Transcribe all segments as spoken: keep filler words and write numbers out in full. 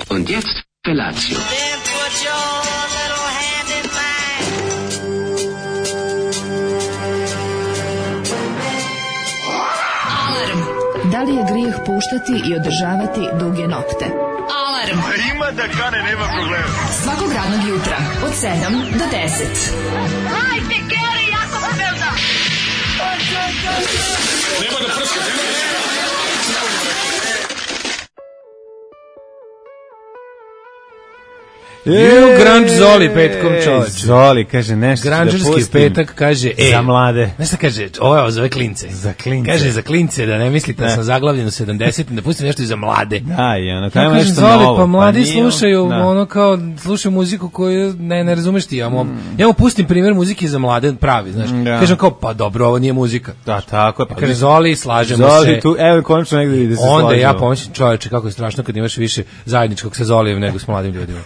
Und jetzt Felatio. Da li je grijeh puštati i održavati duge nokte? Alarm! Ima da kane, nema problema. Svakog radnog jutra, od sedam do deset. Hajde, Geri, jako se velda! Nema da prska, nema da prska. Ju, Grunge Zoli petkom čoveč. Zoli, kaže nešto da pustim. Grungerski petak kaže, e, za mlade. Znaš šta kaže, ovo je za ove klince. Za klince. Kaže, za klince, da ne mislite da sam zaglavljen u sedamdesetim, da pustim nešto i za mlade. Da, i ono, Ja kaj ima kažem, nešto Zoli, novo. pa mladi nije, slušaju, da. ono kao, slušaju muziku koju ne, ne razumeš ti. Ja mu, mm. ja mu pustim primjer muzike za mlade, pravi, znaš. Da. Kažem kao, pa dobro, ovo nije muzika. Da, tako je. Pa, kaže, Zoli, slažemo Zoli, se. tu, evo, konačno negdje vidi da se Onda slažemo. ja pomoćim čoveče, kako je strašno kad imaš više zajedničkog sa Zolijem nego s mladim ljudima.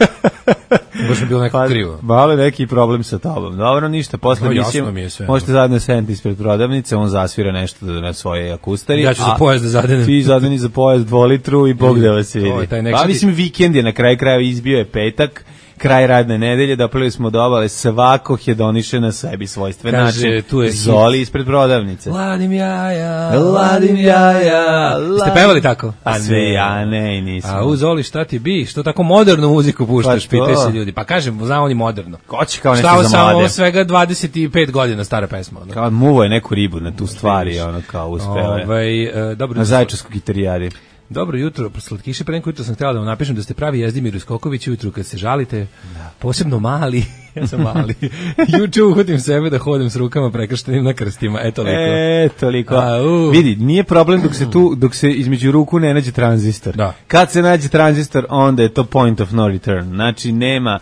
Baš mi bilo neko Pa, krivo. malo je neki problem sa tobom. Dobro, ništa, posle No, mislim, jasno mi je sve. možete zajedno sedeti ispred prodavnice, on zasvira nešto na svoje akustari. Ja ću za a pojas da zadenem. Ti zadeni za pojas dvolitru i Bog da vas vidi. To je taj nek- Pa mislim, vikend je na kraju krajeva, izbio je petak, kraj radne nedelje, doplili smo do obale, svako hedoniše na sebi svojstven Kaže, način. tu je Zoli ispred prodavnice. Ladim jaja, Ladim jaja, Ste pevali tako? A sve ja ne, i nisam. A u Zoli, šta ti bi? Što tako modernu muziku puštaš, Pa to. pitaju se ljudi. Pa kažem, zna oni moderno. Ko će kao Šta nešto ovo za samo, mlade? ovo svega dvadeset pet godina stara pesma. Ono. Kao muvo je neku ribu na tu stvari, ono kao uspeo je. Ovaj, e, dobro, Na Zaječarskoj gitarijadi. dobro jutro, slatkiše, pre neko jutro sam htjela da vam napišem da ste pravi Jezdimir Skoković ujutru kad se žalite, posebno mali, ja sam mali, juče uhodim sebe da hodem s rukama prekrštenim na krstima, eto toliko. E, toliko. A, u. Vidi, nije problem dok se tu, dok se između ruku ne nađe tranzistor. Da. Kad se nađe tranzistor, onda je to point of no return. Znači, nema,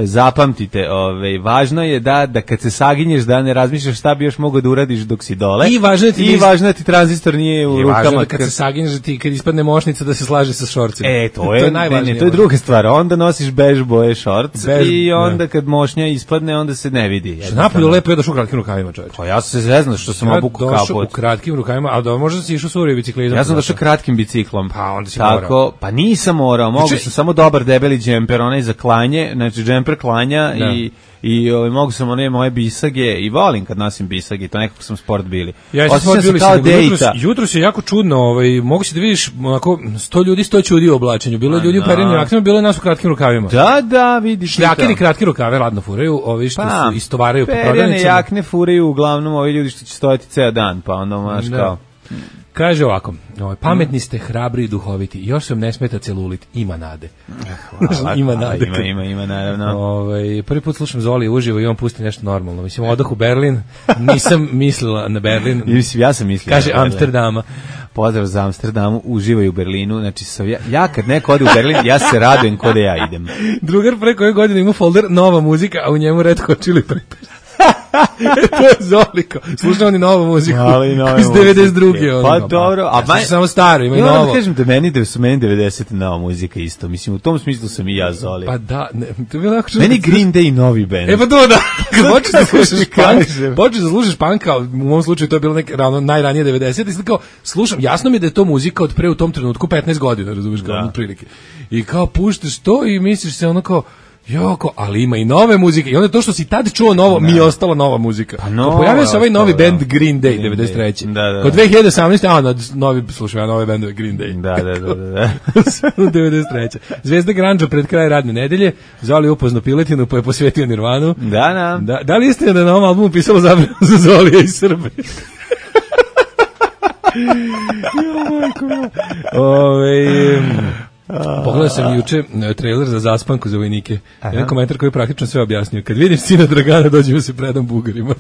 zapamtite, ovaj, važno je da, da kad se saginješ da ne razmišljaš šta bi još mogao da uradiš dok si dole. I važno je ti I da- važno je da ti tranzistor nije u I rukama. važno da kad se saginješ da ti kad ispadne mošnica da se slaže sa šorcima. E, to je, to je ne, najvažnije. ne, to je druga stvar. Onda nosiš bež boje šorc Bež, i onda da. kad mošnja ispadne, onda se ne vidi. Što napolju lepo je došao u kratkim rukavima, čovječe. Pa ja sam se zeznao što sam Ja obukao došao kaput. u kratkim rukavima, a da možda si išao suri biciklizam. Ja sam došao kratkim biciklom. Pa onda si Tako, morao. pa nisam morao, mogu Juče- sam samo dobar debeli džemper, onaj za klanje, znači džemper klanja Da. i i ovaj mogu sam one moje bisage i volim kad nosim bisage, to nekako sam sport bili. Ja sam Osjećam se bili kao nego jutros, dejta. jutros je jako čudno, ovaj mogu se da vidiš onako sto ljudi, sto ćudi u oblačenju. Bilo je ljudi u perenim jaknama, bilo je nas u kratkim rukavima. Da, da, vidiš. Šljakeri kratki rukave ladno furaju, ovi što Pa, su istovaraju po perene prodavnicama. jakne furaju uglavnom ovi ljudi što će stojati ceo dan, pa onda maš Da. kao. Kaže ovako, ovaj, pametni ste, hrabri i duhoviti, još se vam ne smeta celulit, ima nade. Hvala, Ima hvala, nade. Ima, ima, ima, naravno. Ovaj, prvi put slušam Zoli uživo i on pusti nešto normalno. Mislim, odah u Berlin, nisam mislila na Berlin. I mislim, ja sam mislio. Kaže na Berlin. Amsterdama. Pozdrav za Amsterdamu, uživaju u Berlinu. Znači, sa, ja, ja kad neko ode u Berlin, ja se radujem kod ja idem. Drugar pre koje godine ima folder nova muzika, a u njemu Red Hot Chili Peppers. To je Zoliko. Slušao oni novu muziku. Ali nove iz devedeset druge. muzike. Pa dobro, a a maj- samo staro, ima i Ja moram novo. da kažem da meni da su meni devedeset nova muzika isto. Mislim, u tom smislu sam i ja Zoli. Pa da, ne, to je bilo jako čudno. Meni Green Day novi band. E pa to da, kad počeš da Kako slušaš ti punk, kažem? počeš da slušaš punk, kao u mom slučaju to je bilo neke ravno najranije devedesete, i sad kao slušam, jasno mi je da je to muzika od pre u tom trenutku petnaest godina, razumiješ, kao Da. otprilike. I kao puštaš to i misliš se ono kao joko, ali ima i nove muzike. I onda to što si tad čuo novo, mi je ostala nova muzika. Pa Kao nova pojavio se ovaj je novi ostala, band Green Day, Green devedeset treće. Day. Da, da, da. Kod dve hiljade osamnaeste. a na novi, slušaj, ja nove bendove Green Day. Da, da, da, da. da. U devedeset treće. Zvezda Grandža pred kraj radne nedelje, Zoli upozno piletinu pa je posvetio Nirvanu. Da, da. Da, da li istina da je na ovom albumu pisalo zabranu za Zolija i Srbe? Jo, majko moja. Ove, pogledao sam juče e, trailer za Zaspanku za vojnike. Jedan komentar koji je praktično sve objasnio. Kad vidim sina Dragana, dođemo se predam Bugarima.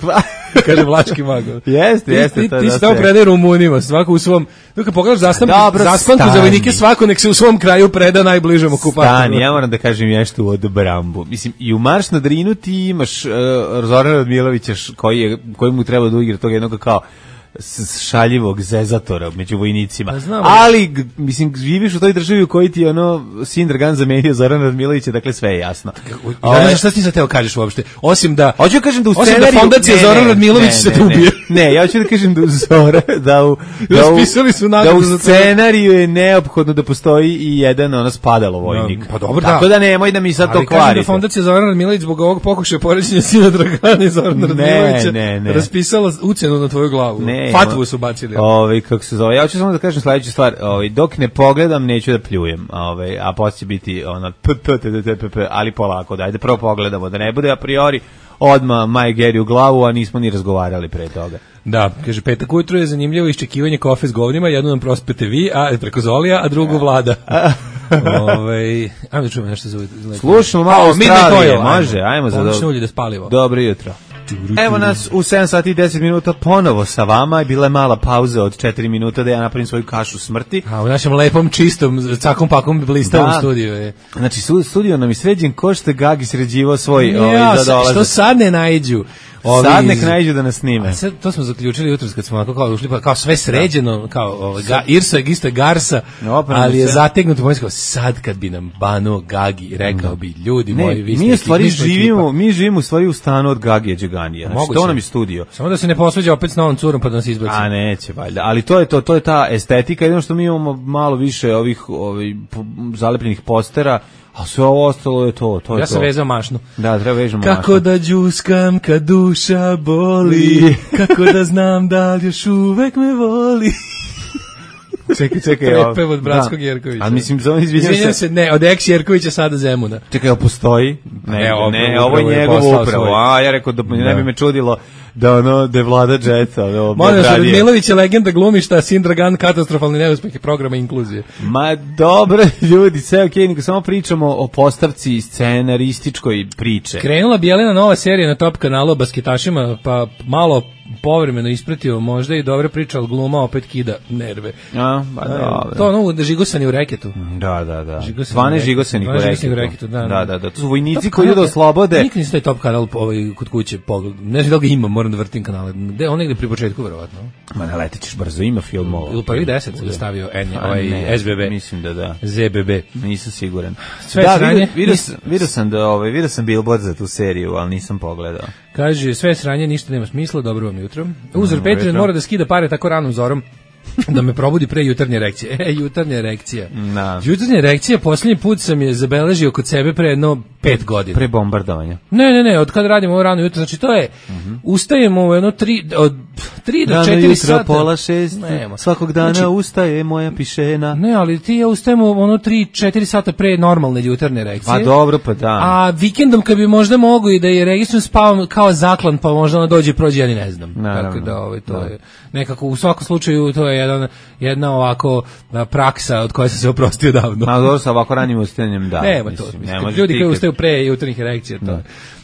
Kaže Vlaški magor. Jeste, Ti- jeste, Ti, to je ti se dosta tamo je. predaj Rumunima, svako u svom... Dok kad pogledaš zaspanku, Dobro, Zaspanku za stani. vojnike, svako nek se u svom kraju preda najbližem okupatoru. Stani, ja moram da kažem nešto od Brambu. Mislim, i u Marš na Drinu ti imaš uh, Zorana Radmilovića š- koji, je, koji mu treba da igra tog jednog kao s- šaljivog zezatora među vojnicima. Pa znam, ali, g- mislim, živiš u toj državi u kojoj ti je ono sin Dragan zamenio Zorana Radmilovića, dakle sve je jasno. Ja ne znam šta ti sad teo kažeš uopšte. Osim da... Hoću da kažem da u Osim da scenariju... fondacija Ne, Zoran ne, Radmilović ne, se ne, te ubije. Ne, Ne, ja ću da kažem da u Zora, da u, da u, Raspisali su da nagradu u za to. scenariju je neophodno da postoji i jedan ono spadalo vojnik. No, pa dobro, Tako da. da nemoj da mi sad Ali to kažem da kvarite. fondacija Zoran Radmilović zbog ovog pokušaja poređenja sina Dragana i Zorana Radmilovića ne, ne. raspisala ucenu na tvoju glavu. Ne, Fatvu su bacili. Ovaj kako se zove? Ja ću samo da kažem sledeću stvar. Ovaj dok ne pogledam neću da pljujem. Ovaj a posle će biti ona p p t t p p, ali polako. Dajde prvo pogledamo da ne bude a priori odma Maj Geri u glavu, a nismo ni razgovarali pre toga. Da, kaže, petak ujutru je zanimljivo iščekivanje kafe s govnima, jednu nam prospete vi, a preko Zolija, a drugu Vlada. Ove, ajmo da čujemo nešto za ovaj. Slušamo malo Australije, može, ajmo za dobro. Ulje da spalivo. Dobro jutro. Evo nas u sedam sati i deset minuta ponovo sa vama i bila je mala pauza od četiri minuta da ja napravim svoju kašu smrti. A u našem lepom, čistom, cakom pakom blistavom Da. studiju je. Znači, su- studio nam je sređen ko što je Gagi sređivao svoj Ja, ovaj, za dolazak. što sad ne naiđu. Ovi Sad iz- nek naiđu da nas snime. A sad, to smo zaključili jutros kad smo onako kao ušli, pa kao sve sređeno, kao ovaj, ga, Irsa je isto Garsa, Oprano ali je sve. zategnuto pomijski, sad kad bi nam Bano Gagi rekao bi, ljudi Ne, moji, vi ste mi u ekip- stvari mi smo živimo, ekipa. mi živimo u stvari u stanu od Gagije Đeganija. Znači, Moguće. to nam je studio. Samo da se ne posveđa opet s novom curom pa da nas izbaci. A neće valjda, ali to je to, to je ta estetika, jedino što mi imamo malo više ovih ovih po- zalepljenih postera, a sve ovo ostalo je to, to je Ja to. sam vezao mašnu. Da, treba vežemo Kako mašnu. da džuskam kad duša boli, kako da znam da li još uvek me voli. Čekaj, čekaj. Prepev ovo- od Bratskog da. Jerkovića. A mislim, zove, izvinjam Izvinjam se. se, ne, od ex Jerkovića sada Zemuna. Čekaj, ovo postoji? Ne, Ne, ovo- ne, ovo upravo je je njegov poslao upravo. svoj. A, ja rekao da ne Da. bi me čudilo da ono, da je Vlada Džeta. ono, Molim vas, odradio. Radmilović je legenda glumišta, sin Dragan, katastrofalni neuspeh programa inkluzije. Ma dobro, ljudi, sve okej, nego samo pričamo o postavci scenarističkoj priče. Krenula Bijelina nova serija na Top kanalu o basketašima, pa malo povremeno ispratio možda i dobra priča, ali gluma opet kida nerve. A, pa dobro. To ono žigosani u reketu. Da, da, da. Žigosani Zvane u reketu. žigosenih u Zvane žigosenih u reketu. reketu, da, da. Da, da, da. To su vojnici Top koji idu da kanal- oslobode. Nikad nisam taj Top kanal ovaj, kod kuće pogled. Ne znam da li ga ima, moram da vrtim kanale. Gde, on negde pri početku, verovatno. Ma ne letit ćeš brzo, ima filmova. Ili prvih deset se stavio N, A, ovaj ne, S B B. Mislim da da. Z B B. Nisam siguran. Sve da, sranje. vidio, vidio, sam, vidio sam da ovaj, vidio sam billboard za tu seriju, ali nisam pogledao. Kaže, sve sranje, ništa nema smisla, dobro vam jutro. Uzor Dobro Patreon jutro. mora da skida pare tako ranom zorom da me probudi pre jutarnje erekcije. E, jutarnja erekcija. Da. Jutarnja erekcija, posljednji put sam je zabeležio kod sebe pre jedno pet godina. Pre bombardovanja. Ne, ne, ne, od kad radimo ovo rano jutro, znači to je, ustajemo u jedno tri, od tri do Rano četiri jutro, sata. pola šest, Nema. svakog dana Znači, ustaje moja pišena. ne, ali ti ja ustajemo ono tri četiri sata pre normalne jutarnje erekcije. Pa dobro, pa da. A vikendom kad bi možda mogu i da je registrujem spavam kao zaklan, pa možda ona dođe i prođe, ja ni ne znam. Naravno. Tako da ovaj, to je nekako u svakom slučaju to je jedan, jedna ovako a, praksa od koje sam se oprostio davno. Ma dobro, sa ovako ranim ustajanjem, da. Nema to. mislim, Mislim, ne možeš ljudi ti koji kad- ustaju pre jutarnjih erekcija, to je.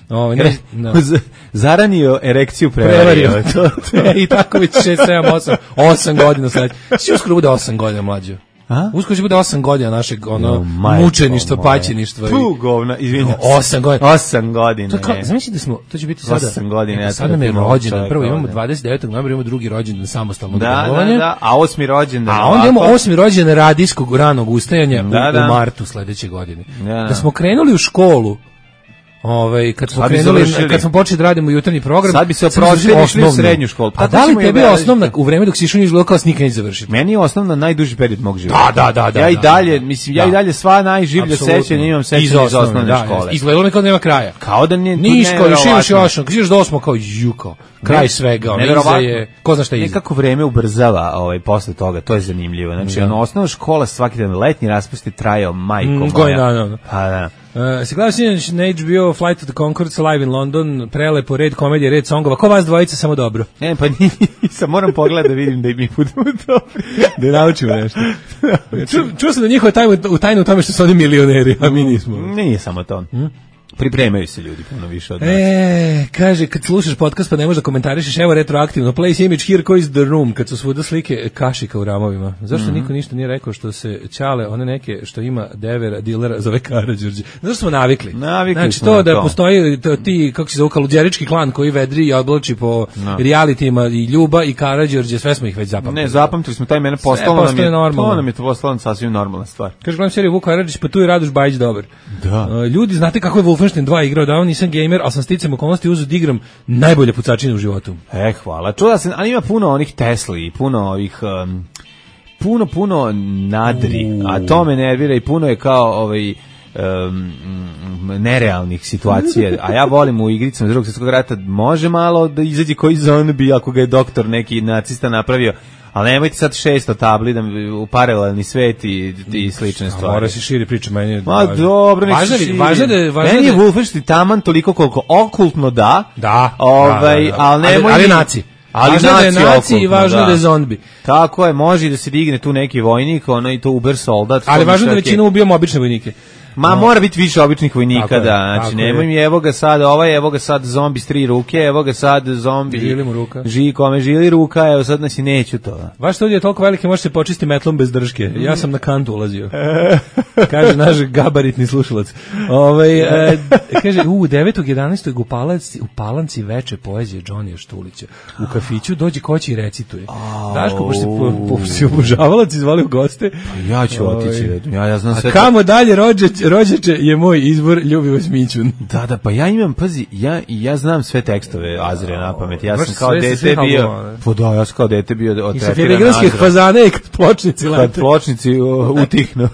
Ovaj, ne, Re- no. Z- Zaranio erekciju Prevario. prevario. to, to, I tako već šest, sedam, osam, osam godina sad. Si uskoro bude osam godina mlađo. A? Uskoro će bude osam godina našeg ono, Jo, majko mučeništva, moja. paćeništva. i- Tu govna, izvinjam se. Osam godina. Osam godina. To je kao, ne. zamisli da smo, to će biti sada. Osam godina, ja sad nam je trpim ovog rođendan. čoveka Prvo imamo ovde. dvadeset devetog novembra, imamo drugi rođendan samostalnog Da, da, delovanja. da, a osmi rođendan. A onda imamo ovako. osmi rođendan radijskog ranog ustajanja Da, u, da. u martu sledeće godine. Da, da. Da smo krenuli u školu, ovaj kad smo Sad bi krenuli, završili. kad smo počeli da radimo jutarnji program, Sad bi se samo oprostili završili i išli u osnovnu. srednju školu. Pa A to da li ćemo i tebi je obeležiti. osnovna u vreme dok si išao niz kao nikad neće završiti? Meni je osnovno najduži period mog života. Da, da, da, da, Ja i da, dalje, da. mislim, ja Da. i dalje sva najživlja Apsolutno. sećanja imam sećanja iz osnovne, osnovne da, škole. Izgledalo mi kao da nema kraja. Kao da nije... Niško, još imaš neverovatno. još, još do osmo kao juko. Kraj Ne, svega, ono, iza neverovatno. je, ko zna šta je iza. Nekako vreme ubrzava ovaj, posle toga, to je zanimljivo. Znači, ono, osnovna škola svaki dan, letnji raspust je trajao, majko Mm, moja. godinu dana. Pa da. Uh, se gleda sinoć na H B O Flight to the Conchords live in London, prelepo, red komedije, red songova. Ko vas dvojica, samo dobro. Ne, pa nisam, moram pogledati da vidim da i mi budemo dobri. Da naučimo nešto. Čuo ču sam da njihova tajna u tajnu u tome što su oni milioneri, a mi nismo. Nije samo to. Pripremaju se ljudi puno više od nas. E, kaže, kad slušaš podcast pa ne možeš da komentarišeš, evo retroaktivno, place image here, ko is the room, kad su svuda slike kašika u ramovima. Zašto Mhm. niko ništa nije rekao što se Ćale, one neke što ima devera, dilera, zove Karađorđe? Zašto smo navikli? Navikli znači, smo to na da to. postoji to, ti, kako se zove, kaluđerički klan koji vedri i oblači po No. realitima i Ljuba i Karađorđe, sve smo ih već zapamtili. Ne, zapamtili smo taj mene, postalo nam postaje je, normalno. to nam je to postalo sasvim normalna stvar. Kaže, gledam seriju Vuk Karadžić, pa tu je Radoš Bajić dobar. Da. Uh, ljudi, znate kako je Wolf Wolfenstein dva igrao, da nisam gamer, ali sam sticam okolnosti uzeo da igram najbolje pucačine u životu. E, hvala. Čula sam, ali ima puno onih Tesli i puno ovih... Um, puno, puno nadri, a to me nervira i puno je kao ovaj... Um, nerealnih situacija, a ja volim u igricama drugog svjetskog rata, može malo da izađe koji zombi ako ga je doktor neki nacista napravio, ali nemojte sad šesto tabli da u paralelni svet i, i slične stvari. Mora se širi priča, meni je... Ma dobro, nek se širi. Važno da je... Meni je Wolfenstein taman toliko koliko okultno da, da, ovaj, da, da, da. ali nemoj... Ali, ali naci. Ali važno da je naci i važno da je zombi. Tako je, može da se digne tu neki vojnik, ono i to uber soldat. Ali važno da većina ubijamo obične vojnike. Ma no. Mora biti više običnih vojnika, je, da, znači nemoj mi, evo ga sad ovaj, evo ga sad zombi s tri ruke, evo ga sad zombi... Žili mu ruka. Ži, kome žili ruka, evo sad nas i neću to. Vaš studij je toliko veliki, može se počistiti metlom bez drške. Ja sam na kantu ulazio. Kaže naš gabaritni slušalac. Ovaj e, kaže, u devetog jedanaestog u Palanci, u Palanci veče poezije Johnnyja Štulića. U kafiću dođe koći i recituje. Daško, pošto po, po, si obožavalac izvali u goste. Pa ja ću otići, ja, ja znam sve... A kamo dalje rođeć, rođeče je moj izbor Ljubivoje Smićun. Da, da, pa ja imam, pazi, ja, ja znam sve tekstove Azre na pamet. Ja sam kao dete bio... Pa da, ja sam kao dete bio otretiran Azre. I sa filigranskih fazane i kad pločnici lete. Kad pločnici utihnu.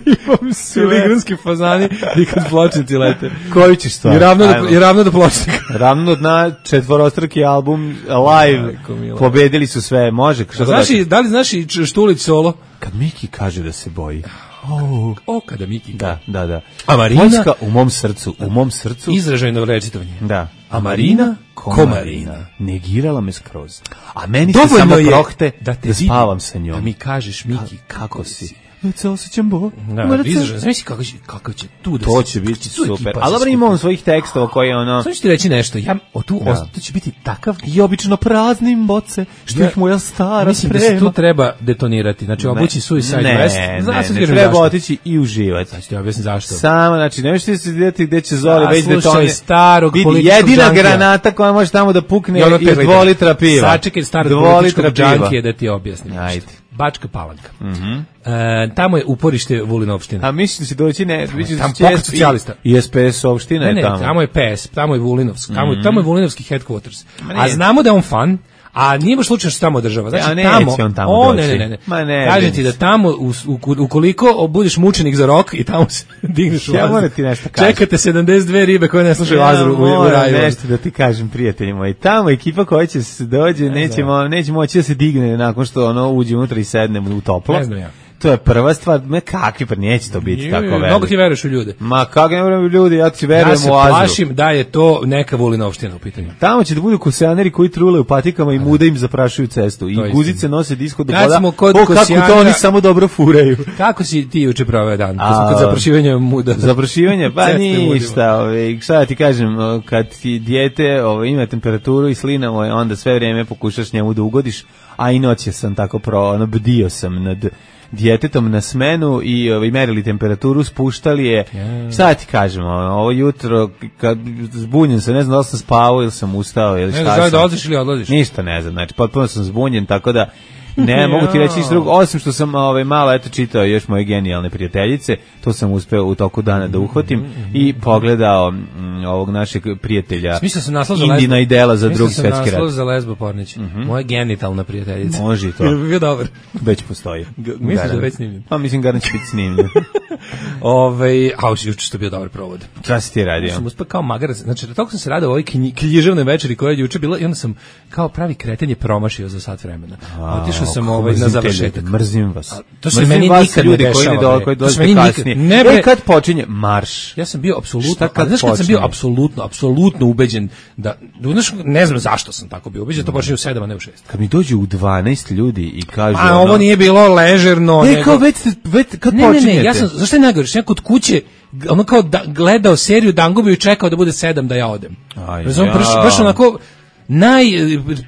Imam filigranski fazani i kad pločnici lete. Koju ćeš stvar? I ravno do, i ravno do pločnika. Ravno na četvorostruki album live. Pobedili su sve, može. Znaš i, da li znaš i Štulić solo? Kad Miki kaže da se boji. Oh, o, kada Miki. Da, da, da. A Marina Poljska u mom srcu, u mom srcu. Izražajno recitovanje. Da. A Marina Komarina negirala me skroz. A meni se samo prohte da, te da spavam sa njom. Da mi kažeš, Miki, Ka, kako si? Već se osjećam bo. Da, izražaj, znaš kako će, kako će tu da to će biti super. Ali dobro ima on svojih tekstova koji ono... Samo ću ti reći nešto, ja, o tu, da. To će biti takav... I obično praznim boce, što ja, ih moja stara mislim sprema. Mislim da se tu treba detonirati, znači obući Suicide ne, West. Ne, ne, ne, ne treba otići i uživati. Znači ti objasnim zašto. Samo, znači, ne možete se vidjeti gdje će Zoli već detonirati. starog političkog jedina džankija. Granata koja može tamo da pukne i dva litra piva. Sačekaj starog političkog džankije da ti objasnim. Ajde. Bačka Palanka. Mhm. E, tamo je uporište Vulinovštine. A misliš da će doći ne, misliš da će socijalista i S P S opština je tamo. Ne, tamo je P S, tamo je Vulinovski, tamo, mm-hmm. tamo je Vulinovski headquarters. A znamo da je on fan, a nije baš slučajno što tamo država. Znači ja, ne, tamo, on tamo o, doći. ne, ne, ne. Ma ne. Kažem ti da tamo u, u, ukoliko budeš mučenik za rok i tamo se digneš u ja Azru. Ti nešto kažem. Čekate sedamdeset dve ribe koje ne slušaju ja, Azru u, u raju. Nešto da ti kažem, prijatelji moji. Tamo ekipa koja će se dođe, ne nećemo, neće moći da se digne nakon što ono uđe unutra i sedne u toplo. Ne znam ja. To je prva stvar, me kakvi, pa neće to biti Ju, tako veliko. Mnogo ti veruješ u ljude. Ma kako ne verujem u ljude, ja ti verujem ja se u Azru. plašim da je to neka Vulinovština u pitanju. Tamo će da budu kosejaneri koji trule u patikama i muda im zaprašuju cestu. I guzice nose disko do voda. O, kako to oni samo dobro furaju. Kako si ti juče proveo dan? Kod zaprašivanja muda. Zaprašivanje? Pa ništa. Ove, šta ti kažem, kad ti dijete ove, ima temperaturu i slina, ove, onda sve vrijeme pokušaš njemu da ugodiš, a i noće sam tako pro, ono, bdio sam nad djetetom na smenu i ovaj merili temperaturu, spuštali je. Yeah. Šta ti kažemo, ovo jutro kad zbunjen sam, ne znam da li sam spavao ili sam ustao ili šta. Ne znam da odlaziš ili odlaziš. Ništa ne znam, znači potpuno sam zbunjen, tako da ne mogu ti reći ništa drugo, osim što sam ovaj, malo eto čitao još moje genijalne prijateljice, to sam uspeo u toku dana da uhvatim mm-hmm. i pogledao m, ovog našeg prijatelja Indina i Dela za drugi svetski rat. Mislio sam naslov za Lesbo Pornić, mm-hmm. moja genitalna prijateljica. Može i to. Bio dobar. Već postoji. Misliš da već snimljen? Pa mislim garant će biti snimljen. Ove, a juče što bio dobar provod. Šta si ti radio? Sam uspeo kao magarac, znači da toliko sam se radio u ovoj književnoj večeri koja je juče bila i onda sam kao pravi kreten je promašio za sat vremena. Otišao sam ovaj na završetak. Mrzim vas. A, to se meni nikad ne dešava. Koji dođe kasnije. Ne bre, kad počinje marš. Ja sam bio apsolutno, kad, znaš kad sam bio apsolutno, apsolutno ubeđen da, znaš, ne znam zašto sam tako bio ubeđen, to počinje u sedam, a ne u šest. Kad mi dođe u dvanaest ljudi i kažu a ono, ovo nije bilo ležerno. Ne, kao već, već kad ne, počinjete. Ne, ne, ja sam, zašto je najgoriš, ja kod kuće ono kao da, gledao seriju Dangubi i čekao da bude sedam da ja odem. Aj, Razum, ja. baš, baš onako naj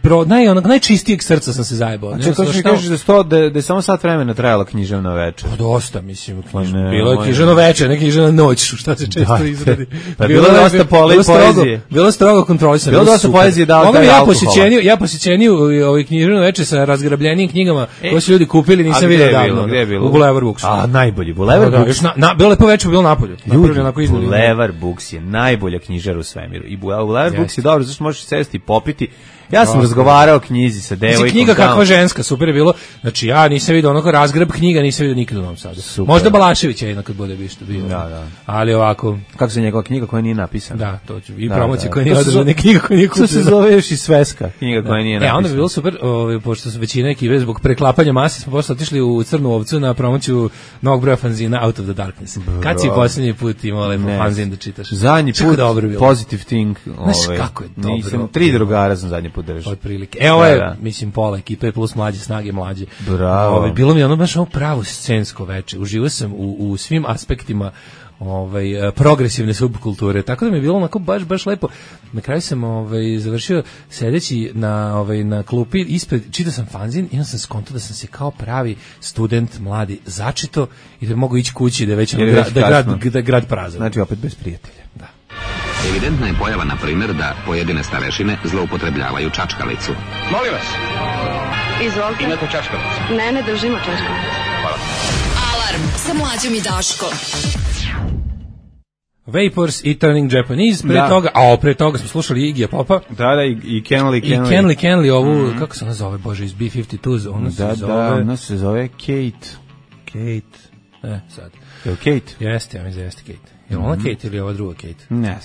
pro, naj onog najčistijeg srca sam se zajebao. Čekaj, hoćeš mi kažeš da sto da da je samo sat vremena trajala književna večer. Pa dosta, mislim, književno. Bilo je književno večer, ne književna noć, šta se često da, izradi. Pa bilo je dosta poezije. Bilo strogo kontrolisano. Bilo dosta poezije, da, da. Ja posjećeniju, ja posjećeniju ovaj književno večer sa razgrabljenim knjigama e, koje su ljudi kupili, nisam video davno. Gde je bilo? U Boulevard Books. A najbolji Boulevard da, Books. Da, na, na bilo lepo večer, bilo napolju. Ljudi, Boulevard Books je najbolja knjižara u svemiru. I Boulevard Books je dobro, zašto možeš sesti i popiti. Ja sam razgovarao o knjizi sa devojkom. Knjiga kakva ženska, super je bilo. Znači ja nisam vidio onako razgrab knjiga, nisam vidio nikad u Novom Sadu. Super. Možda Balašević je jednako bude bi što bio. Da, da. Ali ovako, kako se njegova knjiga koja nije napisana. Da, to ću. I da, promocija da, koja nije održana, knjiga koja nije kupljena. To se zove još i sveska, knjiga da. koja nije napisana. E, onda bi bilo super, ovaj pošto su većina ekipe zbog preklapanja mase smo posle otišli u Crnu ovcu na promociju novog broja fanzina Out of the Darkness. Bro. Kad si poslednji put imao lepo fanzin da čitaš? Zadnji put Positive Thing, ovaj. Znaš kako je dobro. Nisam, tri drugara sam zadnji put držao. Otprilike. E, ovo je, da, da. mislim, pola ekipe plus mlađe snage mlađe. Bravo. Ove, bilo mi je ono baš ovo pravo scensko veče. Uživao sam u, u svim aspektima ovaj, progresivne subkulture. Tako da mi je bilo onako baš, baš lepo. Na kraju sam ovaj, završio sedeći na, ovaj, na klupi ispred, čitao sam fanzin i onda sam skontao da sam se kao pravi student mladi začito i da mogu ići kući da već, gra, da, grad, da grad prazan. Znači opet bez prijatelja. Da. Evidentna je pojava, na primjer, da pojedine starešine zloupotrebljavaju čačkalicu. Molim vas. Izvolite. Imate čačkalicu? Ne, ne držimo čačkalicu. Hvala. Alarm sa Mlađom i Daškom. Vapors i Turning Japanese, pre da. toga, a pre toga smo slušali Iggyja Popa. Da, da, i, i Kenley, Kenley. I Kenley, Kenley, ovu, mm-hmm. kako se ona zove, bože, iz B fifty-two, ona se da, zove... Da, ona se zove Kate. Kate, e, sad. Je li Kate? Jeste, ja mislim da jeste Kate. Je li ona mm-hmm. Kate ili ova druga Kate? Ne,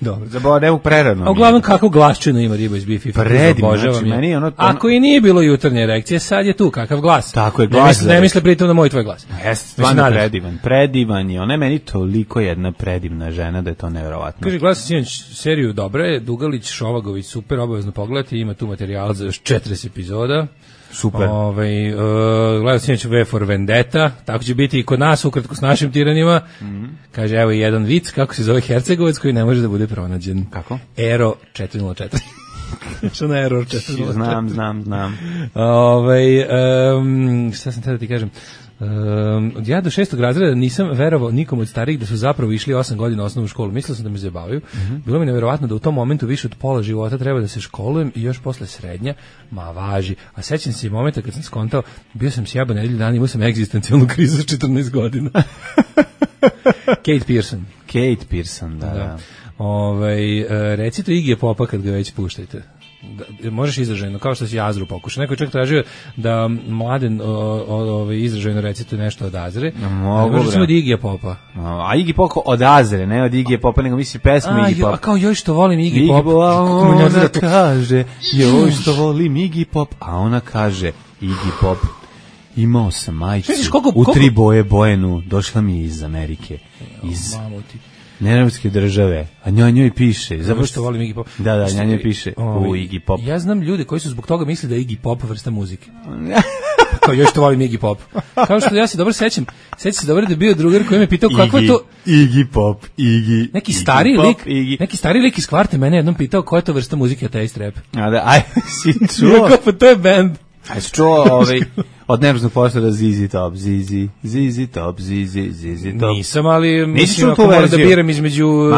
dobro. Zabao, ne u prerano. A uglavnom kakvu glasčinu ima riba iz B fifty-two. Predivno, znači meni ono... Ako i nije bilo jutarnje erekcije, sad je tu kakav glas. Tako je, glas. Ne misle, ne misle pritom na moj tvoj glas. Jeste, stvarno predivan. Predivan je. Ona je meni toliko jedna predivna žena da je to nevjerovatno. Kaže, gledam sinoć seriju Dobre, Dugalić, Šovagović, super, obavezno pogledati, ima tu materijal za još četrdeset epizoda. Super. Ovaj uh, gledao sinoć V for Vendetta, tako će biti i kod nas ukratko s našim tiranima. Mm-hmm. Kaže, evo jedan vic, kako se zove Hercegovac koji ne može da bude pronađen. Kako? Ero četiri nula četiri. Što na Error četiri nula četiri. Znam, znam, znam. Ovaj um, šta sam tada ti kažem? Um, ja do šestog razreda nisam verovao nikom od starijih da su zapravo išli osam godina osnovnu školu. Mislio sam da me zabavaju. Mm-hmm. Bilo mi neverovatno da u tom momentu više od pola života treba da se školujem i još posle srednja. Ma važi. A sećam se i momenta kad sam skontao, bio sam sjaba nedelju dana, imao sam egzistencijalnu krizu sa četrnaest godina. Kate Pearson. Kate Pearson, da. da. Ovaj uh, reci to Iggyja Popa kad ga već puštajte. Da, možeš izražajno, kao što si Azru pokušao. Neko je čak tražio da Mladen ovaj izražajno recituje nešto od Azre. Mogu, možeš od Iggyja Popa. A Iggy Popa od Azre, ne od Iggyja Popa, nego misli pesmu Iggy Pop. A kao joj što volim Iggy Pop. Ona kaže, joj što volim Iggy Pop, a ona kaže, Iggy Pop, imao sam majicu u tri boje bojenu, došla mi je iz Amerike, iz Nerevske države, a njoj njoj piše. Zato što volim Iggy Pop. Da, da, njoj njoj piše ovaj, u Iggy Pop. Ja znam ljude koji su zbog toga misle da je Iggy Pop vrsta muzike. Kao još što volim Iggy Pop. Kao što ja se dobro sećam, sećam se dobro da je bio drugar koji me pitao kakva je to Iggy Pop, Iggy. Neki stari Iggy lik, Pop, Iggy. Neki stari lik iz Kvarte mene jednom pitao koja je to vrsta muzike, ateist rap. A da, aj, si čuo. Kako to je band. Aj, si čuo ovaj od nervoznog poštora Zizi Top, Zizi, Zizi Top, Zizi, Zizi Top. Nisam, ali mislim ako moram da biram između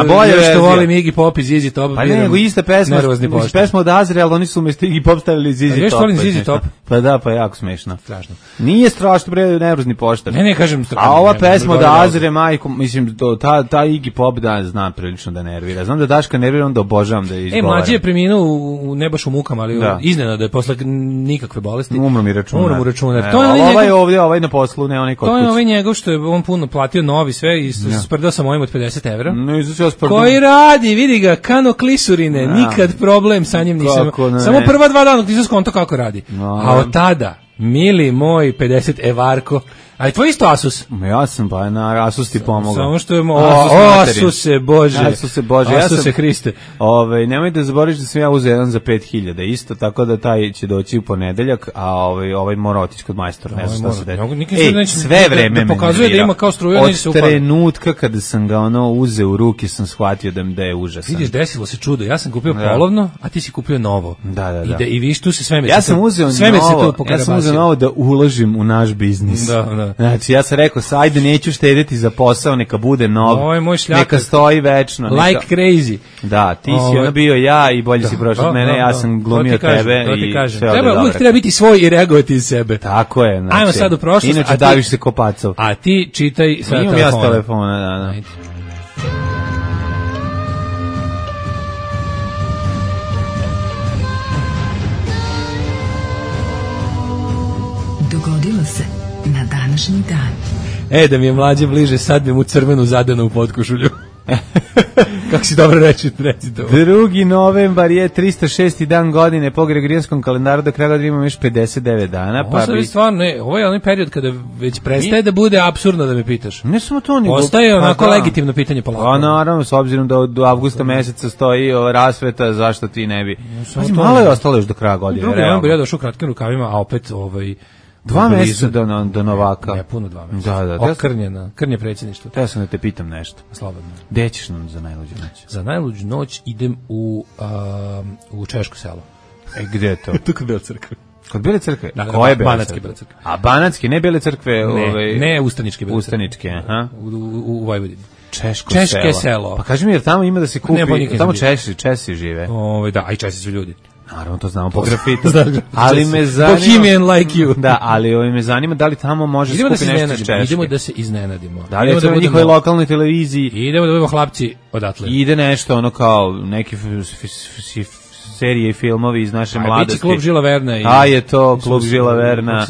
što volim Iggy Pop i Zizi Top. Pa ne, nego ista pesma, pesma od Azre, ali oni su umjesto Iggy Pop stavili Zizi Top. A još volim Zizi Top? Pa da, pa jako smešno. Strašno. Nije strašno, bre, nervozni poštar. Ne, ne, kažem strašno. A ova pesma od Azre, majko, mislim, ta, ta Iggy Pop da znam prilično da nervira. Znam da Daška nervira, onda obožavam da je izgovaram. E, mlađi je preminuo u, ne baš u mukama, ali iznenada je posle nikakve bolesti. Umro mi računar. Umro mu računar. To je ovaj ovdje, ovaj na poslu, ne onaj kod kuće. To je ovaj njegov što je on puno platio novi sve i ja. sprdao sam ovim od pedeset evra. No, izuzio sprdao. Koji radi, vidi ga, kano klisurine, ja. nikad problem sa njim nisam. Samo prva dva dana nisam skonto kako radi. No, a od tada, mili moj pedeset evarko, A i tvoj isto Asus? Ja sam pa na Asus ti pomogao. Samo što je mo... O, Asuse Bože. Asuse Bože. Ja Asuse sam, Hriste. Ovaj nemoj da zaboraviš da sam ja uzeo jedan za pet hiljada isto, tako da taj će doći u ponedeljak, a ovaj ovaj mora otići kod majstora, ne znam šta se desi. Ej, sve vreme me pokazuje da ima kao struja, neće se upali. Od trenutka kada sam ga ono uzeo u ruke sam shvatio da mi da je užasan. Vidiš, desilo se čudo. Ja sam kupio da. polovno, a ti si kupio novo. Da, da, da. I, da, i viš tu se sve me ja sam uzeo sve novo. Ja sam uzeo novo da uložim u naš biznis. Da, da. Znači ja sam rekao, ajde neću štedeti za posao, neka bude nov. Ovo je moj šljaka. Neka stoji večno. Like neka... crazy. Da, ti Ovo... si ono bio ja i bolje da, si prošao od mene, da, ja sam glumio kažem, tebe i sve treba, uvijek treba biti svoj i reagovati iz sebe. Tako je. Znači, ajmo sad u prošlost. Inače daviš se kopacov. A ti čitaj sa telefona. Imam ja s telefona, da, da. Ajde. Dogodilo se na današnji dan. E, da mi je mlađe bliže, sad bi mu crvenu zadanu u potkošulju. Kako si dobro reći, reci to. drugi novembar je tristo šesti dan godine po Gregorijanskom kalendaru, do kraja godine imamo još pedeset devet dana. Ovo pa bi... stvarno, ne, ovo je onaj period kada već prestaje Mi... da bude apsurdno da me pitaš. Ne samo to, nego... Ostaje onako pa, legitimno pitanje polako. Pa naravno, s obzirom da do avgusta meseca stoji o, rasveta, zašto ti ne bi... Pazi, malo je ostalo još do kraja godine. Drugi novembar ja došao kratkim rukavima, a opet ovaj... Dva mjeseca do, do Novaka. Ne, puno dva mjeseca. Da, da. Okrnjena, krnje predsjedništvo. Te sam da te pitam nešto. Slobodno. Gde ćeš nam za najluđu noć? Za najluđu noć idem u, um, u Češko selo. E, gde je to? Tu kod Bele crkve. Kod Bele crkve? Da, da, koje Bele Banatske crkve? Bele crkve. A Banatske, ne Bele crkve? Ne, ovaj, ne Ustaničke Bele crkve. Ustaničke, aha. U, u, u Vojvodini. Češko Češke selo. selo. Pa kaži mi, jer tamo ima da se kupi, ne, tamo Česi, Česi žive. Ove, da, a i Česi su ljudi. Naravno, to znamo po grafitu. Ali me zanima... Bohemian like you. Da, ali ovo me zanima da li tamo može idemo skupi da nešto iz Češke. Idemo da se iznenadimo. Da li je to na njihovoj lokalnoj televiziji? Idemo da budemo hlapci odatle. Ide nešto ono kao neki serije i filmovi iz naše Aj, mladosti. Biće klub Žila Verna. I, a je to klub Žila Verna.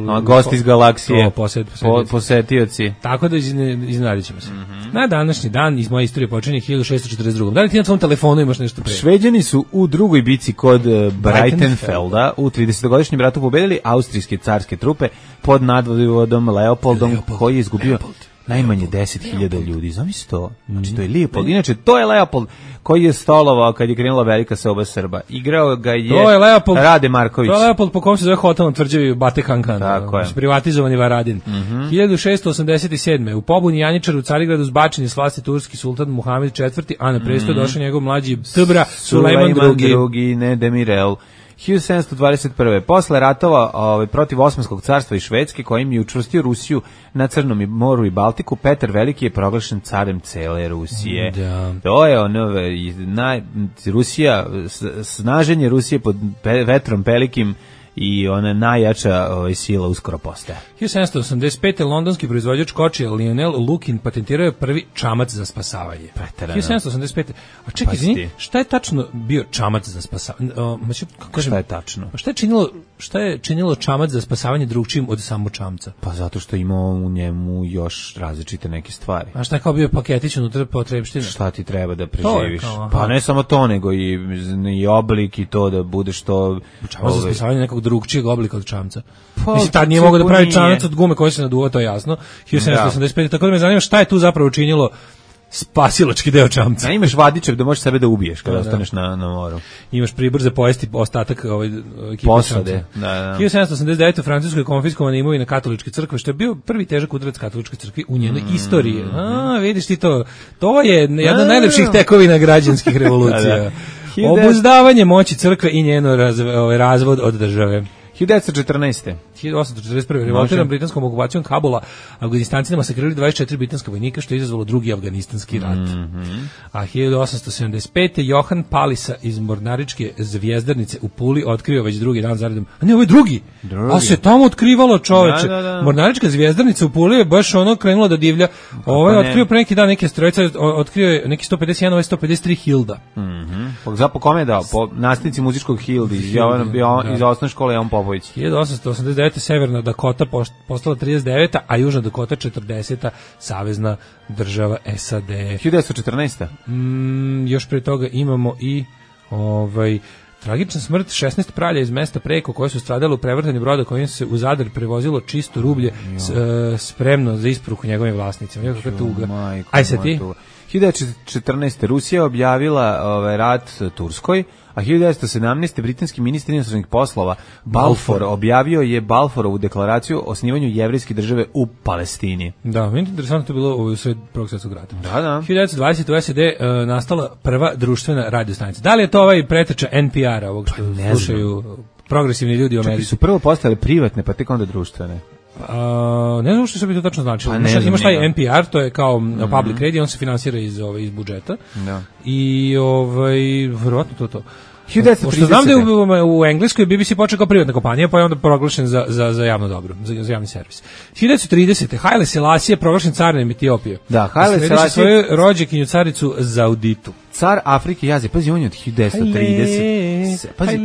A, gost iz galaksije. To, posjet, po, posetioci. Tako da iznenadit ćemo se. Mm -hmm. Na današnji dan iz moje istorije počinje hiljadu šessto četrdeset druga. Da li ti na tvom telefonu imaš nešto pre? Šveđani su u drugoj bici kod uh, Breitenfelda u tridesetogodišnjem ratu pobedili austrijske carske trupe pod nadvodom Leopoldom, Leopold. koji je izgubio Leopold. najmanje deset hiljada ljudi. Zamisli to. Znači, to je Leopold. Inače, to je Leopold koji je stolovao kad je krenula velika seoba Srba. Igrao ga je, to je Leopold, Rade Marković. To je Leopold po kom se zove hotel na Tvrđavi Bate Kankan. Tako je. Privatizovani Varadin. Mm -hmm. hiljadu šessto osamdeset sedme. U pobuni Janjičara u Carigradu zbačen je s vlasti turski sultan Muhamed četvrti, a na presto mm -hmm. došao njegov mlađi Tbra Sulejman drugi. drugi. Ne Demirel. hiljadu sedamsto dvadeset prve. Posle ratova ovaj, protiv Osmanskog carstva i Švedske, kojim je učvrstio Rusiju na Crnom moru i Baltiku, Petar Veliki je proglašen carem cele Rusije. Da. To je ono, naj, Rusija, snaženje Rusije pod pe, vetrom velikim i ona najjača ovaj, sila uskoro postaje. hiljadu sedamsto osamdeset pete. londonski proizvođač kočija Lionel Lukin patentirao je prvi čamac za spasavanje. Preterano. hiljadu sedamsto osamdeset pete. A čekaj, izvini, šta je tačno bio čamac za spasavanje? O, znači, kako kažem, šta je tačno? Šta je činilo, šta je činilo čamac za spasavanje drugčijim od samo čamca? Pa zato što ima u njemu još različite neke stvari. A šta je kao bio paketić unutra potrebština? Šta ti treba da preživiš? Kao, pa ne samo to, nego i, i oblik i to da bude što... Čamac za spasavanje nekog drugčijeg oblika od čamca. Pa, mislim, tad nije mogao da pravi čamac od gume koji se naduva, to je jasno. hiljadu sedamsto osamdeset pete. Tako da me zanima šta je tu zapravo učinilo spasilački deo čamca. A imaš vadičev da možeš sebe da ubiješ kada da, ostaneš na, na moru. Imaš pribor za pojesti ostatak ovaj, ekipe posade. Da, da. hiljadu sedamsto osamdeset devete. u Francuskoj je konfiskovana imovina katoličke crkve, što je bio prvi težak udarac katoličke crkve u njenoj mm, istoriji. A, vidiš ti to. To je jedna od najlepših tekovina građanskih revolucija. da, da. Obuzdavanje moći crkve i njeno raz, ovaj, razvod od države. hiljadu devetsto četrnaeste. hiljadu osamsto četrdeset prve. Revoltiran britanskom okupacijom Kabula, Afganistancima sakrili dvadeset četiri britanska vojnika, što je izazvalo drugi afganistanski rat. Mm -hmm. A hiljadu osamsto sedamdeset pete. Johan Palisa iz Mornaričke zvjezdarnice u Puli otkrio već drugi dan zaredom. A ne, ovo je drugi. drugi. A se tamo otkrivalo, čoveče. Da, da, da. Mornarička zvjezdarnica u Puli je baš ono krenula da divlja. Ovo je otkrio pre neki dan neke strojce, otkrio je neki sto pedeset jedan, ovaj sto pedeset tri Hilda. Mhm. Po po kome je dao? Po nastavnici muzičkog Hildi iz Jovana da. iz osnovne škole Jovan Popović. hiljadu osamsto osamdeset devete. Severna Dakota postala trideset deveta. a Južna Dakota četrdeseta. savezna država S A D. hiljadu devetsto četrnaeste. Mm, još pre toga imamo i ovaj Tragična smrt šesnaest pralja iz mesta Preko koje su stradale u prevrtanju broda kojim se u Zadar prevozilo čisto rublje s, uh, spremno za isporuku njegovim vlasnicima. Nekakva tuga. Aj se ti. hiljadu devetsto četrnaeste. Rusija objavila ovaj, rat Turskoj, a hiljadu devetsto sedamnaeste. britanski ministar inostranih poslova Balfour objavio je Balfourovu deklaraciju o osnivanju jevrejske države u Palestini. Da, meni je interesantno to bilo u sred Prvog svjetskog rata. Da, da. hiljadu devetsto dvadesete. u S A D uh, nastala prva društvena radio stanica. Da li je to ovaj preteča N P R-a, ovog što ne slušaju znam. Progresivni ljudi u Americi? Čekaj, su prvo postale privatne, pa tek onda društvene. Uh, ne znam što bi to tačno značilo. Pa imaš, imaš taj njega. N P R, to je kao mm-hmm. public radio, on se finansira iz, ovaj, iz budžeta. Da. I ovaj, verovatno to to. hiljadu devetsto tridesete. Pošto znam da je u, u Engleskoj B B C počeo kao privatna kompanija, pa je onda proglašen za, za, za javno dobro, za, za javni servis. hiljadu devetsto tridesete. Haile Selassie je proglašen carem Etiopije. Da, Haile Selassie svoju rođakinju caricu Zauditu. Car Afrike Jazije, pazi, on je od hiljadu devetsto tridesete. Pazi,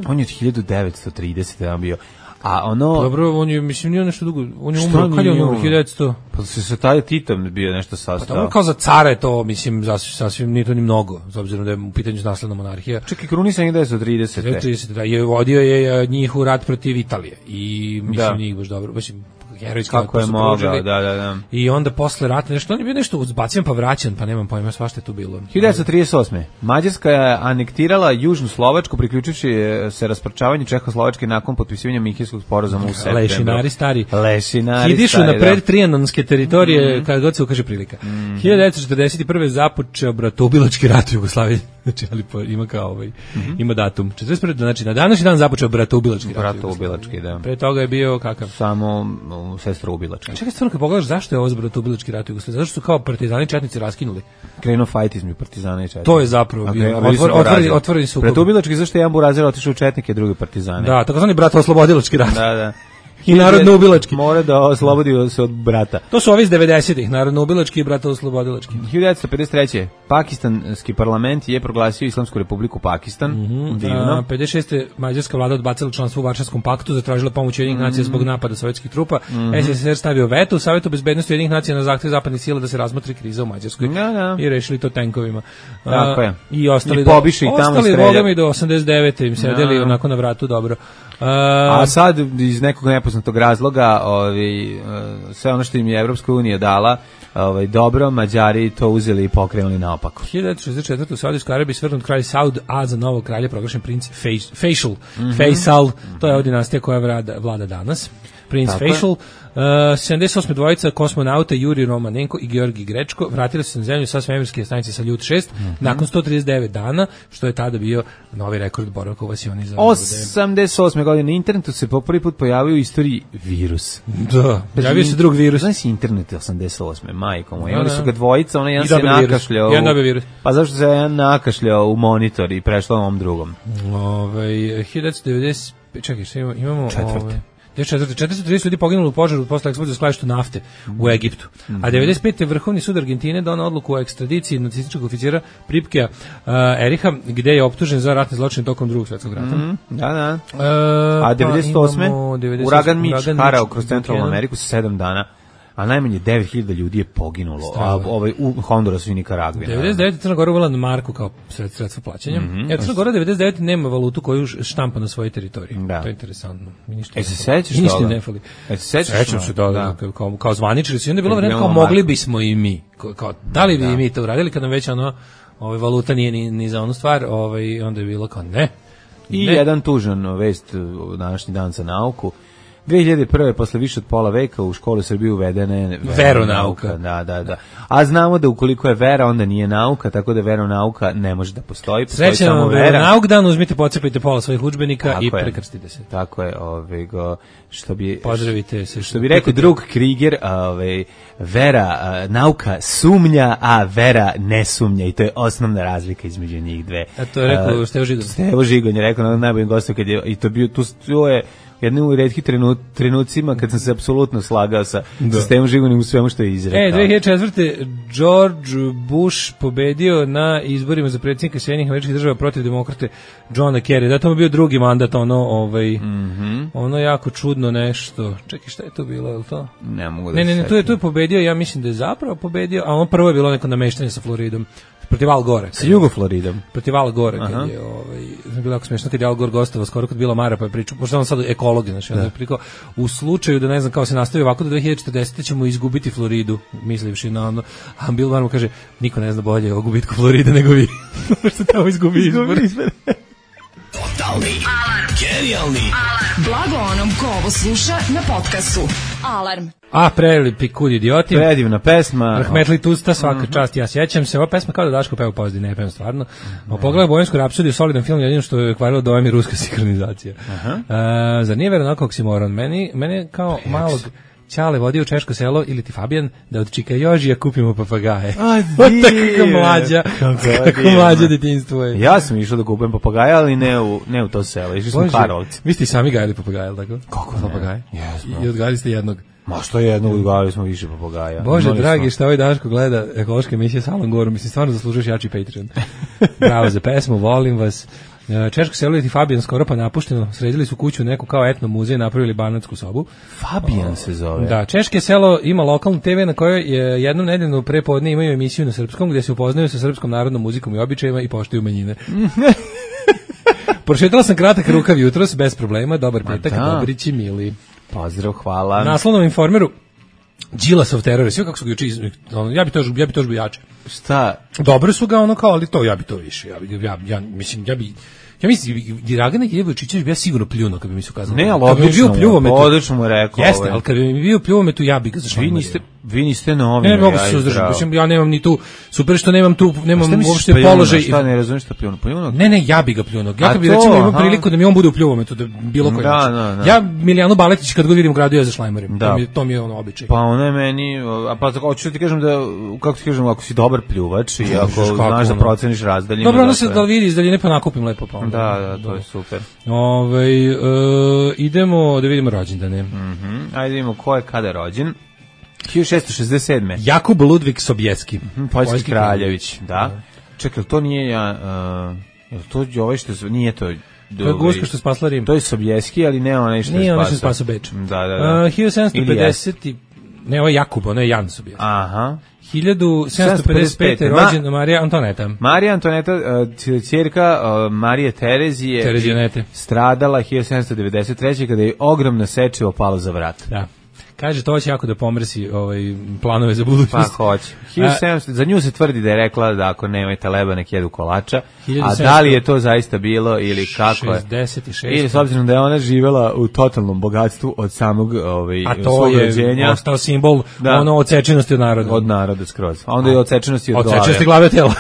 on je od hiljadu devetsto tridesete on bio. A ono... Dobro, on je, mislim, nije nešto dugo, on je umro, kad je on umro, hiljadu devetsto? Pa se sa taj Titom bio nešto sastao. Pa kao za cara je to, mislim, sasvim nije to ni mnogo, s obzirom da je u pitanju nasledna monarhija. Čekaj, krunisan je devetsto tridesete. devetsto tridesete, da, je vodio je njih u rat protiv Italije i mislim, da. Nije baš dobro, mislim, herojski kako je mogao, da, da, da. I onda posle rata nešto, on je bio nešto uzbacivan pa vraćan, pa nemam pojma, svašta je tu bilo. hiljadu devetsto trideset osme. Mađarska je anektirala Južnu Slovačku, priključivši se rasparčavanju Čehoslovačke nakon potpisivanja Minhenskog sporazuma u septembru. Lešinari stari. Lešinari Hidišu stari, na pred da. trijanonske teritorije, mm-hmm. kada god se ukaže prilika. Mm-hmm. hiljadu devetsto četrdeset prve. započeo bratoubilački rat u Jugoslaviji. Znači, ali po, ima kao ovaj, mm-hmm. ima datum. četrdeset prve. Znači, na današnji dan započeo bratoubilački rat. Bratoubilački, da. Pre toga je bio kakav? Samo um, sestroubilački. Čekaj, stvarno, kad pogledaš zašto je ovo bratoubilački rat u Jugoslaviji? Zašto su kao partizani četnici raskinuli? Krenuo fajt između partizana i četnika. To je zapravo okay, bio. Otvor, otvoreni, otvoreni sukob. Bratoubilački, zašto je jedan burazir otišao u četnike, drugi partizane. Da, takozvani bratooslobodilački rat. Da, da. I narodno-ubilački. Mora da oslobodi se od brata. To su ovi iz devedesetih, narodno-ubilački i bratooslobodilački. hiljadu devetsto pedeset treće. Pakistanski parlament je proglasio Islamsku republiku Pakistan. Mm-hmm. Divno. A, pedeset šeste. mađarska vlada odbacila članstvo u Varšavskom paktu, zatražila pomoć Ujedinjenih mm-hmm. nacija zbog napada sovjetskih trupa. Mm-hmm. S S S R stavio veto u Savetu bezbednosti Ujedinjenih nacija na zahtev zapadnih sila da se razmotri kriza u Mađarskoj. Da, da. I rešili to tenkovima. Tako je. I ostali I pobiši do, i tamo ostali Boga mi do osamdeset devete im sedeli da. Onako na vratu dobro. Uh, A sad iz nekog nepoznatog razloga, ovaj sve ono što im je Evropska unija dala, ovaj dobro, Mađari to uzeli i pokrenuli naopako. hiljadu devetsto šezdeset četvrte. u Saudijskoj Arabiji svrgnut kralj Saud, a za novog kralja proglašen princ Faisal. Mm-hmm. Faisal, to je ova dinastija koja vlada, vlada danas. Princ tako Faisal. Uh, sedamdeset osme. dvojica kosmonauta Juri Romanenko i Georgi Grečko vratili su se na zemlju sa svemirske stanice Saljut šest mm-hmm. nakon sto trideset devet dana, što je tada bio novi rekord boravka u vasioni za osamdeset osme. godine na internetu se po prvi put pojavio u istoriji virus. Da, pojavio se drug virus. Znaš internet osamdeset osme. majko moja. Imali su ga dvojica, ona jedan se nakašljao. Jedan dobio virus. Pa zašto se jedan nakašljao u monitor i prešlo ovom drugom? Ove, hiljadu devetsto devedeset. Čekaj, što imamo? imamo Četvrte. Ove, četiristo trideset ljudi poginulo u požaru posle eksplozije u skladištu nafte u Egiptu. A devedeset pete. Vrhovni sud Argentine donao odluku o ekstradiciji nacističkog oficira Pripkea uh, Eriha, gde je optužen za ratne zločine tokom Drugog svjetskog rata. Mm, da, da. Uh, A devedeset osme. Pa Uragan Mitch harao kroz centralnu Ameriku sa sedam dana. A najmanje devet hiljada ljudi je poginulo, a ovaj u Hondurasu i Nikaragvi. devedeset devete. Crna Gora uvela marku kao sredstvo plaćanja. Mm-hmm. Ja, Crna Gora devedeset devete. nema valutu koju štampa na svojoj teritoriji. Da. To je interesantno. E se sećaš ništa toga? ne fali. E se sećaš? Sećam se da, da. Kao, kao, kao zvaničili su. I onda je bilo vreme kao mogli bismo i mi. Kao, kao da li bi da. i mi to uradili kad nam već ono, ovaj, valuta nije ni, ni za onu stvar, ovaj, onda je bilo kao ne. I ne. jedan tužan vest u današnji dan za nauku. dve hiljade prve. posle više od pola veka u školu Srbije uvedene veronauka. Da, da, da. A znamo da ukoliko je vera, onda nije nauka, tako da veronauka ne može da postoji. Srećan samo vera. Veronauk dan, uzmite, pocepajte pola svojih udžbenika tako i prekrstite se. Tako je, ovaj go što bi pozdravite se. Što bi rekao drug Krieger, ovaj vera, nauka sumnja, a vera ne sumnja i to je osnovna razlika između njih dve. A to je rekao Stevo Žigon. Stevo Žigon je rekao na najboljim gostom kad je i to bio tu to je jednim u retkih trenut, trenucima kad sam se apsolutno slagao sa Stevom Žigonim u svemu što je izrekao. E, dve hiljade četvrte. George Bush pobedio na izborima za predsjednika Sjedinjenih Američkih Država protiv demokrate Johna Kerry. Da, to je bio drugi mandat, ono, ovaj, mm-hmm. ono jako čudno nešto. Čekaj, šta je to bilo, je li to? Ne mogu da Ne, ne, ne, tu je, tu je pobedio, ja mislim da je zapravo pobedio, a on prvo je bilo neko nameštanje sa Floridom. protiv Al Gore. Sa Jugo Floridom. Protiv Al Gore, kad je, ovaj, bilo jako smiješno, kad je Al Gore gostovao skoro kod Bila Mara, pa je pričao, pošto on sad ekolog, znači, onda je prikao, u slučaju da, ne znam, kao se nastavi ovako do dve hiljade četrdesete ćemo izgubiti Floridu, mislivši na ono, a Bill Maher mu kaže, niko ne zna bolje o gubitku Floride nego vi, što tamo izgubi izbor. Totalni alarm. Genijalni alarm. Blago onom ko ovo sluša na podcastu. Alarm. A, prelipi kud idioti. Predivna pesma. Rahmetli Tusta, svaka mm-hmm. čast, ja sjećam se. Ova pesma kao da Daško peva pozdi, ne pevam stvarno. Mm-hmm. Pogledaj Bojansku rapsodiju, solidan film, jedino što je kvarilo dojem je ruska sinkronizacija. Uh-huh. Uh, zar nije verovatno oksimoron? Meni, mene kao malog Ćale vodio u Češko selo ili ti Fabijan da od Čika Jožija kupimo papagaje. A tako mlađa, kako mlađa detinjstvo je. Ja sam išao da kupujem papagaje, ali ne u, ne u to selo, išli smo u Karlovci. Vi ste i sami gajali papagaje, tako? Kako papagaje? Jesmo. I odgajali ste jednog. Ma što je jedno, odgajali smo više papagaja. Bože, Imali dragi, smo. šta ovaj Daško gleda ekološke emisije sa Alan Gorom, mislim, stvarno zaslužuješ jači Patreon. Bravo za pesmu, volim vas. Češko selo i Fabijan skoro pa napušteno, sredili su kuću neku kao etno muzej, napravili banatsku sobu. Fabijan se zove. Da, Češke selo ima lokalnu te ve na kojoj je jednom nedeljno prepodne imaju emisiju na srpskom gdje se upoznaju sa srpskom narodnom muzikom i običajima i poštuju manjine. Prošetala sam kratak rukav jutros, bez problema, dobar petak, dobrići mili. Pozdrav, hvala. Naslovnom Informeru, Đilasov teror, sve kako su ga juče, ja bi to ja bi to bio jače. Šta? Dobro su ga ono kao, ali to ja bi to više. Ja bi ja, ja mislim ja bi ja mislim Dragana Jevočićević bi ja sigurno pljunuo kad bi mi se ukazalo. Ne, ali odlično, odlično mu rekao. Jeste, ali kad bi mi bio pljuvometu ja bih ga zašao. Vi niste vi niste novi. Ne mogu se suzdržati, mislim ja nemam ni tu super što nemam tu nemam uopšte položaj. Šta ne razumeš šta pljunuo? Pljunuo? Ne, ne, ja bih ga pljunuo. Ja kad bi recimo imao priliku da mi on bude u pljuvometu da bilo koji. Da, da, da. Ja Milijanu Baletić kad god vidim u gradu ja za šlajmerim. To mi to mi je ono običaj. Pa ona je meni, a pa hoću ti kažem da kako ti kažem, ako si dobar pljuvač i ako znaš da proceniš razdaljinu. Dobro, onda se da vidi iz daljine pa nakupim lepo pa. Da, da, to je super. Ovaj uh, idemo da vidimo rođendane. Mhm. Mm Ajde vidimo ko je kada rođen. hiljadu šessto šezdeset sedme Jakub Ludvig Sobieski, mm, poljski kraljević, da. da. Čekaj, to nije ja, uh, to je ovaj što nije to. To je guska što spasla Rim. To je Sobieski, ali ne onaj što je spasao. Nije onaj što je spasao Beč. Da, da, da. Uh, hiljadu sedamsto pedeset Ne, ovo je Jakub, ono je Jan Sobieski. Aha. hiljadu sedamsto pedeset pete rođena Marija Antoneta. Marija Antoneta, uh, ćerka uh, Marije Terezije, Terezionete, stradala hiljadu sedamsto devedeset treće kada je ogromna sečivo palo za vrat. Da. Kaže, to će jako da pomrsi ovaj, planove za budućnost. Pa hoće. hiljadu sedamsto Za nju se tvrdi da je rekla da ako nemate leba nek jedu kolača, a da li je to zaista bilo ili kako je? šezdeset šest Ili s obzirom da je ona živjela u totalnom bogatstvu od samog ovaj, a to je rođenja, ostao simbol da. Ono odsečenosti od naroda. Od naroda skroz. A onda je odsečenosti od, od glave. Odsečenosti glave tela.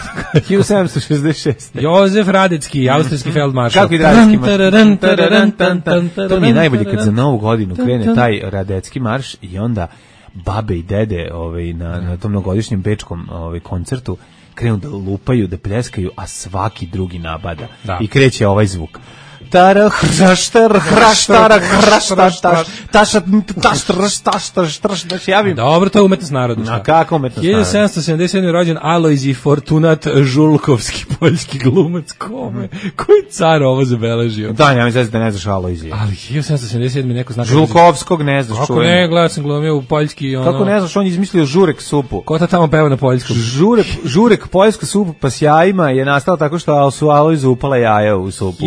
hiljadu sedamsto šezdeset šeste Jozef Radecki, austrijski feldmaršal. Kako je Radecki marš? To mi je najbolje kad za novu godinu krene taj Radecki marš i onda babe i dede ovaj, na, na tom mnogogodišnjem bečkom ovaj, koncertu krenu da lupaju, da pljeskaju, a svaki drugi nabada. Da. I kreće ovaj zvuk. Tara hraštar hraštar hraštar tašat taštar taštar javim. Dobro, to je umetnost naroda. A kako umetnost naroda? hiljadu sedamsto sedamdeset sedme rođen Alojzij Fortunat Žulkovski, poljski glumac. Kome? Koji car ovo zabeležio? Da, ja mislim da ne znaš Alojzija. Ali hiljadu sedamsto sedamdeset sedme neko zna. Žulkovskog ne znaš. Kako ne, gledao sam glumio u poljski. Ono... Kako ne znaš, on je izmislio žurek supu. Ko ta tamo peva na poljskom? Žurek, žurek poljska supu pa s jajima je nastala tako što su Alojzu upala jaja u supu.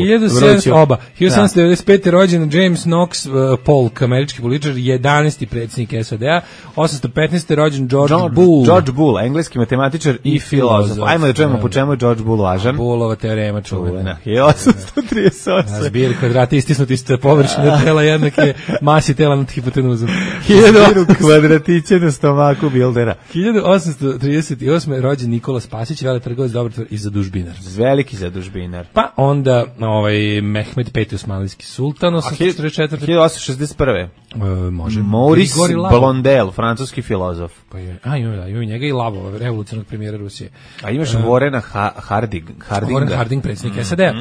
Oba. hiljadu sedamsto devedeset pete rođen James Knox uh, Polk, američki političar, jedanaesti predsjednik S A D-a. osamsto petnaeste rođen George John, Boole. George Boole, engleski matematičar i, i filozof. Ajmo da čujemo po čemu je George Boole važan. Boolova teorema čuvena. hiljadu osamsto trideset osme Zbir kvadrata istisnuti ste površine tela jednake masi tela nad hipotenuzom. Zbiru kvadratiće na stomaku Bildera. hiljadu osamsto trideset osme rođen Nikola Spasić, veletrgovac, dobar i zadužbinar. Veliki zadužbinar. Pa onda ovaj Mehmed peti osmanlijski sultan, osamsto četrdeset četvrte hiljadu osamsto šezdeset prve E, može. Maurice Blondel, francuski filozof. Pa je, a ima da, ima njega i Lavova, revolucionarnog premijera Rusije. A imaš uh, Warrena ha Harding, Hardinga. Warren Harding, predsjednik mm -hmm. S A D-a.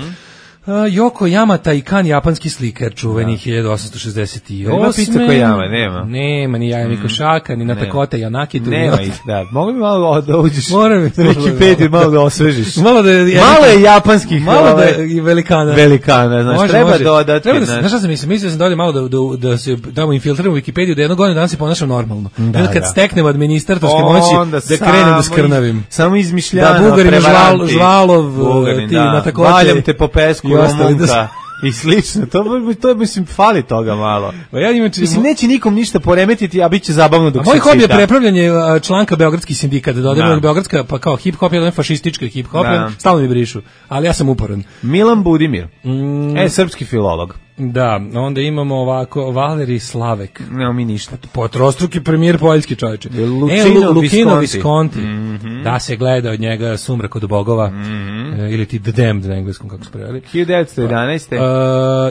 Uh, Yoko Yama, Taikan, japanski slikar, čuveni da. hiljadu osamsto šezdeset osme. Ima pizza Kojama, nema. Nema, ni Jaja Mikošaka, ni Natakota Yanakitu. Nema ih, da. Mogu mi malo da uđeš Moram na Wikipediju, malo da osvežiš. malo, da je, malo je japanskih malo da je velikana. Velikana, znači, može, treba može. dodati. Treba da, znaš šta sam mislio? Mislio sam da ovdje malo da, da, da se damo infiltriramo Wikipediju, da jednog godina danas se ponašam normalno. Da, da. Kad da. steknem administratorske moći, da krenem da skrnavim. Iz, samo izmišljano, da, Bugarima, žval, Žvalov, Bugarin, ti da. Natakote. Valjam te po pesku, Romunka. I slično, to, to mislim, fali toga malo. Pa ja imam, mislim, neće nikom ništa poremetiti, a bit će zabavno dok se moj hobi je prepravljanje članka Beogradski sindikat, da dodajemo Beogradska, pa kao hip-hop, jedan fašistički hip-hop, stalno mi brišu, ali ja sam uporan. Milan Budimir, mm. e, srpski filolog. Da, onda imamo ovako Valerij Slavek. Nemo mi ništa. Potrostruki premijer poljski čovječe. Lučino, e, Lukino Visconti. Visconti. Mm -hmm. Da se gleda od njega Sumrak od bogova. Mm -hmm. e, ili ti The Damned na engleskom, kako se preveli. hiljadu devetsto jedanaeste. Uh,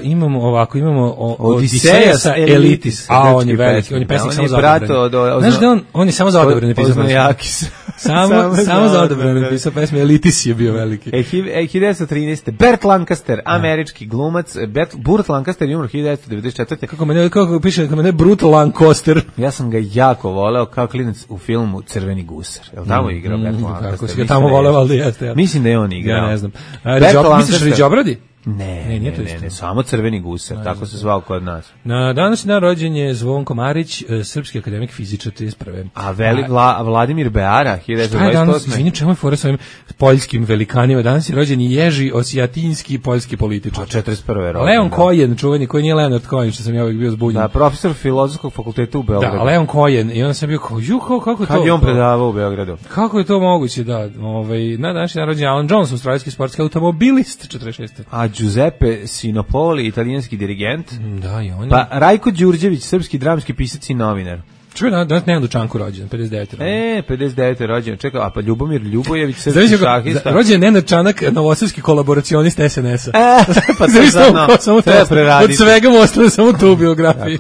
imamo ovako, imamo o, Odiseja sa Elitis. A on je veliki, on je pesnik samo za odabrane. Znaš da on, on je samo za odabrane pisao pesme. Samo, samo za odabrane pisao pesme. Elitis je bio veliki. E, hiljadu devetsto trinaeste. Burt Lancaster, američki glumac. Burt, Burt Lancaster je umro hiljadu devetsto devedeset četvrte. Kako me ne, kako piše, kako me ne Brutal Lancaster. Ja sam ga jako voleo kao klinac u filmu Crveni gusar. Jel tamo mm, igrao Burt mm, Lancaster? Kako si ga tamo voleo, ali jeste. Ja. Mislim da je on igrao. Ja ne znam. Riđo, misliš Riđobradi? Ne, ne, ne, ne, ne, samo Crveni gusar, ne, tako se zvao kod nas. Na današnji dan rođen je Zvonko Marić, srpski akademik fizičar trideset prve. A veli Vla, Vladimir Beara, hiljadu devetsto dvadeset osme. Danas, izvini, čemu je fora s ovim poljskim velikanima? Danas je rođen i Ježi Osijatinski, poljski političar. četrdeset prve rođen. Leon da. Kojen, čuveni, koji nije Leonard Kojen, što sam ja uvijek bio zbunjen. Da, profesor filozofskog fakulteta u Beogradu. Da, Leon Kojen, i onda sam bio kao, ju, kako, kako je to? Kad je on predavao u Beogradu? Kako je to moguće, da, ovaj, na današnji dan rođen je Alan Jones, australijski sportski automobilist, četrdeset šeste. A Giuseppe Sinopoli, italijanski dirigent. Da, i on je. Pa Rajko Đurđević, srpski dramski pisac i novinar. Čuj, da, danas Nenad Dučanko rođen, pedeset devete. E, pedeset devete rođen. Čekaj, a pa Ljubomir Ljubojević, srpski šahista. Rođen je Nenad Čanak, novosadski kolaboracionist S N S-a. E, pa to sad, no, samo treba preraditi. Od svega mu ostane samo tu u biografiji.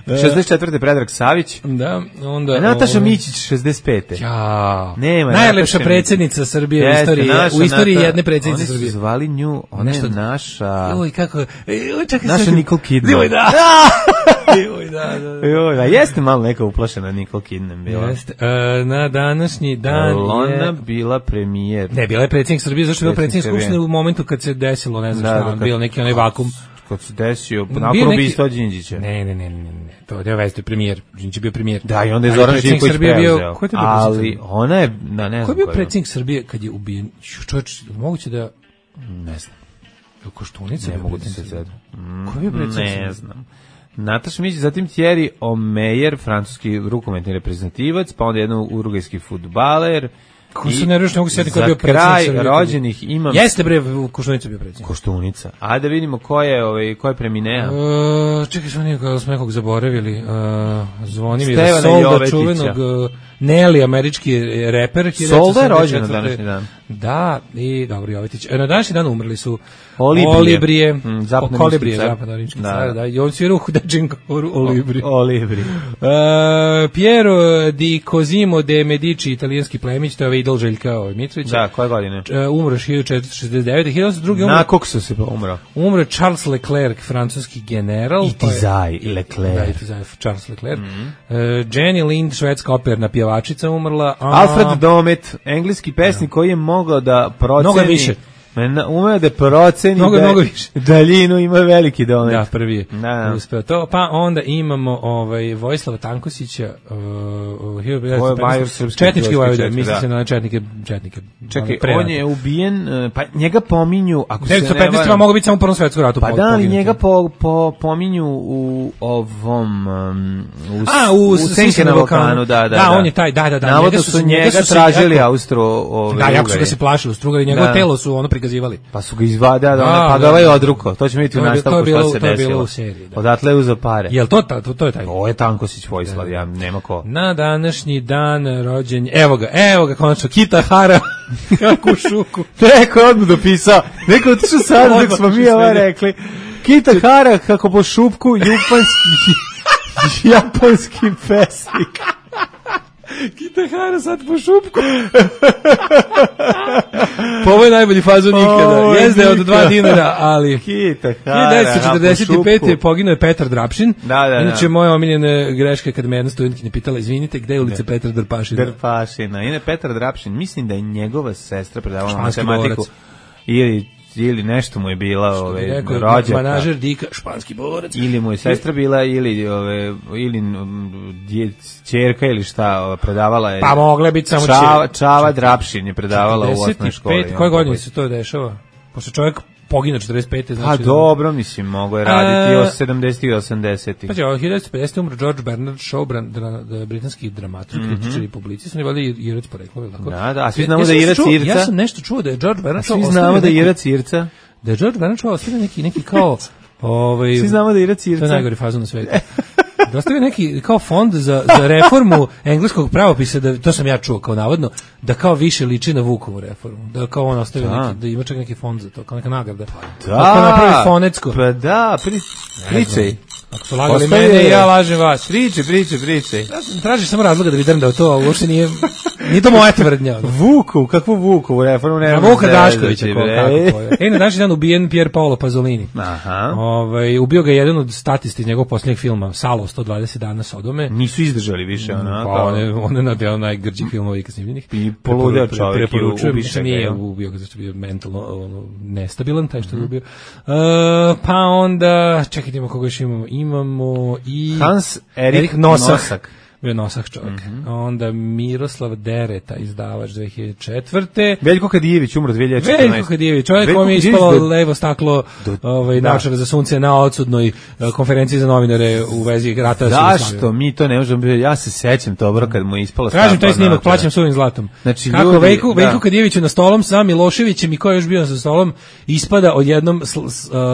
šezdeset četvrte Predrag Savić. Da, onda... A Nataša Mićić, šezdeset pete. Ja. Nema, najlepša predsjednica Srbije u istoriji, naša, u istoriji Nata, jedne predsjednice Srbije. Oni su zvali nju, ona je naša... Joj, kako... Joj, čekaj, naša sad... Nicole Kidman. Joj, da. Joj, da, da. Joj, da, jeste malo neka uplašena Nicole Kidman bila. Jeste. E, na današnji dan Ona je... bila premijer. Ne, bila je predsjednik Srbije, zašto je bila predsjednik Skupštine u momentu kad se desilo, ne znam da, šta, da, bio neki onaj vakum. Kad se desio, nakon ubistva neki... Đinđića. Ne, ne, ne, ne, ne, to je veze, premijer, Đinđić je bio premijer. Da, i onda je Zoran Živković preuzeo. Ko je ali ona je, na, ne znam ko je bio predsjednik Srbije kad je ubijen? Čovječ, moguće da... Ne znam. Je Koštunica? Ne mogu da se sad. Ko je bio predsjednik Srbije? Ne znam. Nataša Mićić, zatim Thierry Omeyer, francuski rukometni reprezentativac, pa onda jedan urugajski fudbaler. Ko se ne reši, ne mogu sjeti ko je bio predsjednik Srbije. Za kraj rođenih imam... Jeste bre, Koštunica bio predsjednik. Koštunica. Ajde da vidimo ko je, ovaj, ko je preminea. Uh, čekaj, što nije kada smo nekog zaboravili. Uh, Zvonimir Solda, čuvenog uh, Nelly, američki reper. Solda je rođen na današnji dan. Da, i dobro, Jovetić. Na današnji dan umrli su Olibrije, Olibrije mm, Kolibrije, zapadnorimski car, da, i on svirao u Dečin Olibrije. Olibrije. Uh, Piero di Cosimo de Medici, italijanski plemić, to je ovaj idol Željka Mitrovića. Da, koje godine? Uh, umro hiljadu četiristo šezdeset devete. hiljadu osamsto druge. Na koksu se umro. Umro Charles Leclerc, francuski general. Itizaj Leclerc. Da, Itizaj Charles Leclerc. Mm -hmm. uh, Jenny Lind, švedska operna pjevačica, umrla. A... Alfred Domet, engleski pesnik, da, koji je mogao da proceni... Mnogo više. Umeo da proceni mnogo, da mnogo više. Daljinu, ima veliki domet. Da, prvi je. Da. Uspeo to. Pa onda imamo ovaj Vojislava Tankosića, uh, uh, četnički vojvoda, misli se na četnike, četnike. Čekaj, on je ubijen, pa njega pominju, ako se ne devetsto petnaeste mogu biti samo u Prvom svetskom ratu. Pa da, ali njega po, po, pominju u ovom, um, u, A, u, u Senke na Balkanu, da, da, da. Da, on je taj, da, da, da. Navodno su njega tražili Austro, ove, da, jako su ga se plašili, Strugari, njegovo telo su ono prikazivali. Pa su ga izvada, da, da, pa ga ovaj odruko. To ćemo vidjeti u nastavku što se desilo. To je bilo u seriji. Da. Odatle je uzeo pare. Jel to, to, to je taj? Ovo je Tankosić Vojislav, da, ja nema ko. Na današnji dan rođenja, evo ga, evo ga konačno, Kita Hara, kako u šuku. Neko je odmah dopisao, neko otišao sad dok smo mi ovo rekli. Kita Hara, kako po šupku, japanski, japanski pesnik. Kita Hara sad po šupku. Ovo je najbolji fazon ikada. Jezde od dva dinara, ali... Kita, hiljadu devetsto četrdeset pete. poginuo je Petar Drapšin. Da, da, da. Inače, moja omiljena greška kad me jedna studentkinja pitala, izvinite, gde je ulica Petra Drpašina? Drpašina. Ine Petar Drapšin, mislim da je njegova sestra predavala Španski matematiku. borac. Ili ili nešto mu je bila ove rođaka. Manažer Dika, španski borac. Ili mu je sestra bila ili ove ili ćerka ili šta predavala je. Pa mogla biti samo Čava, Čava Drapšin je predavala u osnovnoj školi. Koje godine se to dešava? Pošto čovjek pogine četrdeset pete, znači. A dobro, mislim, mogo je raditi od sedamdesetih i osamdesetih. Pa je, od hiljadu devetsto pedesete. umro George Bernard Shaw, dra, dra, britanski dramaturg, mm -hmm. kritičar i publicist, on je valjda Irac poreklo, tako? Da, da, a svi znamo ja da je Irac Irca. Ja sam nešto čuo da je George Bernard Shaw. Svi znamo da je Irac Irca. Da je George Bernard Shaw ostavio neki, neki kao... Ovaj, svi znamo da je Irac Irca. To je najgori fazon na svetu. Da ostavio neki kao fond za, za reformu engleskog pravopisa, da, to sam ja čuo kao navodno, da kao više liči na Vukovu reformu. Da kao on ostavio da. neki, da ima čak neki fond za to, kao neka nagrada. Pa da, pa napravi fonetsko. Pa da, pri, pričaj. Ako su lagali mene i ja lažem vas. Priče, priče, priče. Ja tražim samo razloga da vidim da to uopšte nije, nije to moja tvrdnja. Vuku, kakvu Vukovu reformu? Ne, Vuka Daškovića, ko, kako ko je. E, na današnji dan ubijen Pier Paolo Pasolini. Aha. Ovaj, ubio ga jedan od statisti iz njegovog posljednjeg filma, Salo, sto dvadeset dana Sodome. Nisu izdržali više, ono. Pa on je, on je nadeo najgrđih filmova ikad snimljenih. I poludeo čovjek i ubiše ga. Nije ubio ga, zašto bio mentalno ono, nestabilan, taj što je ubio. Uh, pa onda, čekaj, imamo koga još imamo. Imamo i... Hans Erik, Erik Nosak. Nosak. Bio Nosak čovjek. Mm -hmm. Onda Miroslav Dereta, izdavač dve hiljade četvrte. Veljko Kadijević umro dve hiljade četrnaeste. Veljko Kadijević, čovjek kom je ispalo do... levo staklo do... ovaj, da. Naočara za sunce na odsudnoj uh, konferenciji za novinare u vezi rata. Zašto? Mi to ne možemo... Ja se sećam dobro kad mu je ispalo staklo. Kažem taj snimak, plaćam suvim zlatom. Znači, kako ljudi, Veljko, da. Veljko Kadijeviću na stolom sa Miloševićem i ko je još bio za stolom, ispada odjednom sl, uh,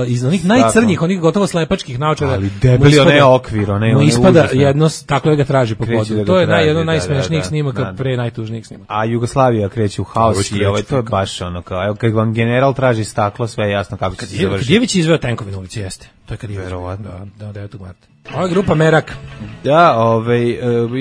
iz onih najcrnjih, onih gotovo slepačkih naočara. Ali debeli onaj okvir, onaj onaj ispada jedno, taklo ga traži po podu. To je jedno od najsmešnijih da, snimaka, da, da. pre najtužnijih snimaka. A Jugoslavija kreće u haos i ovaj, to je baš ono kao, evo, kad vam general traži staklo, sve je jasno kako će se završiti. Kadijević je izveo tenkovi na ulici, jeste. To je Kadijević. Verovatno. Da, da, devetog marta. Ova je grupa Merak. Da, ovaj,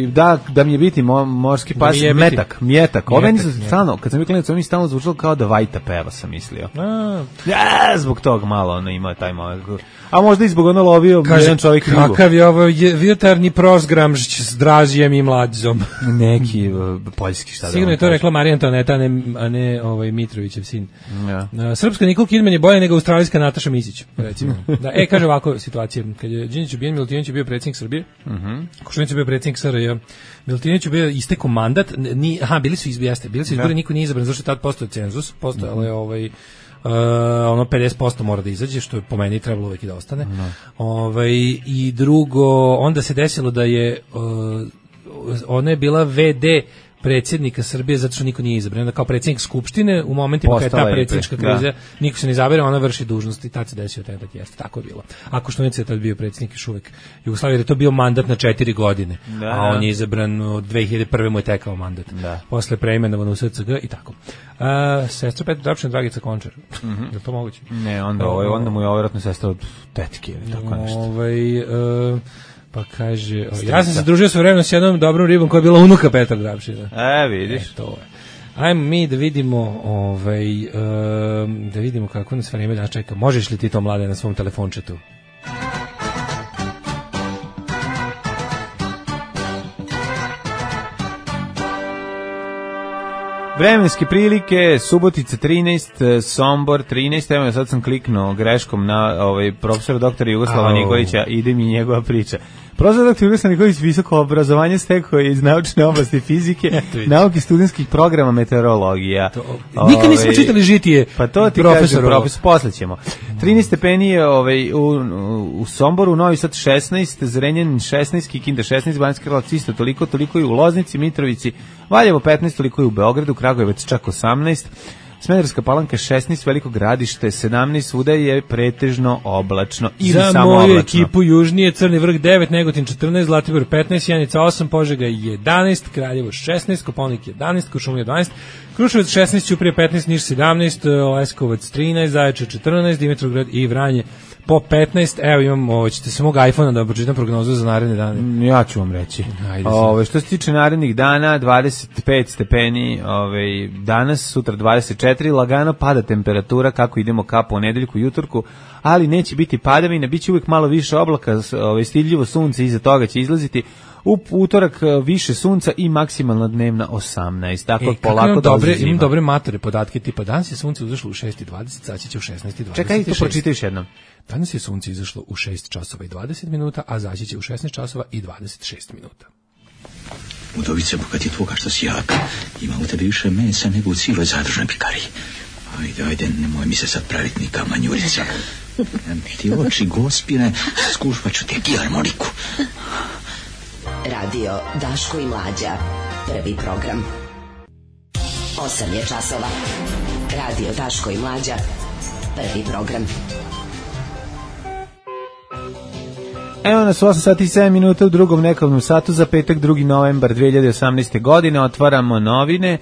da, da mi je biti mo, morski pas, da metak, mjetak. Ove nisam stalno, kad sam bio klinac, ovo mi stalno zvučalo kao da Vajta peva, sam mislio. A. Ja, zbog tog malo ono ima taj malo. A možda i zbog ono lovio jedan čovjek ribu. Kakav je ovo jutarnji prosgramžić s Dražijem i Mladzom. Neki uh, poljski, šta da. Sigurno je to rekla Marija Antoaneta, a ne, a ne ovaj, Mitrovićev sin. Ja. Uh, srpska Nikol Kidman je bolja nego australijska Nataša Misić, recimo. Da, e, kaže ovako situacija. Kad je Đinđić ubijen, Milutinović je bio predsjednik Srbije, uh -huh. Koštunić je bio predsjednik S R J, Milutinović je bio istekao mandat, ni, aha, bili su izbijeste, bili su izbori, ja. Niko nije izabran, zašto je tad postao cenzus, postao, uh -huh. ovaj, Uh, ono pedeset posto mora da izađe, što je po meni trebalo uvijek i da ostane. No. Ovaj, i drugo, onda se desilo da je uh, ona je bila ve de predsjednika Srbije zato što niko nije izabran. Onda kao predsjednik skupštine u momentima kada je ta predsjednička kriza, da. Niko se ne izabere, ona vrši dužnost i tad se desio atentat, jeste, tako je bilo. Ako Koštunica je tad bio predsjednik još uvek Jugoslavije, je to bio mandat na četiri godine, da. A on je izabran od dve hiljade prve mu je tekao mandat. Da. Posle preimenovan u S C G i tako. Uh, sestra Petra Drapšin, Dragica Končar. Mm -hmm. Je to moguće? Ne, onda, ovaj, onda mu je vjerojatno sestra od tetke ili tako nešto. Ovaj... Uh, Pa kaže, o, ja sam se družio sa vremenom s jednom dobrom ribom koja je bila unuka Petra Drapšina. E, vidiš. E, to je. Ajmo mi da vidimo, ovaj, um, da vidimo kako nas vreme danas čeka. Možeš li ti to, Mlade, na svom telefončetu? Vremenske prilike, Subotica trinaest, Sombor trinaest, evo sad sam kliknuo greškom na ovaj profesora doktora Jugoslava oh. Nikolića, ide mi njegova priča. Profesor doktor Jugoslav Nikolić visoko obrazovanje stekao iz naučne oblasti fizike, nauke studentskih programa meteorologija. Ove, nikad nismo čitali žitije. Pa to ti kažem, profesor, posle ćemo. trinaest stepeni je ovaj, u, u Somboru, Novi Sad šesnaest, Zrenjanin šesnaest, Kikinda šesnaest, Banjska Karlovac isto toliko, toliko i u Loznici, Mitrovici, Valjevo petnaest, toliko i u Beogradu, Kragujevac čak osamnaest, Smederevska Palanka šesnaest, Veliko Gradište sedamnaest, svuda je pretežno oblačno ili za samo moju oblačno. Ekipu južnije, Crni Vrh devet, Negotin četrnaest, Zlatibor petnaest, Sjenica osam, Požega jedanaest, Kraljevo šesnaest, Kopaonik jedanaest, Kuršumlija dvanaest, Kruševac šesnaest, Ćuprija petnaest, Niš sedamnaest, Leskovac trinaest, Zaječar četrnaest, Dimitrovgrad i Vranje po petnaest, evo imam, ovo, ćete se mog iPhona da pročitam prognozu za naredne dane. Ja ću vam reći. Ove, što se tiče narednih dana, dvadeset pet stepeni, ove, danas, sutra dvadeset četiri, lagano pada temperatura kako idemo ka ponedeljku i utorku, ali neće biti padavina, bit će uvijek malo više oblaka, ove, stidljivo sunce iza toga će izlaziti. U utorak više sunca i maksimalna dnevna osamnaest. Tako e, polako dobre, imam dobre matore podatke, tipa danas je sunce izašlo u šest i dvadeset, zaći će u šesnaest i dvadeset. Čekaj, to pročitaj još jednom. Danas je sunce izašlo u šest časova i dvadeset minuta, a zaći će u šesnaest časova i dvadeset šest minuta. Udovice, bogat je tvoga što si jak. Ima u tebi više mesa nego u cijeloj zadružnoj pikariji. Ajde, ajde, nemoj mi se sad praviti ni kamanjurica. Ti oči gospine, skušvat ću ti harmoniku. Radio Daško i Mlađa, prvi program. Osam je časova. Radio Daško i Mlađa, prvi program. Evo nas u osam sati i sedam minuta u drugom nekovnom satu za petak drugi novembar dve hiljade osamnaeste. godine. Otvaramo novine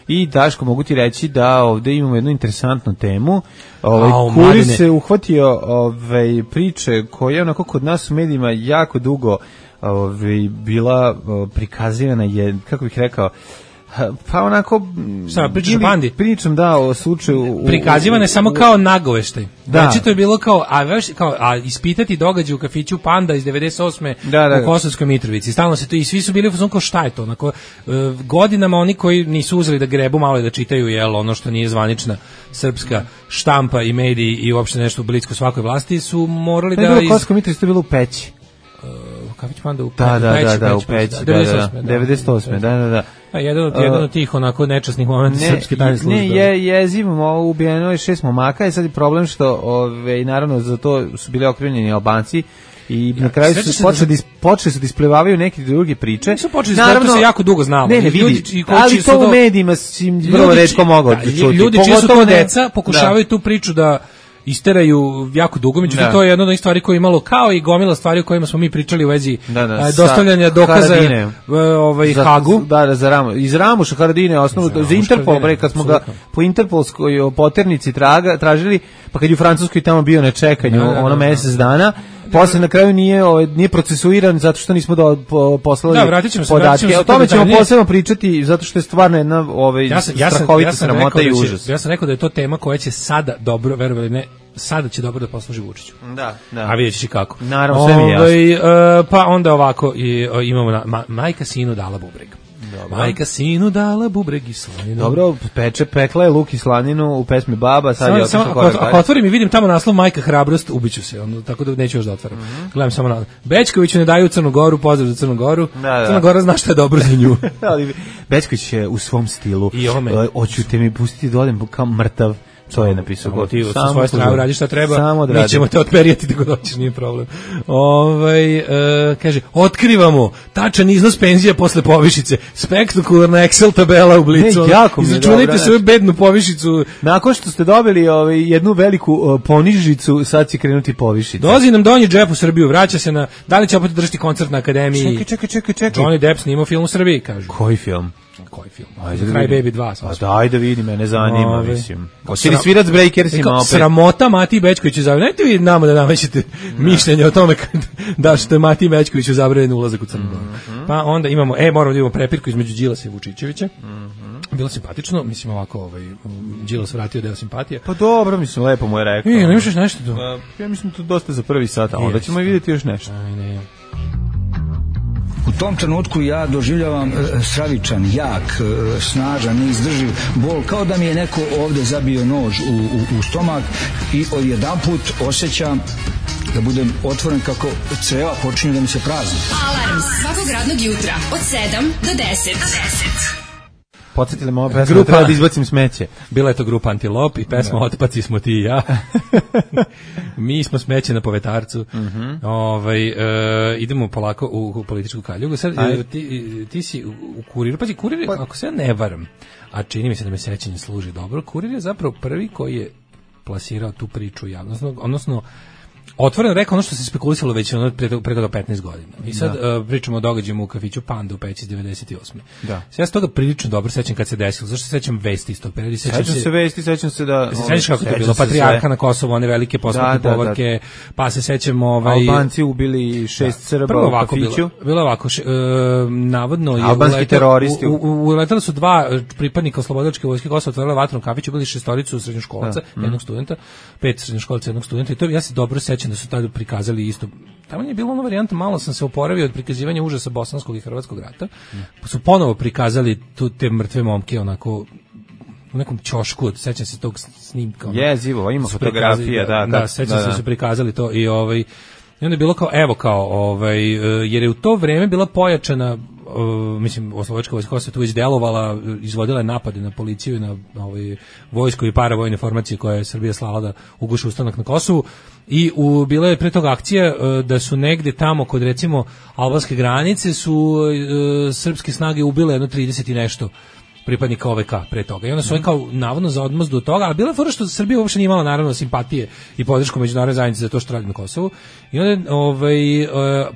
i Daško, mogu ti reći da ovde imamo jednu interesantnu temu. Ovaj Kuri se uhvatio ovaj priče koja je onako kod nas u medijima jako dugo ovaj bila prikazivana, je, kako bih rekao, pa onako šta pričaš o pandi? Pričam da o slučaju prikazivane samo kao nagoveštaj. Znači to je bilo kao a veš kao a ispitati događaj u kafiću Panda iz devedeset osme da, da, u Kosovskoj Mitrovici. Stalno se to i svi su bili u fazonu kao šta je to, onako godinama oni koji nisu uzeli da grebu malo i da čitaju jel ono što nije zvanična srpska štampa i mediji i uopšte nešto blisko svakoj vlasti su morali da iz Kosovskoj Mitrovici to bilo u Peći. Kafić Panda u Peći. Da, da, da, da, u Peći, devedeset osme. Da, da, da. A jedan od, jedan od tih onako nečasnih momenta srpske tajne službe. Ne, je, jezivo, ubijeno je šest momaka i sad je problem što, ove, naravno, za to su bili okrivljeni Albanci i ja, na kraju su počeli, da... počeli su da isplivavaju neke druge priče. Nisu počeli, naravno, to se jako dugo znalo. Ne, ne, vidi, ljudi, ali to u medijima si vrlo retko mogao da čuti. Ljudi čiji su to deca pokušavaju tu priču da isteraju jako dugo, međutim to je jedna od onih stvari koje je imalo kao i gomila stvari o kojima smo mi pričali u vezi da, da, dostavljanja dokaza ovaj za, Hagu. Da, da, za Ramu. Iz Ramuša Haradine osnovu za, za Interpol, bre, kad smo ga po interpolskoj poternici traga, tražili, pa kad je u Francuskoj tamo bio na čekanju da, da, ono mjesec dana, posle na kraju nije ovaj nije procesuiran zato što nismo do, po, poslali da, vratit ćemo se, podatke. Se o tome ćemo posebno pričati zato što je stvarno jedna ovaj ja sam, ja sam, strahovita ja sam sramota i da će, užas. Ja sam rekao da je to tema koja će sada dobro, verovali ne, sada će dobro da posluži Vučiću. Da, da. A vidjet ćeš i kako. Naravno, sve mi je jasno. Ovaj, uh, pa onda ovako i, uh, imamo na, ma, majka sinu dala bubreg. Dobro. Majka sinu dala bubreg i slaninu. Dobro, peče, pekla je luk i slaninu u pesmi Baba, sad samo, je otišao korak. Ako otvorim i vidim tamo naslov Majka hrabrost, ubiću se, ono, tako da neću još da otvaram. Mm -hmm. Gledam samo na Bečkoviću ne daju Crnu Goru, pozdrav za Crnu Goru. Da, da. Crna Gora zna šta je dobro za nju. Ali Bečković je u svom stilu. Hoću te mi pustiti da odem kao mrtav. To je napisao God. Ti sa svoje strane radiš šta treba, mi ćemo te otperijati tako da hoćeš, nije problem. Ovaj e, kaže, otkrivamo tačan iznos penzija posle povišice, spektakularna Excel tabela u Blicu. Izračunajte svoju bednu povišicu. Nakon što ste dobili ovaj, jednu veliku uh, ponižicu, sad će krenuti povišica. Dolazi nam Donji Džep u Srbiju, vraća se na, da li će opet držati koncert na Akademiji? Čekaj, čekaj, čekaj, čekaj. Johnny Depp snimao film u Srbiji, kaže. Koji film? Koji film? Cry Baby dva. A daj da vidim, mene zanima, Ove. mislim. Hoće li svirat s Breakersima opet? Sramota Mati Bečkoviću zabranjeno. Najte vi nama da namećete mišljenje o tome da što je Mati Bečkoviću zabranjeno ulazak u Crnu Goru. Mm -hmm. Pa onda imamo, e, moramo da imamo prepirku između Đilasa i Vučićevića. Mm -hmm. Bilo simpatično, mislim ovako, ovaj, Đilas vratio deo simpatije. Pa dobro, mislim, lepo mu je rekao. E, ne misliš nešto tu? Ja mislim to dosta za prvi sat, a onda ćemo i vidjeti još nešto. Aj, ne. U tom trenutku ja doživljavam stravičan, jak, snažan, neizdrživ bol, kao da mi je neko ovde zabio nož u, u, u stomak i odjedanput osjećam da budem otvoren kako creva počinju da mi se prazni. Alarm svakog radnog jutra od sedam do deset. Podsjetili me ova pesma da treba da izbacim smeće. Bila je to grupa Antilop i pesma da. Otpaci smo ti i ja. Mi smo smeće na povetarcu. Uh -huh. Ovaj, e, idemo polako u, u političku kaljugu. Sad, e, ti, ti si u, u Kuriru. Pazi, Kurir, pa, ako se ja ne varam, a čini mi se da me sećanje služi dobro, Kurir je zapravo prvi koji je plasirao tu priču javno. Odnosno, otvoreno rekao ono što se spekulisalo već ono pre, pre toga petnaest godina. I sad da. uh, pričamo o događajima u kafiću Panda u Peći devedeset osme. Da. Ja se toga prilično dobro sećam kad se desilo. Zašto se sećam vesti iz tog perioda? Sećam se, se vesti, sećam se da... Se sećaš kako to bilo? Patrijarha na Kosovu, one velike posmrtne da, povorke, da, da. Pa se sećam... Ovaj, Albanci ubili šest da. Srba u kafiću. Bilo, bilo ovako, š, uh, navodno... Je albanski uletali, teroristi. U, u, uletali su dva pripadnika oslobodilačke vojske Kosova, otvorili vatru u kafiću, bili šestoricu srednjoškolca, da. jednog studenta, pet srednjoškolca, jednog studenta i to ja se dobro sećam da su tada prikazali isto. Tamo je bilo ona varijanta, malo sam se oporavio od prikazivanja užasa bosanskog i hrvatskog rata. Pa su ponovo prikazali tu te mrtve momke onako u nekom ćošku, sećam se tog snimka. Jezivo, ima fotografija, da, da, da, sećam da, se da su prikazali to i ovaj i onda je bilo kao evo kao ovaj jer je u to vreme bila pojačana Uh, mislim, oslobodačka vojska se tu već delovala, izvodila je napade na policiju i na, na ovaj, vojsko i paravojne formacije koje je Srbija slala da uguši ustanak na Kosovu i u, bila je pre toga akcija uh, da su negde tamo kod recimo albanske granice su uh, srpske snage ubile jedno trideset i nešto pripadnika O V K pre toga. I onda su oni kao navodno za odmazdu od toga, ali bila je fora što Srbija uopšte nije imala naravno simpatije i podršku međunarodne zajednice za to što radi na Kosovu. I onda ovaj, e,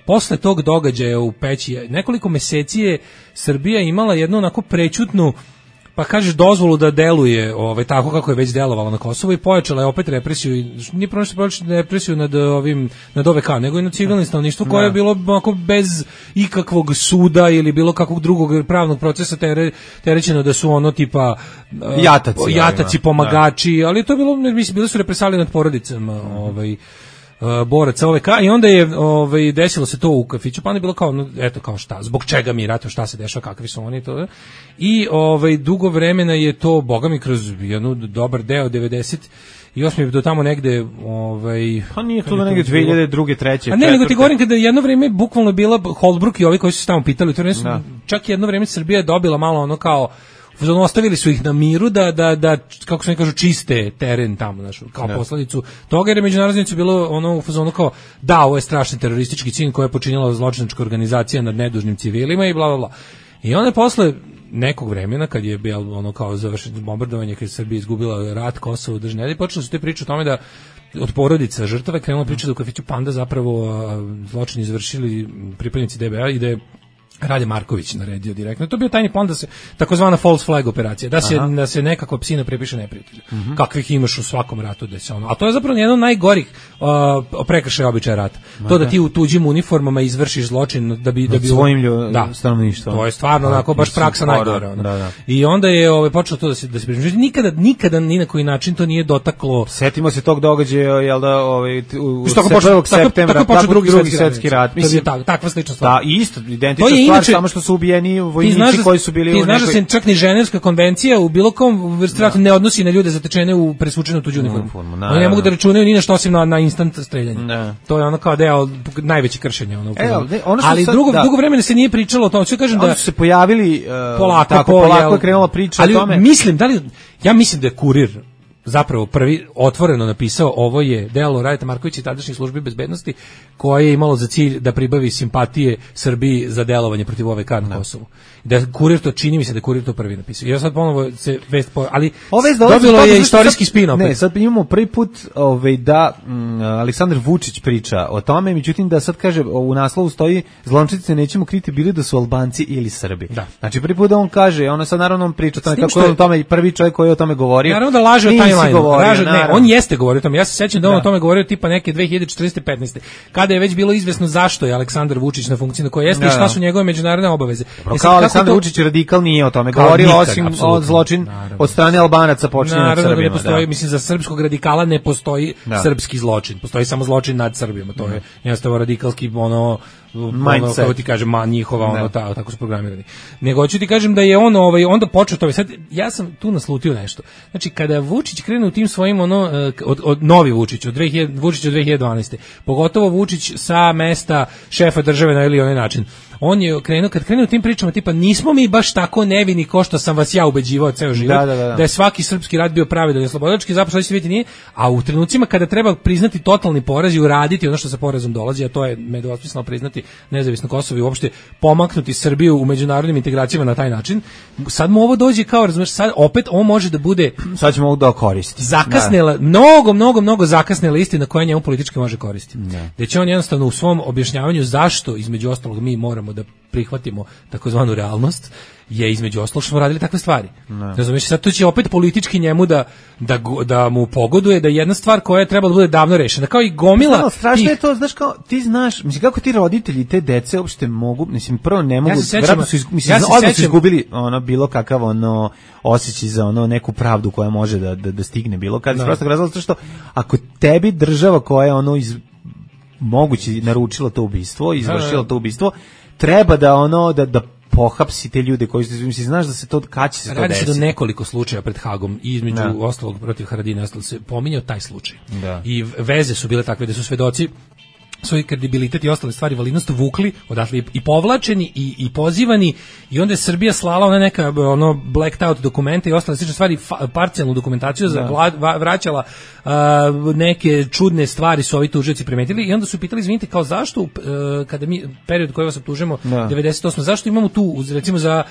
posle tog događaja u Peći nekoliko meseci je Srbija imala jednu onako prećutnu pa kažeš dozvolu da deluje ovaj tako kako je već delovala na Kosovu i pojačala je opet represiju i nije prosto pojačala represiju nad ovim nad O V K nego i nad civilnim stanovništvo koje je bilo onako bez ikakvog suda ili bilo kakvog drugog pravnog procesa tere, terećeno da su ono tipa jataci, uh, jataci pomagači, ali to je bilo mislim bile su represalije nad porodicama, ovaj Uh, boraca O V K i onda je ovaj desilo se to u kafiću, pa onda je bilo kao no, eto kao šta, zbog čega mi ratujemo, šta se dešava, kakvi su oni to. I ovaj dugo vremena je to bogami kroz jednu dobar deo devedeset i osme do tamo negde ovaj pa nije to da negde dve hiljade druge, treće. A ne, nego ti govorim kada jedno vreme bukvalno bila Holbrooke i ovi koji su se tamo pitali, to su da. Čak jedno vreme Srbija je dobila malo ono kao ostavili su ih na miru da, da, da kako se ne kažu, čiste teren tamo, znaš, kao ne. Posledicu toga, jer je međunarodnicu bilo ono u fazonu kao, da, ovo je strašni teroristički čin koji je počinila zločinačka organizacija nad nedužnim civilima i bla, bla, bla. I onda je posle nekog vremena, kad je bilo ono kao završeno bombardovanje, kad je Srbija izgubila rat, Kosovo, držne, i počeli su te priče o tome da od porodica žrtava krenula priča da u kafiću Panda zapravo zločin izvršili pripadnici D B A i da je Rade Marković naredio direktno. To je bio tajni plan da se takozvana false flag operacija, da se Aha. da se nekako psina prepiše neprijatelju. Uh-huh. Kakvih imaš u svakom ratu da se ono. A to je zapravo jedan od najgorih uh, prekršaja običaja rata. Ma to da ti u tuđim uniformama izvršiš zločin da bi da bi svojim ljudima da, stanovništvom. To je stvarno onako baš praksa najgora. Da, da. I onda je ovaj počelo to da se da se primeđuje. Nikada nikada ni na koji način to nije dotaklo. Setimo se tog događaja, jel da, ovaj u prvog septembra, tako drugi svetski rat. Mislim tak, takva slična stvar. Da, isto, identična stvar, inače, samo što su ubijeni vojnici da, koji su bili ti u nekoj... Ti znaš da se čak ni Ženevska konvencija u bilo kom vrsti rata ne odnosi na ljude zatečene u presvučenu tuđu uniformu. Oni ne mogu da računaju ni na što osim na, na instant streljanje. Ne. To je ono kao deo najveće kršenja. Ono, e, ono ali sad, dugo, da. dugo vremena se nije pričalo o tome. Što kažem da su se pojavili uh, polako, tako, po, polako je krenula priča ali o tome. Mislim, da li, ja mislim da je Kurir zapravo prvi otvoreno napisao ovo je delo Radeta Markovića i tadašnjih službi bezbednosti koje je imalo za cilj da pribavi simpatije Srbiji za delovanje protiv O V K na Kosovu. Da Kurir to čini mi se da Kurir to prvi napisao. Ja sad ponovo se vest po, ali dobilo je istorijski spin opet. Ne, sad imamo prvi put ovaj da m, Aleksandar Vučić priča o tome, međutim da sad kaže u naslovu stoji zločinci nećemo kriti bili da su Albanci ili Srbi. Da. Znači prvi put da on kaže, ona sad naravno on priča o tome kako je on tome i prvi čovjek koji je o tome govorio. Naravno da laže o timeline. Ne, on jeste govorio o tome. Ja se sećam da on da. o tome govorio tipa neke dve hiljade četrnaeste petnaeste kada je već bilo izvesno zašto je Aleksandar Vučić na funkciji na kojoj jeste da, i šta su njegove međunarodne obaveze. Dobro, kao Aleksandar to... Vučić radikal nije o tome govorio, osim od zločin naravno. Od strane Albanaca počinje nad Srbima. Da ne postoji, da. Mislim, za srpskog radikala ne postoji da. Srpski zločin. Postoji samo zločin nad Srbima. To je jednostavno radikalski ono ono, kako ti kažem, ma njihova, ono, ta, tako su programirani. Nego hoću ti kažem da je on ovaj, onda počeo to. Sad, ja sam tu naslutio nešto. Znači, kada Vučić krene u tim svojim, ono, od, od novi Vučić, od dve hiljade, Vučić od dve hiljade dvanaeste, pogotovo Vučić sa mesta šefa države na ili onaj način, on je krenuo, kad krenuo tim pričama, tipa, nismo mi baš tako nevini ko što sam vas ja ubeđivao ceo život, da, da, da. da je svaki srpski rat bio pravedan i slobodački, zapravo što vidjeti nije, a u trenucima kada treba priznati totalni poraz i uraditi ono što sa porazom dolazi, a to je nedvosmisleno priznati nezavisno Kosovo i uopšte pomaknuti Srbiju u međunarodnim integracijama na taj način, sad mu ovo dođe kao, razumeš, sad opet on može da bude, sad ćemo ovo da koristi. Zakasnela, da. mnogo, mnogo, mnogo zakasnela istina koja njemu politički može koristiti. Da. Da će on jednostavno u svom objašnjavanju zašto, između ostalog, mi moramo da prihvatimo takozvanu realnost, je između ostalog što smo radili takve stvari. Razumiješ, sad to će opet politički njemu da, da, da mu pogoduje da jedna stvar koja je trebala da bude davno rešena, kao i gomila. No, strašno tih... je to, znaš, kao, ti znaš, mislim, kako ti roditelji te dece uopšte mogu, mislim, prvo ne mogu, ja se sećam, su, mislim, ja se odmah su izgubili ono, bilo kakav ono, osjećaj za ono, neku pravdu koja može da, da, da stigne bilo kada, prosto razlog, zato što ako tebi država koja je ono iz moguće naručila to ubistvo, izvršila to ubistvo, treba da ono, da, da pohapsi te ljude koji su, mislim, znaš da se to, kad će se to desiti. Radi se do nekoliko slučaja pred Hagom i između da. ostalog protiv Haradina ostalo se pominjao taj slučaj. Da. I veze su bile takve da su svedoci svoj kredibilitet i ostale stvari, validnost vukli odatle i povlačeni i, i pozivani i onda je Srbija slala ona neka ono blacked out dokumente i ostale slične stvari, fa, parcijalnu dokumentaciju za vlad, vraćala uh, neke čudne stvari su ovi tužioci primetili i onda su pitali, izvinite, kao zašto uh, kada mi period koji vas optužujemo devedeset osme zašto imamo tu recimo za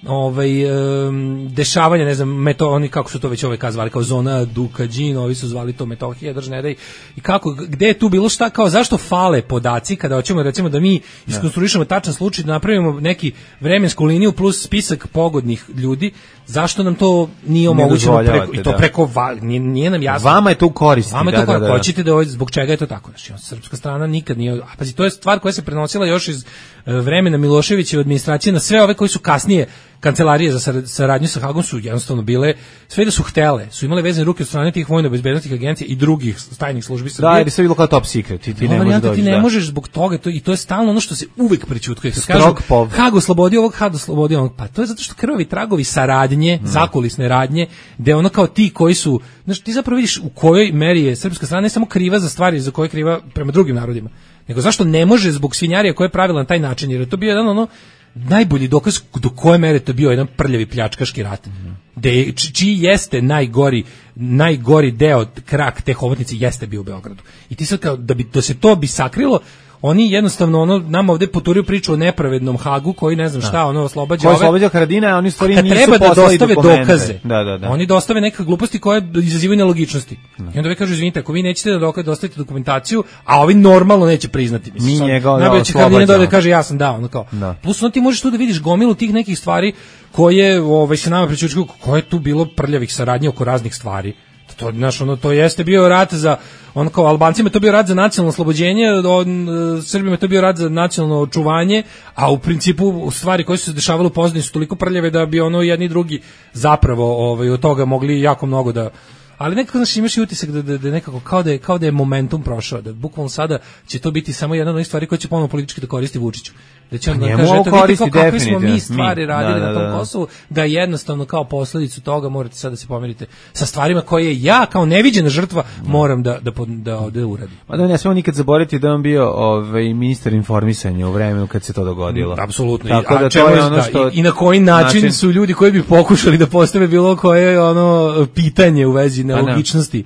ovaj um, dešavanja, ne znam, meto, oni kako su to već ove kazvali, kao zona Dukađin, ovi su zvali to Metohija, drž ne daj, i kako, gde je tu bilo šta, kao zašto fale podaci kada hoćemo recimo da mi iskonstruišemo tačan slučaj, da napravimo neki vremensku liniju plus spisak pogodnih ljudi, zašto nam to nije omogućeno preko, i to preko, nije, nije nam jasno. Vama je to u koristi. Vama je da, to da, da, da. Hoćete da, zbog čega je to tako? Znači, srpska strana nikad nije, a pazi, to je stvar koja se prenosila još iz vremena Miloševićeve administracije na sve ove koji su kasnije kancelarije za saradnju sa Hagom su jednostavno bile, sve da su htele, su imale vezane ruke od strane tih vojno-bezbednosnih agencija i drugih tajnih službi Srbije. Da, jer sve bilo kao top secret, ti, ti ne možeš doći. Ti ne da. možeš zbog toga, to, i to je stalno ono što se uvek prećutkuje. Kad kažu, Hag oslobodio ovog, Hag oslobodio ovog, pa to je zato što krvavi tragovi saradnje, mm. zakulisne radnje, gde ono kao ti koji su, znači ti zapravo vidiš u kojoj meri je srpska strana ne samo kriva za stvari za koje je kriva prema drugim narodima, nego zašto ne može zbog svinjarija koje je pravila na taj način, jer je to bio jedan ono najbolji dokaz do koje mere to bio jedan prljavi pljačkaški rat. Mm. De, čiji jeste najgori najgori deo, krak te hobotnice jeste bio u Beogradu. I ti sad kao da bi da se to bi sakrilo, oni jednostavno ono nama ovde poturiju priču o nepravednom Hagu koji ne znam šta, ono oslobađa ove. Ko oslobađa Haradina, a oni stvari nisu treba da dostave dokumente. Dokaze. Da, da, da. Oni dostave neke gluposti koje izazivaju nelogičnosti. Da. I onda vi kažu, izvinite, ako vi nećete da dokaze, dostavite dokumentaciju, a ovi normalno neće priznati. Mislim, mi njega najbolje će Haradina dođe da kaže ja sam dao, ono kao. Da. Plus ono ti možeš tu da vidiš gomilu tih nekih stvari koje ovaj se nama pričaju koje je tu bilo prljavih saradnji oko raznih stvari. To, znaš, ono, to jeste bio rat za, ono kao Albancima je to bio rat za nacionalno oslobođenje, on, Srbima je to bio rat za nacionalno očuvanje, a u principu stvari koje su se dešavale u pozadini su toliko prljave da bi ono jedni i drugi zapravo ovaj, od toga mogli jako mnogo da... Ali nekako, znaš, imaš i utisak da, da, da nekako kao da, je, kao da je momentum prošao, da bukvalno sada će to biti samo jedna od onih stvari koje će ponovno politički da koristi Vučiću. Da će on da kaže, eto vidite kao kakve smo mi stvari radili da, da, da. na tom Kosovu, da jednostavno kao posledicu toga morate sad da se pomerite sa stvarima koje ja kao neviđena žrtva moram da, da, da, da uradim. Ma da ne smemo nikad zaboraviti da on bio ovaj, ministar informisanja u vremenu kad se to dogodilo. Mm, apsolutno. Tako I, da to je ono što... I, I na koji način, način su ljudi koji bi pokušali da postave bilo koje ono pitanje u vezi nelogičnosti.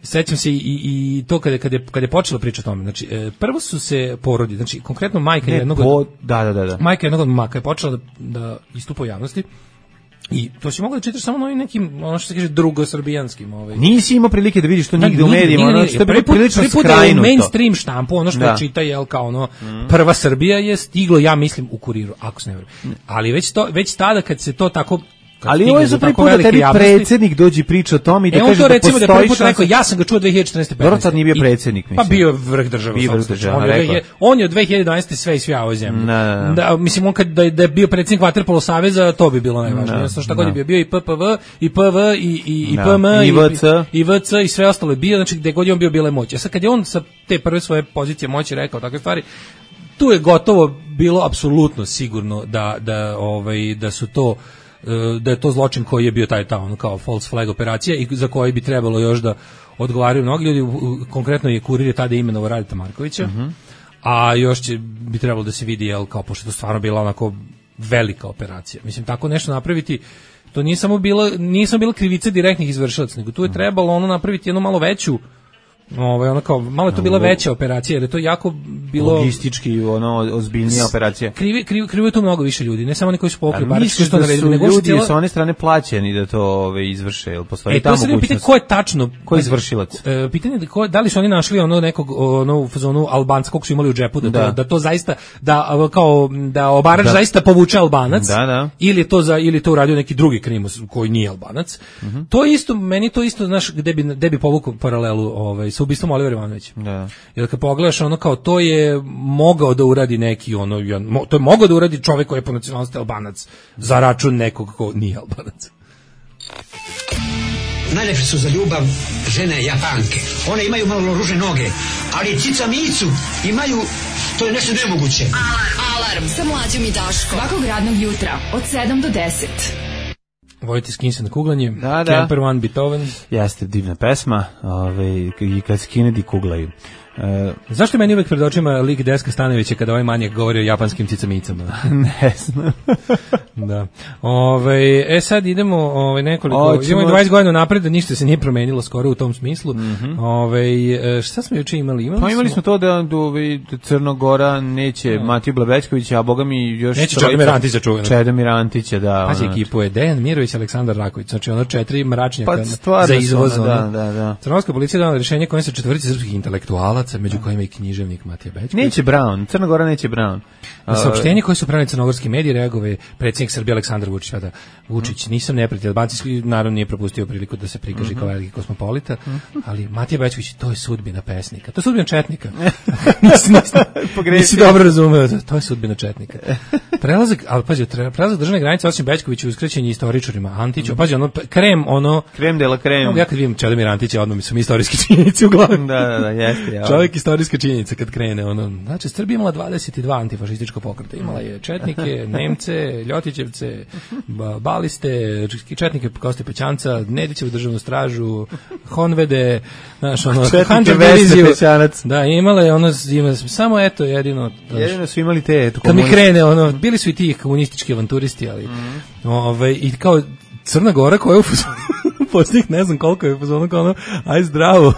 Sećam se i, i, i to kada kada je, kada je počela priča o tome. Znači, e, prvo su se porodi, znači konkretno majka ne, jednog po, od, da, da, da. majka jednog od maka je počela da, da istupa u javnosti. I to si mogao da čitaš samo na ovim nekim, ono što se kaže, drugosrbijanskim. Ovaj. Nisi imao prilike da vidiš to nigde u medijima, ono što je prvi put, prilično prvi skrajnuto. U mainstream štampu, ono što da. je čita, jel, kao ono, mm. prva Srbija je stiglo, ja mislim, u Kuriru, ako se ne vrlo. Ali već, to, već tada kad se to tako... Ali ovo je za prvi put da tebi predsjednik dođe i priča o tome i da e, kaže da postoji šansa. Da prvi put rekao, ja sam ga čuo dve hiljade četrnaeste petnaeste. Dobro, sad nije bio predsjednik, mislim. Pa bio je vrh države. Bio vrh države, on, je, on je od dve hiljade dvanaeste sve i sve ovoj zemlji. Na, na. Da, mislim, on kad da, da je bio predsjednik Vaterpolo saveza, to bi bilo najvažnije. Jednostavno šta god je bio, bio i P P V, i P V, i, i, i P M, i, i, i V C, i sve ostalo je bio, znači gde god je on bio, bila je moć. A sad kad je on sa te prve svoje pozicije moći rekao takve stvari, tu je gotovo bilo apsolutno sigurno da, da, ovaj, da su to da je to zločin koji je bio taj tamo kao false flag operacija i za koji bi trebalo još da odgovaraju mnogi ljudi, konkretno je Kurir je tada imenovao Radeta Markovića, uh-huh. a još će, bi trebalo da se vidi, jel, kao, pošto je to stvarno bila onako velika operacija. Mislim, tako nešto napraviti, to nije samo bila, nije samo bila krivica direktnih izvršilaca, nego tu je trebalo ono napraviti jednu malo veću, ovaj ono kao malo je to bila veća operacija, jer je to jako bilo logistički ono ozbiljnija operacija. Krivi krivi krivi je tu mnogo više ljudi, ne samo oni koji su povukli baračke što naredili, nego ljudi cijela... sa one strane plaćeni da to ove izvrše, jel postoji e, tamo mogućnost. Pitanje ko je tačno, ko je izvršilac? E, pitanje je ko, da li su oni našli ono nekog ono u fazonu Albanca kog su imali u džepu da, da. To, da to zaista da kao da obarač da. zaista povuče Albanac, da, da. ili je to za ili to uradio neki drugi krimus koji nije Albanac. Uh-huh. To isto meni to isto znaš gde bi gde bi povukao paralelu ovaj sa ubistvom Olivera Ivanovića. Da. Jer kad pogledaš ono kao to je mogao da uradi neki ono to je mogao da uradi čovjek koji je po nacionalnosti Albanac za račun nekog ko nije Albanac. Najlepše su za ljubav žene Japanke. One imaju malo ružne noge, ali cica micu imaju, to je nešto nemoguće. Alarm, alarm sa Mlađom i Daškom. Svakog radnog jutra od sedam do deset. Vojte skinse na kuglanje, da, da. Camper One Beethoven. Jeste divna pesma, ove, i kad skinedi kuglaju. E, Zašto meni uvek pred očima lik Deska Stanovića kada ovaj manjak govori o japanskim cicamicama? Ne znam. Da. Ove, e sad idemo ove, nekoliko, o, ćemo... idemo dvadeset godina napred, da ništa se nije promenilo skoro u tom smislu. Mm-hmm. Ove, šta smo juče imali? Imali pa imali smo, smo to da, da Crnogora neće no. Matiju Blabečkovića, a boga mi još... Neće Čedomir Antića čuveno. Čedomir Antića, da. Pazi, ekipu je Dejan Mirović, Aleksandar Raković, znači ono četiri mračnjaka pa, za izvoz. Ona, da, da, da. Crnogorska policija dala rješenje kojim se četvorici srpskih intelektualaca, među kojima i književnik Matija Bećković. Neće Brown, Crna Gora neće Brown. Na saopštenje koje su pravili crnogorski mediji reagove predsjednik Srbije Aleksandar Vučić, da Vučić, nisam neprijatelj Albanci, naravno nije propustio priliku da se prikaže mm-hmm. kao veliki kosmopolita, mm-hmm. ali Matija Bećković, to je sudbina pesnika, to je sudbina četnika. nisi, nisi, nisi dobro razumeo, to je sudbina četnika. Prelazak, ali pazi, prelazak državne granice osim Bećkoviću uskraćen je istoričarima, Antiću, mm-hmm. pazi, ono, krem, ono... Krem de la krem. Ja kad vidim Čedomir Antića, odmah mi su mi istorijski činjenici u glavi. Da, da, da, jeste. Ja. Čovjek istorijska činjenica kad krene, ono, znači, Srbija imala dvadeset dva antifašistička pokreta, imala je četnike, Nemce, Ljotićevce, baliste, četnike Koste Pećanca, Nedićevu državnu stražu, Honvede, znaš, ono, Hunter diviziju. Da, imala je ono, ima, samo eto, jedino. Znaš, jedino su imali te, eto, kad mi krene, ono, bili su i ti komunistički avanturisti, ali, mm. ovaj, i kao Crna Gora koja je u posljednjih ne znam koliko je, ono, kao ono, aj zdravo.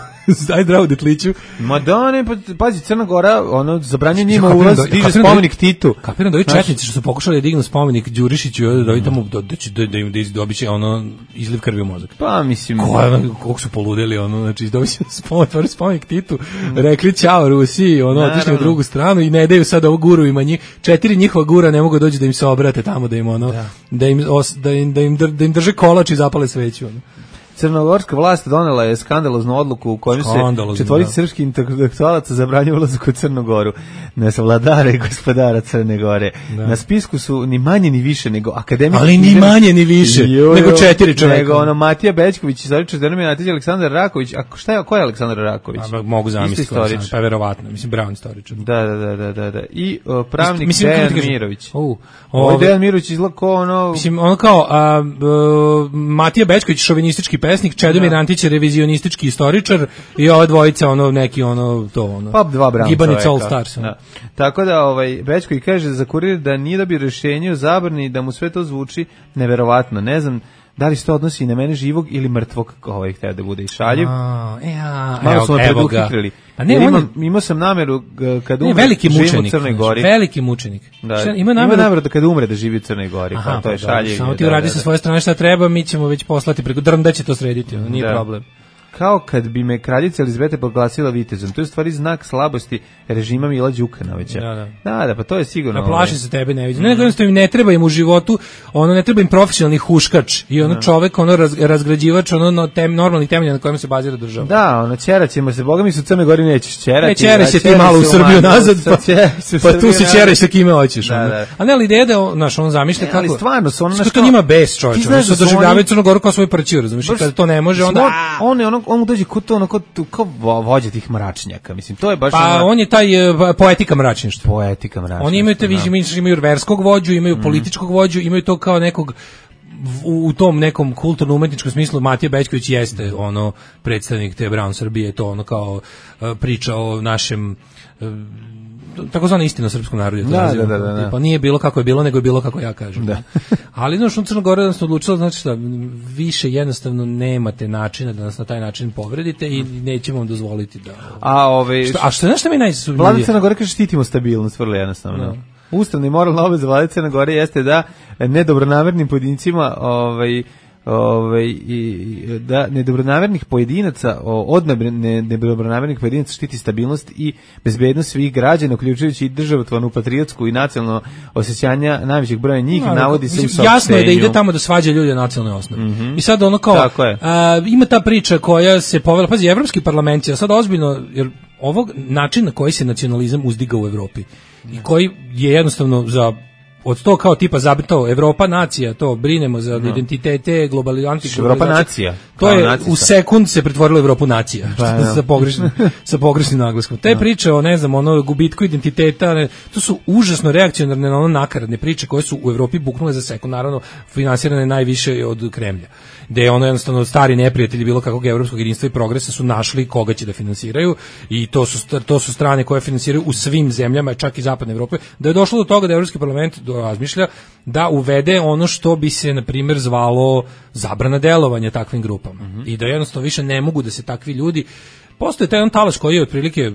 Aj zdravo detliću. Ma da ne, pa, pazi, Crna Gora, ono, zabranje njima ulaz, diže spomenik Titu. Kapiram da ovi četnici što su pokušali da dignu spomenik Đurišiću, da ovi tamo, da, da, da im dobiće, ono, izliv krvi u mozak. Pa, mislim... Koliko su poludeli, ono, znači, dobiće spomenik, spomenik Titu, rekli ćao Rusiji, ono, otišli u drugu stranu i ne daju sad ovo guru ima njih, četiri njihova gura ne mogu doći da im se obrate tamo, da im, ono, da, da im, os, da im, da im, da im drže kolač i zapale sveću, ono. Crnogorska vlast donela je skandaloznu odluku u kojoj se četvorici srpskih intelektualaca zabranjuje ulazak u Crnu Goru, ne savladara i gospodara Crne Gore. Da. Na spisku su ni manje ni više nego akademik... Ali ni manje ni više, jo, nego četiri čovjeka. Nego ono Matija Bećković, istoričar Čedomir Antić, Aleksandar Raković. A šta je, ko je Aleksandar Raković? A, mogu zamisliti, pa verovatno, mislim Brown istoričar. Da, da, da, da, da, da. I o, pravnik mislim, Dejan Mirović. Uh, Ovo Dejan Mirović izgleda kao ono... Mislim, ono kao a, a, Matija Bećković, šovinistički pesnik, Čedomir Antić je revizionistički istoričar i ova dvojica ono neki ono to ono. Pa dva Brown Gibanica All Stars. Da. Tako da ovaj Bećković kaže za kurir da nije da bi rješenje o zabrani da mu sve to zvuči neverovatno. Ne znam da li se to odnosi na mene živog ili mrtvog, ovaj hteo da bude i šaljiv. A, ja, malo smo preduhitrili. Pa ne, on, imam, imao sam nameru kad umre, veliki mučenik, u Crnoj Gori. Veliki mučenik. Da, ima nameru, ima nameru da kad umre da živi u Crnoj Gori, aha, pa to je šaljiv. Samo ti uradi da, sa svoje strane šta treba, mi ćemo već poslati preko Drnda će to srediti, ono, nije da. problem. Kao kad bi me kraljica Elizabeta proglasila vitezom. To je u stvari znak slabosti režima Mila Đukanovića. Da, da. Da, da, pa to je sigurno. Da plaši se tebe, ne vidim. Ne, nego jednostavno im ne treba im u životu, ono ne treba im profesionalni huškač i ono čovek, ono raz, razgrađivač, ono no, tem, normalni temelj na kojem se bazira država. Da, ono ćeraćemo se, boga mi su u Crnoj Gori nećeš ćerati. Ne, ćeraj se ti malo u Srbiju nazad, pa, pa tu se ćeraj sa kime hoćeš. Da, da. A ne, ali ideja da, znaš, on zamišlja kako... Ali stvarno, su ono... Što to njima bez čovječa, ono što doživljavaju Crnu Goru kao svoju parćiju, razumiješ, kada to ne može, onda... On je ono, on dođe kod to, ono, kod, kao vođa tih mračnjaka, mislim, to je baš... Pa ono... on je taj uh, poetika mračništva. Poetika mračništva. Oni imaju te, vi, imaju verskog vođu, imaju mm. političkog vođu, imaju to kao nekog u, u tom nekom kulturno umetničkom smislu. Matija Bećković jeste ono predstavnik te Brown Srbije, to ono kao uh, priča o našem uh, takozvana istina o srpskom narodu. Da, da, da, da, da. Pa nije bilo kako je bilo, nego je bilo kako ja kažem. Da. Ali znaš, u Crnoj Gori nas odlučilo, znači šta, više jednostavno nemate načina da nas na taj način povredite i nećemo vam dozvoliti da... A, ove, što, a što je nešto mi najsumnjivije? Vlada Crne Gore kaže štitimo stabilnost, vrlo jednostavno. No. Ustavna i moralna obaveza Vlade Crne Gore jeste da nedobronamernim pojedincima ovaj ovaj i da nedobronamernih pojedinaca od nedobronamernih pojedinaca štiti stabilnost i bezbednost svih građana, uključujući i državotvornu, patriotsku i nacionalno osjećanja najvećeg broja njih, no, navodi se u saopštenju. Jasno je da ide tamo da svađa ljude na nacionalnoj osnovi. Mm -hmm. I sad ono kao a, ima ta priča koja se povela, pazi, Evropski parlament je sad ozbiljno, jer ovog načina na koji se nacionalizam uzdiga u Evropi i koji je jednostavno za od to kao tipa zabito Evropa nacija, to brinemo za no. identitete, globalizaciju, Evropa nacija. To je nacista. U sekund se pretvorilo u Evropu nacija, pa, no. sa pogrešnim sa pogrešnim naglaskom. Te no. priče o ne znam, ono gubitku identiteta, ne, to su užasno reakcionarne na ono nakaradne priče koje su u Evropi buknule za sekund, naravno finansirane najviše od Kremlja. Da je ono jednostavno stari neprijatelji bilo kakvog evropskog jedinstva i progresa su našli koga će da finansiraju i to su to su strane koje finansiraju u svim zemljama, čak i zapadne Evrope, da je došlo do toga da Evropski parlament razmišlja da uvede ono što bi se na primjer zvalo zabrana delovanja takvim grupama. Mm -hmm. I da jednostavno više ne mogu da se takvi ljudi, postoje taj on talaš koji je otprilike,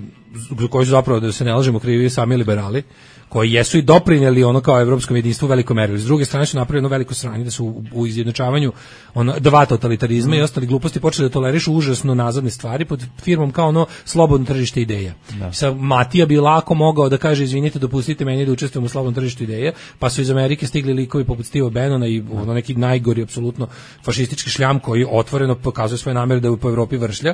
koji su zapravo, da se ne lažemo, krivi sami liberali, koji jesu i doprinjeli ono kao evropskom jedinstvu u velikoj meri. S druge strane su napravili jedno veliko sranje da su u, u izjednačavanju ono, dva totalitarizma mm. i ostali gluposti počeli da tolerišu užasno nazadne stvari pod firmom kao ono slobodno tržište ideja. Da. Sad Matija bi lako mogao da kaže izvinite, dopustite meni da učestvujem u slobodnom tržištu ideja, pa su iz Amerike stigli likovi poput Steva Bannona i ono neki najgori apsolutno fašistički šljam koji otvoreno pokazuje svoje namere da po Evropi vršlja.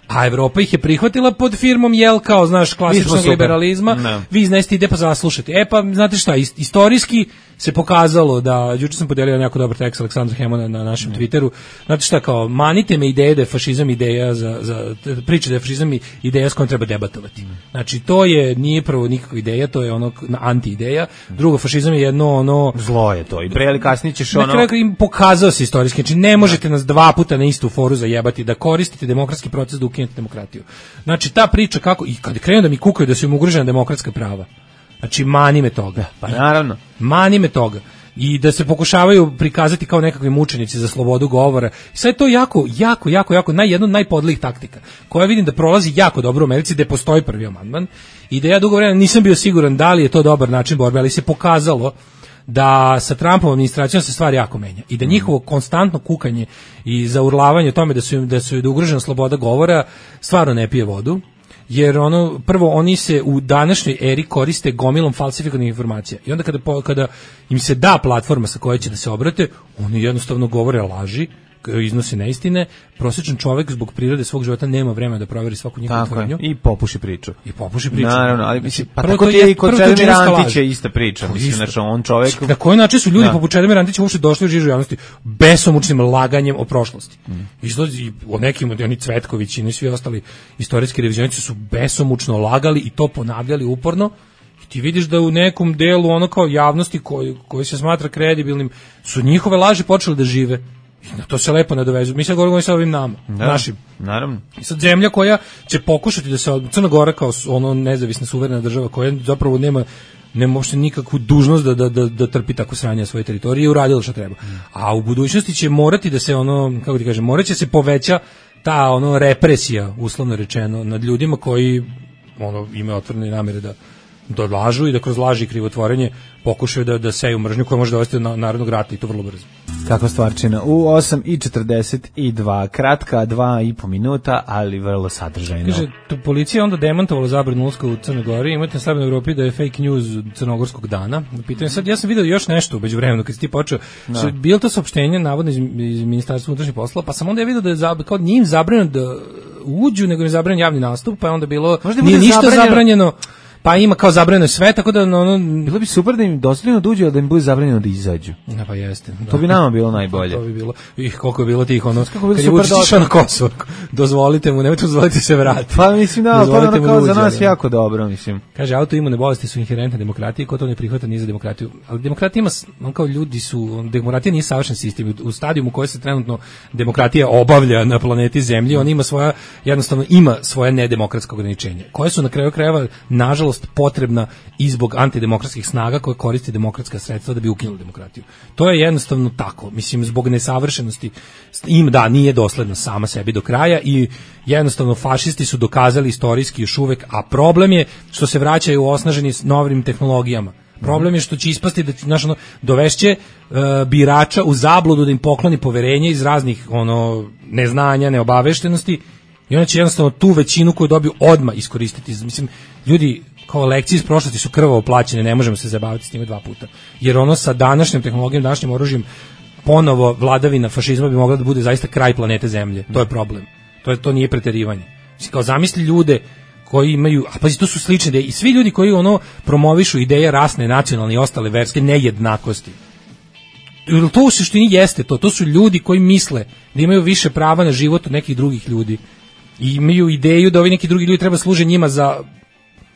A Evropa ih je prihvatila pod firmom jel kao, znaš, klasičnog liberalizma. No. Vi iznesite ide pa zaslušajte. E pa, znate šta, istorijski se pokazalo da, juče sam podelio jako dobar tekst Aleksandra Hemona na našem no. Twitteru, znate šta, kao, manite me ideje da je fašizam ideja za, za priče da je fašizam ideja s kojom treba debatovati. No. Znači, to je, nije prvo nikakva ideja, to je ono anti-ideja. Drugo, fašizam je jedno ono... Zlo je to, i pre ili kasnije ćeš ono... Na kraju im pokazao se istorijski, znači ne možete nas dva puta na istu foru zajebati, da koristite demokratski proces da ukinete demokratiju. Znači, ta priča kako, i kad krenu da mi kukaju da su im ugrožena demokratska prava, znači, mani me toga. Pa naravno. Mani me toga. I da se pokušavaju prikazati kao nekakvi mučenici za slobodu govora. I sad je to jako, jako, jako, jako, naj, jedno od najpodlijih taktika, koja vidim da prolazi jako dobro u Americi, da postoji prvi amandman, i da ja dugo vremena nisam bio siguran da li je to dobar način borbe, ali se pokazalo da sa Trumpovom administracijom se stvari jako menja i da njihovo konstantno kukanje i zaurlavanje tome da su da su da ugrožena sloboda govora stvarno ne pije vodu. Jer ono, prvo, oni se u današnjoj eri koriste gomilom falsifikovanih informacija. I onda kada, kada im se da platforma sa kojoj će da se obrate, oni jednostavno govore laži, iznose neistine. Prosječan čovjek zbog prirode svog života nema vremena da proveri svaku njihovu tvrdnju. I popuši priču. I popuši priču. Naravno, ali mislim, pa tako ti je i kod Čedomira Antića ista priča. Mislim, znači, on čovjek... Na koji način su ljudi poput Čedomira Antića uopšte došli u žižu javnosti besomučnim laganjem o prošlosti. Mm. Izlazi o nekim, oni Cvetković i svi ostali istorijski revizionisti su besomučno lagali i to ponavljali uporno. I ti vidiš da u nekom delu ono kao javnosti koji, koji se smatra kredibilnim su njihove laži počeli da žive. I na to se lepo nadovezu. Mi sad govorimo sa ovim nama, da, našim. Naravno. I sad zemlja koja će pokušati da se, Crna Gora kao ono nezavisna suverena država koja zapravo nema nema uopšte nikakvu dužnost da, da, da, da trpi tako sranje na svoje teritorije i uradilo što treba. A u budućnosti će morati da se ono, kako ti kažem, morat će se poveća ta ono represija, uslovno rečeno, nad ljudima koji ono imaju otvorene namere da da lažu i da kroz laži i krivotvorenje pokušaju da, da seju mržnju koja može dovesti do narodnog rata i to vrlo brzo. Kakva stvarčina. U osam i četrdeset dva, kratka, dva i po minuta, ali vrlo sadržajno. Kaže, tu policija onda demantovala zabranu ulaska u Crnoj Gori, imate na Slobodnoj Evropi da je fake news crnogorskog dana. Pitanje sad, ja sam video još nešto u međuvremenu kad si ti počeo. Da. Bilo to saopštenje navodno iz, iz Ministarstva unutrašnjih poslova, pa sam onda je video da je zab, kao njim zabranjeno da uđu, nego je zabranjen javni nastup, pa je onda bilo nije ništa zabranjeno. zabranjeno. Pa ima kao zabranjeno sve, tako da ono... Bilo bi super da im dozvoljeno da uđu, a da im bude zabranjeno da izađu. Ja, pa jeste. Da. To bi nama bilo najbolje. To bi bilo. Ih, koliko je bilo tih, ono... Kako kad je Vučić išao na Kosovo, dozvolite mu, nemojte dozvolite se vrati. Pa mislim, da, to je ono kao za nas jako dobro, mislim. Kaže, autoimune bolesti su inherentne demokratije, ko to ne prihvata nije za demokratiju. Ali demokratija ima, on kao ljudi su... Demokratija nije savršen sistem. U stadijumu u kojoj se trenutno demokratija obavlja na planeti Zemlji, on ima svoja, jednostavno ima svoja nedemokratska ograničenja, koje su na kraju krajeva, nažalost, nažalost potrebna i zbog antidemokratskih snaga koje koriste demokratska sredstva da bi ukinuli demokratiju. To je jednostavno tako. Mislim, zbog nesavršenosti im da nije dosledna sama sebi do kraja i jednostavno fašisti su dokazali istorijski još uvek, a problem je što se vraćaju osnaženi s novim tehnologijama. Problem je što će ispasti da znaš, ono, dovešće uh, birača u zabludu da im pokloni poverenje iz raznih ono neznanja, neobaveštenosti i onda će jednostavno tu većinu koju dobiju odmah iskoristiti. Mislim, ljudi kao lekcije iz prošlosti su krvavo plaćene, ne možemo se zabaviti s njima dva puta. Jer ono sa današnjom tehnologijom, današnjim oružjem, ponovo vladavina fašizma bi mogla da bude zaista kraj planete Zemlje. To je problem. To je to nije preterivanje. Mislim, kao zamisli ljude koji imaju, a pazi, to su slične ideje i svi ljudi koji ono promovišu ideje rasne, nacionalne i ostale verske nejednakosti. To u suštini jeste to, to su ljudi koji misle da imaju više prava na život od nekih drugih ljudi i imaju ideju da ovi neki drugi ljudi treba služe njima za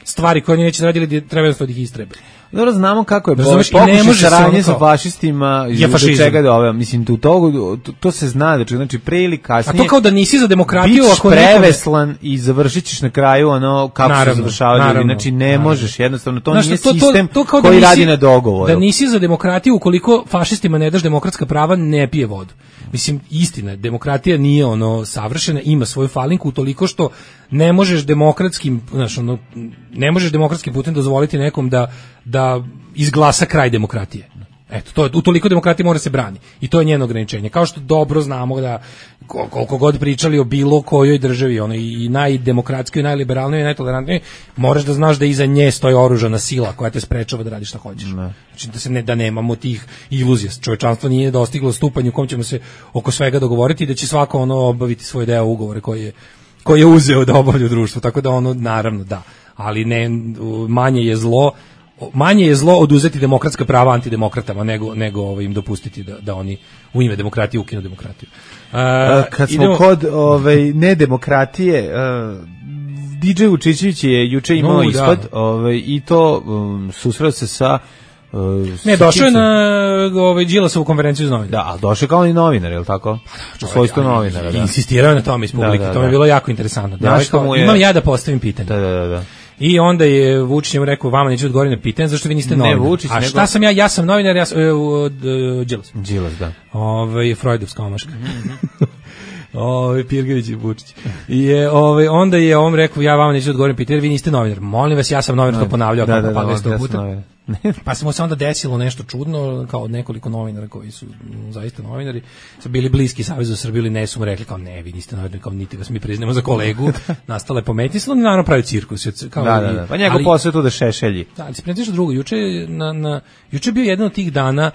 stvari koje oni neće radili, da treba jednostavno da ih istrebe. Dobro, znamo kako je pokušaj saradnje sa fašistima i do čega da ove, mislim, tu to, to, to se zna, da znači pre ili kasnije. A to kao da nisi za demokratiju, ako preveslan nekome... i završit ćeš na kraju ono kako naravno, se završavaju ljudi, znači ne naravno. možeš, jednostavno to znači, nije to, sistem to, to, to koji da nisi, radi na dogovoru. Da nisi za demokratiju, ukoliko fašistima ne daš demokratska prava, ne pije vodu. Mislim, istina, demokratija nije ono savršena, ima svoju falinku utoliko što ne možeš demokratskim, znači ono, ne možeš demokratskim putem dozvoliti nekom da da izglasa kraj demokratije. Eto, to je, utoliko demokratija mora se brani. I to je njeno ograničenje. Kao što dobro znamo da koliko god pričali o bilo kojoj državi, ono i najdemokratskoj, i najliberalnoj, i najtolerantnoj, moraš da znaš da iza nje stoji oružana sila koja te sprečava da radiš šta hoćeš. Ne. Znači da se ne da nemamo tih iluzija. Čovječanstvo nije dostiglo stupanj u kom ćemo se oko svega dogovoriti i da će svako ono obaviti svoj deo ugovore koji je koji je uzeo da obavlja u društvu. Tako da ono naravno da, ali ne manje je zlo manje je zlo oduzeti demokratska prava antidemokratama nego nego ovaj im dopustiti da da oni u ime demokratije ukinu demokratiju. Uh, Kad smo idemo... kod ovaj nedemokratije, uh, D J Vučićević je juče imao no, ispad, da. ovaj i to um, susreo se sa Uh, ne, došao je na ovaj Đilasovu konferenciju za novinare. Da, ali došao je kao i novinar, je li tako? U svojstvu novinara, da. Insistirao je na tome iz publike, da, da, to mi je bilo jako interesantno. Da, kao, je... Imam ja da postavim pitanje. Da, da, da. I onda je Vučić mu rekao, vama neću odgovoriti na pitanje, zašto vi niste novinar? Ne, Vučić, a šta nego... sam ja? Ja sam novinar, ja sam uh, uh, Đilas. Đilas, da. Ovaj Freudovska omaška. Mm-hmm. Ovaj Pirgević i Vučić. I je ovaj onda je on rekao, ja vama neću odgovoriti na pitanje, jer vi niste novinar. Molim vas, ja sam novinar, to ponavljao da, kako pa da, sto da, puta. Pa se mu se onda desilo nešto čudno, kao nekoliko novinara koji su m, zaista novinari, su bili bliski Savezu za Srbiju ili ne, su mu rekli kao ne, vi niste novinari, kao niti vas mi priznamo za kolegu. Nastale pometnje, se oni naravno pravi cirkus. Kao da, da, da. Pa njegov posao tu da šešelji. Da, ali se nešto drugo. Juče, na, na, juče bio jedan od tih dana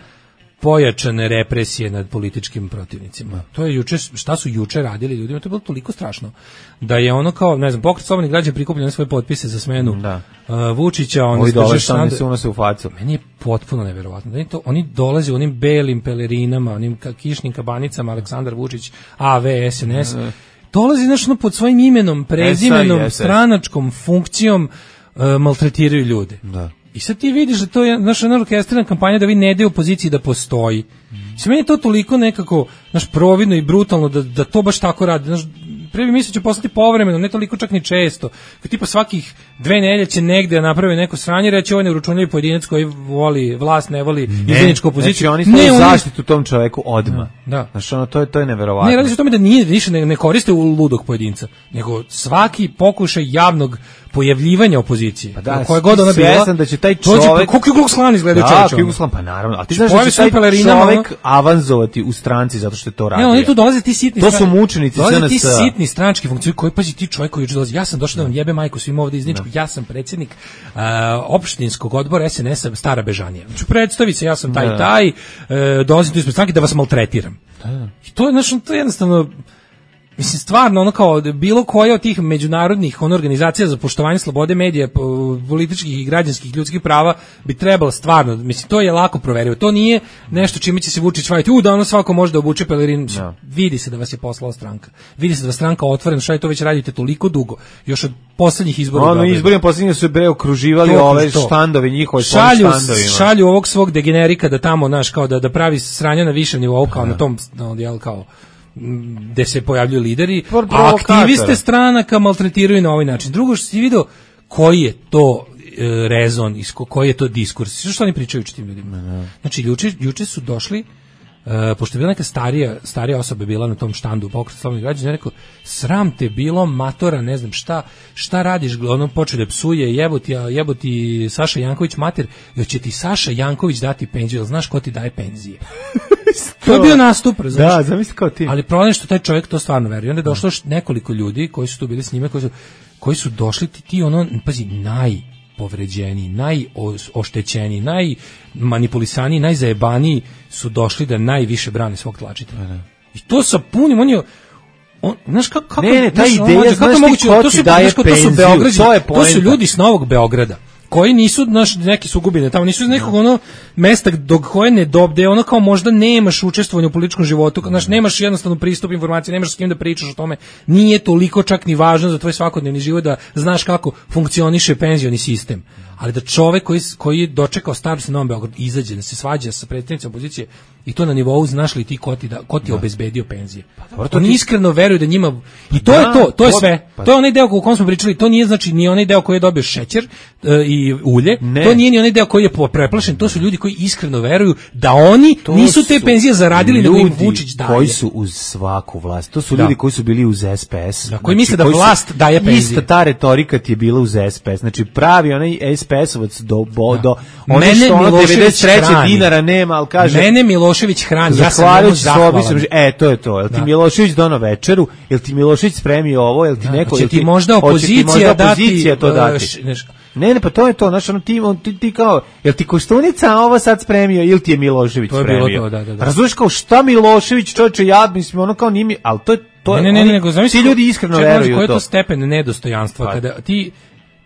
pojačane represije nad političkim protivnicima. To je juče, šta su juče radili ljudima, to je bilo toliko strašno da je ono kao, ne znam, Pokret slobodnih građana prikupljeno svoje potpise za smenu da. uh, Vučića, on dolaze se unose u facu. Meni je potpuno neverovatno. Da to, oni dolaze u onim belim pelerinama, onim kišnim kabanicama, Aleksandar Vučić, A V, S N S, mm. dolazi znaš ono pod svojim imenom, prezimenom, S I, stranačkom funkcijom, uh, maltretiraju ljude. Da. I sad ti vidiš da to je naša orkestrirana kampanja da vi ne daju opoziciji da postoji. Mm. Sve meni je to toliko nekako naš providno i brutalno da, da to baš tako radi. Naš, prvi misli će poslati povremeno, ne toliko čak ni često. Kad tipa svakih dve nedelje će negde napravi neko sranje, reći ovo je neuručunljivi pojedinac koji voli vlast, ne voli izdajničku opoziciju. Znači oni stavaju zaštitu tom čoveku odmah. Da. Znači ono, to je, to je neverovatno. Ne, radi se o tome da nije, više ne, ne koriste u ludog pojedinca, nego svaki pokušaj javnog pojavljivanja opozicije. Pa da, koje god ona bila, da će taj čovjek kako Ku Klux Klan izgleda čovjek. Da, Ku Klux Klan, pa naravno. A ti znaš da će taj čovjek avanzovati u stranci zato što je to radi. Ne, oni tu dolaze ti sitni. To su mučenici S N S. Ti sitni stranački funkcioneri koji pazi ti čovjek koji juče dolazi. Ja sam došao da vam jebe majku svima ovde iz Ničkog. Ja sam predsjednik uh, opštinskog odbora S N S-a Stara Bežanija. Znači predstavi se, ja sam taj i taj, uh, dolazim tu ispred stranke da vas maltretiram. Da. I to je znači to je jednostavno mislim, stvarno, ono kao bilo koja od tih međunarodnih ono, organizacija za poštovanje slobode medija, političkih i građanskih ljudskih prava bi trebalo stvarno, mislim, to je lako proverivo. To nije nešto čime će se Vučić vaditi, u, danas svako može da obuče pelerin. No. Vidi se da vas je poslala stranka. Vidi se da vas stranka otvorena, šta je to već radite toliko dugo, još od poslednjih izbora. Ono, izborima poslednjih su bre okruživali to, ove to. Štandovi njihove šalju, šalju ovog svog degenerika da tamo, naš, kao da, da pravi sranja na višem nivou, kao no. na tom, no, jel, kao gde se pojavljuju lideri, a aktiviste stranaka maltretiraju na ovaj način. Drugo što si vidio, koji je to e, rezon, iz ko, koji je to diskurs, što oni pričaju tim ljudima. Znači, juče, juče su došli, Uh, pošto je bila neka starija, starija osoba bila na tom štandu Pokret slobodnih građana, ja rekao, sram te bilo, matora, ne znam šta, šta radiš, ono počeo da psuje, jeboti, jeboti Saša Janković mater, jer će ti Saša Janković dati penziju, jel znaš ko ti daje penzije? To je bio nastup, razumiješ? Da, zamisli kao ti. Ali problem je što taj čovjek to stvarno veruje. Onda je došlo nekoliko ljudi koji su tu bili s njime, koji su, koji su došli, ti, ti ono, pazi, naj povređeni, najoštećeni, najmanipulisaniji, najzajebaniji su došli da najviše brane svog tlačitelja. I to sa punim, on je, on, znaš kako, kako, ne, ne, ta ideja, kako znaš moguće, ti ko to ti su, daje znaš, penziju, to su Beograđani, to je to su ljudi s Novog Beograda, koji nisu naš neki sugubine tamo, nisu iz nekog ono mesta dok koje ne dobde, ono kao možda nemaš učestvovanje u političkom životu, znaš, nemaš jednostavno pristup informaciji, nemaš s kim da pričaš o tome, nije toliko čak ni važno za tvoj svakodnevni život da znaš kako funkcioniše penzioni sistem. Ali da čovek koji, koji je dočekao starost na Novom Beogradu izađe, da se svađa sa predstavnicima opozicije i to na nivou, znaš li ti ko ti, da, ko ti da. obezbedio penzije. Pa, dobro, oni ti... iskreno veruju da njima... I to da, je to, to je sve. Pa... To je onaj deo o kom smo pričali, to nije znači ni onaj deo koji je dobio šećer uh, i ulje, ne. To nije ni onaj deo koji je preplašen, to su ljudi koji iskreno veruju da oni to nisu te penzije zaradili, nego im Vučić daje. Koji su uz svaku vlast, to su da. ljudi koji su bili uz S P S. Da, koji znači, misle da vlast su, daje penzije. Ista ta retorika ti je bila uz S P S, znači pravi onaj S P S-ovac do, bo, da. do one što ono devedeset treće dinara nema, ali kaže... Mene Milošević hrani, ja sam njemu zahvalan. E, to je to, jel ti Milošević dono večeru, jel ti Milošević spremio ovo, jel ti neko... Hoće ti možda opozicija dati... to dati. Ne, ne, pa to je to, znaš, ono ti, on, ti, ti kao, jel ti Koštunica ovo sad spremio, ili ti je Milošević to je spremio? Bilo to, da, da, da. Razumiješ kao šta Milošević, čovječe, ja mislim, ono kao nimi, ali to je, to je, ne, ne, ne, nego, ti ljudi iskreno veruju u to. Koji je to stepen nedostojanstva, pa. Kada ti,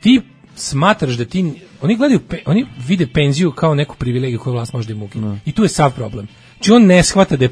ti smatraš da ti, oni gledaju, oni vide penziju kao neku privilegiju koju vlast može da im ukine. I tu je sav problem. Či on ne shvata da je,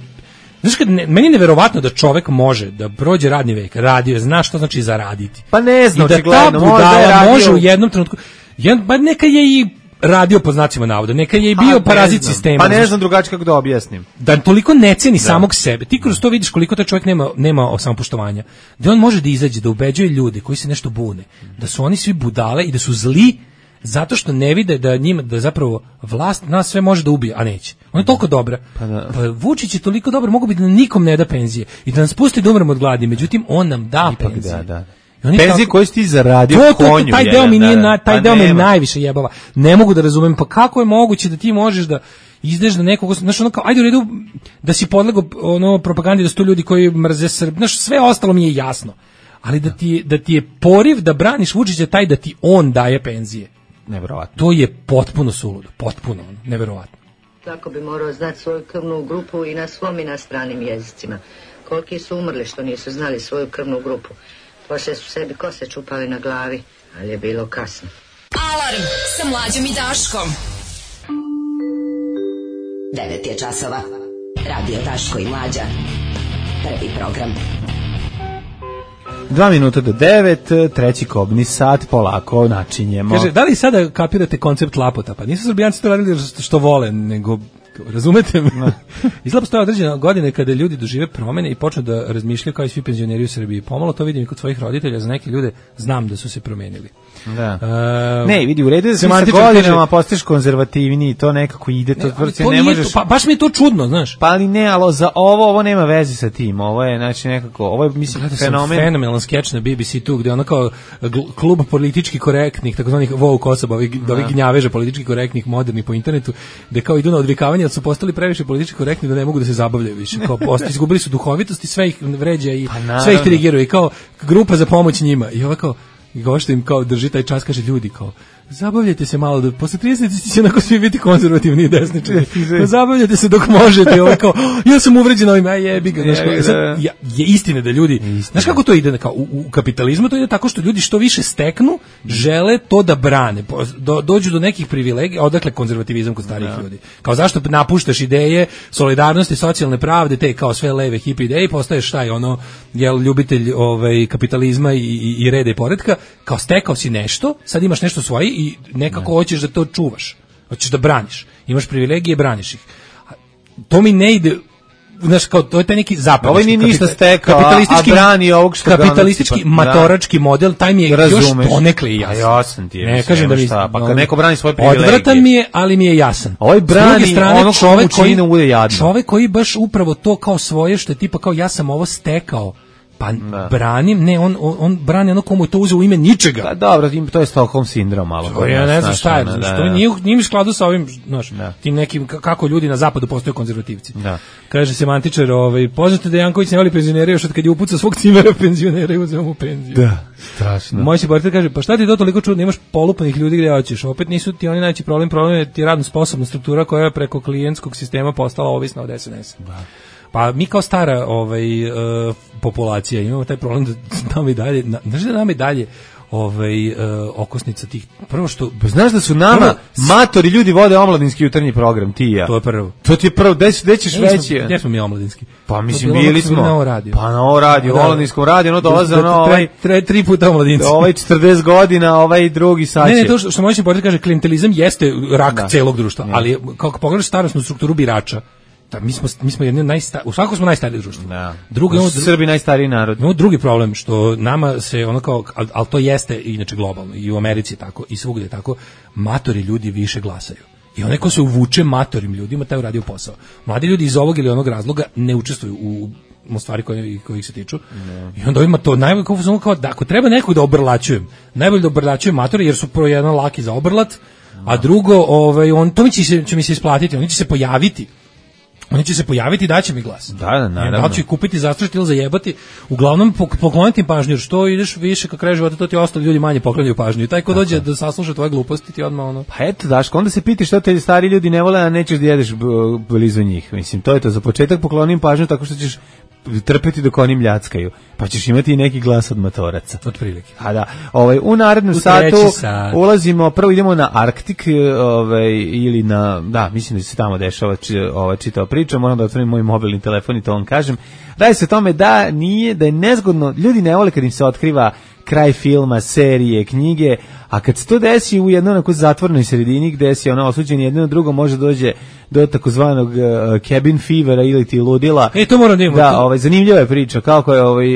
znaš kad, ne, meni je neverovatno da čovek može da prođe radni vek, radio, zna što znači zaraditi. Pa ne znam, i da ta budala može u jednom trenutku, jedan, ba neka je i radio po znacima navoda, neka je i bio parazit sistema. Pa ne znam drugačije kako da objasnim. Da toliko ne ceni da. samog sebe. Ti kroz to vidiš koliko taj čovjek nema, nema samopoštovanja. Da on može da izađe, da ubeđuje ljude koji se nešto bune, da su oni svi budale i da su zli zato što ne vide da njima, da zapravo vlast nas sve može da ubije, a neće. Ona je toliko dobra. Pa, da. Pa Vučić je toliko dobar, mogu bi da nikom ne da penzije i da nas pusti da umremo od gladi, međutim on nam da Ipak penzije. Da, da. Penzije koje si ti zaradio to, to, konju. Taj deo mi nije, na, taj pa deo me najviše jebava. Ne mogu da razumem, pa kako je moguće da ti možeš da izdeš na nekog, znaš, ono kao, ajde u redu da si podlegao ono, propagandi da su to ljudi koji mrze Srb, znaš, sve ostalo mi je jasno. Ali da ti, da ti je poriv da braniš Vučića taj da ti on daje penzije. Neverovatno. To je potpuno suludo, potpuno, neverovatno. Tako bi morao znati svoju krvnu grupu i na svom i na stranim jezicima. Koliki su umrli što nisu znali svoju krvnu grupu. Poslije su sebi kose čupali na glavi, ali je bilo kasno. Alarm sa Mlađom i Daškom. devet je časova. Radio Daško i Mlađa. Prvi program. Dva minuta do devet, treći kobni sat, polako načinjemo. Kaže, da li sada kapirate koncept lapota? Pa nisu Srbijanci to radili što vole, nego, razumete me? Izgleda postoje određene godine kada ljudi dožive promene i počnu da razmišljaju kao i svi penzioneri u Srbiji. Pomalo to vidim i kod svojih roditelja, za neke ljude znam da su se promenili. Da. Uh, ne, vidi, u redu da se sa godinama postaješ konzervativniji, to nekako ide, to, ne, to ne možeš... To, pa, baš mi je to čudno, znaš. Pa ali ne, ali za ovo, ovo nema veze sa tim, ovo je, znači, nekako, ovo je, mislim, Gleda fenomen... fenomenalan skeč na B B C tu, gde ono kao klub politički korektnih, takozvanih woke osoba, ovih da. gnjaveža politički korektnih, modernih po internetu, gde kao idu na odvikavanje, jer su postali previše politički korektni da ne mogu da se zabavljaju više, kao posto, izgubili su duhovitost i sve ih vređa i pa, sve ih dirigiraju, i kao grupa za pomoć njima, i ovo kao i gošta im kao drži taj čas, kaže ljudi kao zabavljajte se malo, da posle trideset će onako svi biti konzervativni i desničari. Pa zabavljajte se dok možete. Ovo kao, ja sam uvređen ovim, aj jebi ga. Znaš, je, je, je istina da ljudi, istina. Znaš kako to ide? Kao, u, u kapitalizmu to ide tako što ljudi što više steknu, žele to da brane. Do, dođu do nekih privilegija, odakle konzervativizam kod starijih ja. ljudi. Kao zašto napuštaš ideje solidarnosti, socijalne pravde, te kao sve leve hip ideje, postaješ taj ono, jel, ljubitelj ovaj, kapitalizma i, i, i reda i poretka, kao stekao si nešto, sad imaš nešto svoje i nekako ne. hoćeš da to čuvaš. Hoćeš da braniš. Imaš privilegije, braniš ih. To mi ne ide znaš, kao, to je taj neki zapad. Ovo nije ništa stekao, a brani ovog što kapitalistički, matorački model, taj mi je još donekle i jasan. A jasan ti je. Ne kažem da mi... Šta, pa kad neko brani svoje privilegije. Odvratan mi je, ali mi je jasan. Ovaj brani ono čovek koji ne bude jadno. Čovek koji baš upravo to kao svoje, što je tipa kao ja sam ovo stekao. Pa da. branim, ne, on, on, on brani ono komu je to uzeo u ime ničega. Da, dobro, to je Stockholm sindrom malo. To ja ne znam šta je, da, što nije, nije mi skladu sa ovim, znaš, da. tim nekim, kako ljudi na zapadu postaju konzervativci. Da. Kaže semantičar, ovaj, poznato da Janković ne voli penzionere još od kad je upucao svog cimera penzionera i uzeo mu penziju. Da, strašno. Moj seboritelj kaže, pa šta ti to toliko čudno, imaš polupanih ljudi gdje hoćeš, opet nisu ti oni najveći problem, problem je ti radno sposobna struktura koja je preko klijentskog sistema postala ovisna od S N S. Da. Pa mi kao stara ovaj, uh, populacija imamo taj problem da nam i dalje, znaš da nam i dalje ovaj, uh, okosnica tih, prvo što... Znaš da su nama prvo, matori ljudi vode omladinski jutarnji program, ti i ja. To je prvo. To ti je prvo, gde ćeš veći? Gdje smo mi omladinski? Pa mislim, bili smo. Na ovo radio. Pa na ovo radio, u omladinskom radio, ono dolaze ono ovaj... Tre, tri puta omladinci. Ovaj četrdeset godina, ovaj drugi saće. Ne, ne, to što, što moćem porati kaže, klientelizam jeste rak da. celog društva, ne. ali kako pogledaš starosnu strukturu birača, da, mi smo mi smo jedni najsta, u svakom smo najstarije društvo. Da. Drugi ono, Srbi najstariji narod. No drugi problem što nama se ono kao al, al to jeste inače globalno i u Americi je tako i svugdje je tako, matori ljudi više glasaju. I onaj ko se uvuče matorim ljudima taj uradio posao. Mladi ljudi iz ovog ili onog razloga ne učestvuju u u stvari koje kojih se tiču. No. I onda ima to najbolje kao, kao da ako treba nekog da obrlačujem, najbolje da obrlačujem matori jer su prvo jedan laki za obrlat, no. a drugo ovaj on to mi će se će mi se isplatiti, oni će se pojaviti. Oni će se pojaviti i daće mi glas. Da, da, naravno. Da ću ih kupiti, zastrašiti ili zajebati. Uglavnom pokloniti pažnju, jer što ideš više kako kraj života, to ti ostali ljudi manje poklanjaju pažnju. I taj ko dođe da sasluša tvoje gluposti, ti odmah ono... Pa eto, Daško, onda se piti što te stari ljudi ne vole, a nećeš da jedeš blizu njih. Mislim, to je to. Za početak poklonim pažnju tako što ćeš trpeti dok oni mljackaju, pa ćeš imati i neki glas od matoraca. Od prilike. A da, ovaj, u narednom u satu sat. ulazimo, prvo idemo na Arktik, ovaj, ili na, da, mislim da se tamo dešava ova čitava priča, moram da otvorim moj mobilni telefon i to vam kažem. Radi se o tome da nije, da je nezgodno, ljudi ne vole kad im se otkriva kraj filma, serije, knjige, a kad se to desi u jednoj onako zatvornoj sredini gde si ono osuđen jedno drugo može dođe do takozvanog uh, cabin fevera ili ti ludila. E, to moram da imamo. Da, ovaj, zanimljiva je priča, kako je ovaj,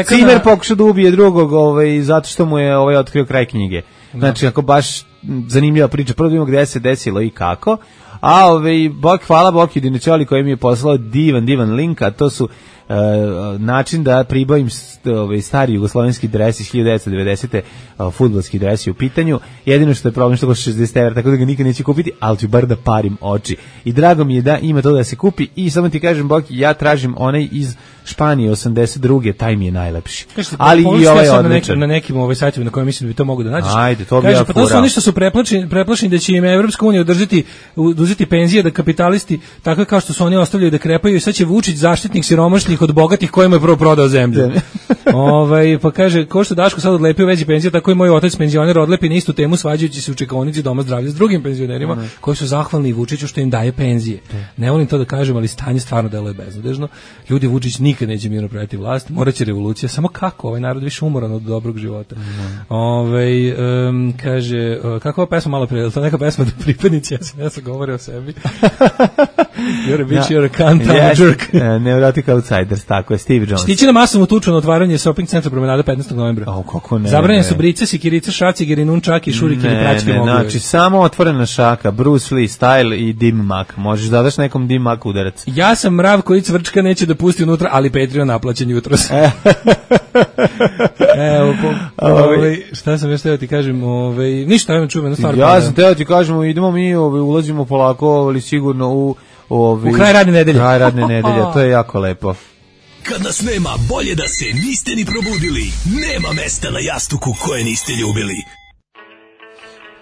Cimer na... pokušao da ubije drugog ovaj, zato što mu je ovaj, otkrio kraj knjige. Znači, ako baš zanimljiva priča, prvo da imamo gde se desilo i kako, a ovaj, bok, hvala Boki Diničoli koji mi je poslao divan, divan link, a to su Uh, način da pribavim ovaj stari jugoslovenski dres iz hiljadu devetsto dedesete uh, fudbalski dres je u pitanju. Jedino što je problem što košta šezdeset evra, tako da ga nikad neće kupiti, ali ću bar da parim oči. I drago mi je da ima to da se kupi i samo ti kažem, Boki, ja tražim onaj iz Španije osamdeset druge, taj mi je najlepši. Kažete, ali i ovaj ja odličan. Na nekim, na nekim ovaj sajtovima na kojima mislim da bi to mogu da nađeš. Ajde, to bi Kaže, ja pa to su oni što su preplašeni, preplašeni da će im Evropska unija održati uzeti penzije, da kapitalisti tako kao što su oni ostavljaju da krepaju i sad će Vučić zaštitnik siromašnih od bogatih kojima je prvo prodao zemlju. ovaj pa kaže ko što Daško sad odlepio veći penzije, tako i moj otac penzioner odlepi na istu temu svađajući se u čekaonici doma zdravlja s drugim penzionerima mm. koji su zahvalni Vučiću što im daje penzije. Mm. Ne volim to da kažem, ali stanje stvarno deluje beznadežno. Ljudi, Vučić nikad neće mirno predati vlast, moraće revolucija, samo kako ovaj narod više umoran od dobrog života. Mm. Ovaj um, kaže kakva pesma malo pre, to neka pesma da pripadnici S N S-a govore o sebi. You're a bitch, you're a cunt, I'm a jerk. Neurotic Outsiders, tako je, Steve Jones. Stići na masovnu tuču na otvaranje shopping centra Promenada petnaestog novembra. O, kako ne. Zabranjene su brice, sikirice, šracigeri, nunčaki, šurike i praćke mogu. Znači, samo otvorena šaka, Bruce Lee style i Dim Mak. Možeš da daš nekom Dim Mak udarac. Ja sam mrav koji cvrčka neće da pusti unutra, ali Patreon naplaćen jutros. Evo, po, ovaj, šta sam još teo ti kažem, ovaj, ništa, ajmo čujem, stvar. Ja sam teo ti kažem, idemo mi, ovaj, ulazimo polako, ali sigurno u Ovi, u kraj radne nedelje. Kraj radne nedelje, to je jako lepo. Kad nas nema, bolje da se niste ni probudili. Nema mesta na jastuku koje niste ljubili.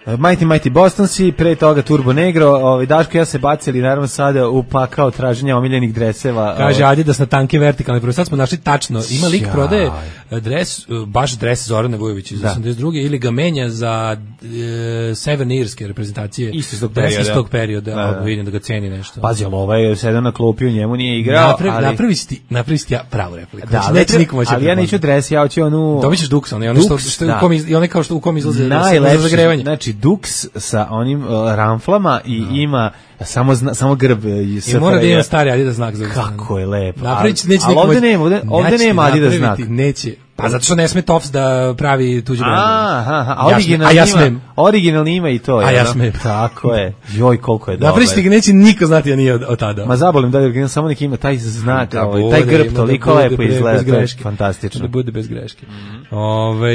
Mighty Mighty Bostonsi, pre toga Turbo Negro, ovaj Daško ja se bacili naravno sada u pakao traženja omiljenih dreseva. Kaže Adidas na tanke vertikalne, prvo sad smo našli tačno, ima lik prodaje dres, baš dres Zorane Vujović iz osamdeset druge ili ga menja za e, Severne Irske reprezentacije. Isto iz tog perioda. Iz tog perioda, da, da. Vidim da ga ceni nešto. Pazi, ali ovaj sedao na klupi, u njemu nije igrao. Napravi, ali... napravi si ti, napravi si ti ja pravu repliku. Da, znači, neće niko moći. Ali ja neću dres, ja hoću onu... Dobićeš Dux, onaj što, što, da. u kom iz, i onaj kao što u kom izlaze za zagrevanje. Znači Dux sa onim uh, ramflama i mm. ima Samo zna, samo grb i I mora da ima stari Adidas znak za usta. Kako je lepo. Napravić neće ali ovde nema, ovde, ovde nema Adidas znak. Neće. Pa zato što ne sme Tops da pravi tuđi brend. Aha, a originalni ja ima, originalni ima i to. A ja smem. Tako je. Joj, koliko je dobro. Napravić ga neće niko znati, a nije od, od tada. Ma zabolim da original samo neki ima taj znak, da, ovaj, taj grb da toliko lepo izgleda, to je fantastično. Da bude bez greške. Mm-hmm. Ove,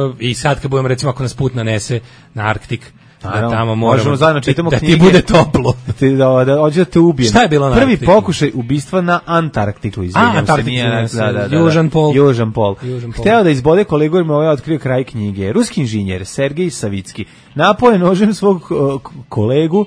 uh, I sad kad budemo, recimo, ako nas put nanese na Arktik, da tamo moramo zajedno čitamo da knjige, ti bude toplo. Da ti da, da hoće da te ubijem. Šta je bilo na Prvi Arktiku? Pokušaj ubistva na Antarktiku, izvinjavam se, nije, da, da, da, Južan pol. Južan pol. Južan pol. Hteo da izbode kolegu jer mu ovaj otkrio kraj knjige. Ruski inženjer Sergej Savicki napao je nožem svog uh, kolegu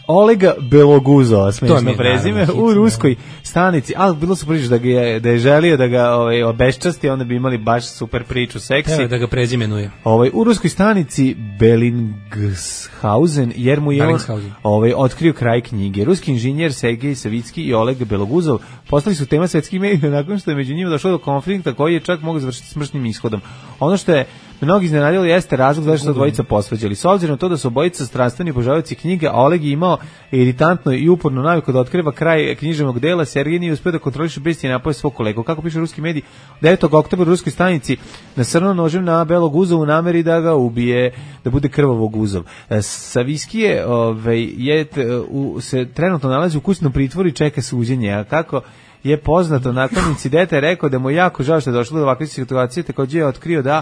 Olega Beloguzova, smešno prezime, u ruskoj stanici, ali bilo su priča da, ga je, da je želio da ga ovaj, obeščasti, onda bi imali baš super priču, seksi. Evo da ga prezimenuje. Ovaj, u ruskoj stanici Bellingshausen, jer mu je on ovaj, otkrio kraj knjige. Ruski inženjer Sergej Savicki i Oleg Beloguzov postali su tema svetskih medija nakon što je među njima došlo do konflikta koji je čak mogao završiti smrtnim ishodom. Ono što je mnogi iznenadilo jeste razlog zašto su dvojica posvađali. S obzirom na to da su obojica strastveni obožavaoci knjige, a Oleg je imao iritantno i uporno naviku da otkriva kraj književnog dela, Sergej nije uspeo da kontroliše besti i napoje svog kolegu. Kako piše ruski medij, devetog oktobra u ruskoj stanici nasrnuo nožem na Belog Uzov u nameri da ga ubije, da bude krvavog Uzov. Savicki je, ovaj, je u, se trenutno nalazi u kućnom pritvoru i čeka suđenje, a kako je poznato nakon incidenta je rekao da mu jako žao što je došlo do ovakve situacije, takođe je otkrio da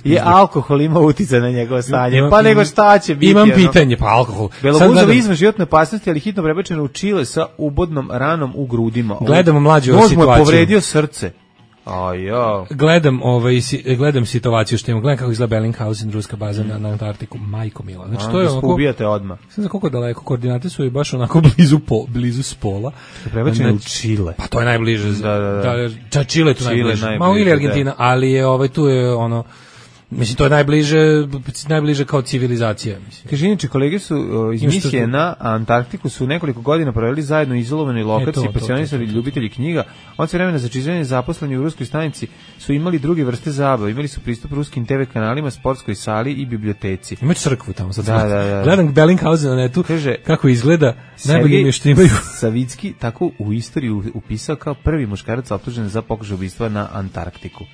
je alkohol imao uticaj na njegovo stanje. Pa nego šta će biti? Imam pitanje, pa alkohol. Beloguzov izvan životne opasnosti, ali hitno prebačen u Čile sa ubodnom ranom u grudima. Gledamo mlađu situaciju. Nož mu je povredio srce. A ja. Gledam ovaj gledam situaciju što imamo, gledam kako izgleda Bellinghausen, ruska baza mm. na, na Antarktiku, majko mila. Znači A, to je onako, ubijate odmah. Sad za koliko daleko, koordinate su i baš onako blizu po, blizu spola. Prebačeno u Čile. Pa to je najbliže. Da, da, da. da Čile je tu najbliže. najbliže. Malo ili Argentina, da. Ali je ovaj tu je ono mislim to je najbliže najbliže kao civilizacija, mislim. Kaže inače kolege su o, iz misije na Antarktiku su nekoliko godina proveli zajedno u izolovanoj lokaciji, pasionisali ljubitelji knjiga. Od vremena za čitanje zaposleni u ruskoj stanici su imali druge vrste zabave, imali su pristup ruskim te ve kanalima, sportskoj sali i biblioteci. Imaju crkvu tamo sad. Da, da, da. Gledam Bellinghausen na netu, kaže kako izgleda, najbolje mi je što imaju. Savicki tako u istoriju upisao kao prvi muškarac optužen za pokušaj ubistva na Antarktiku.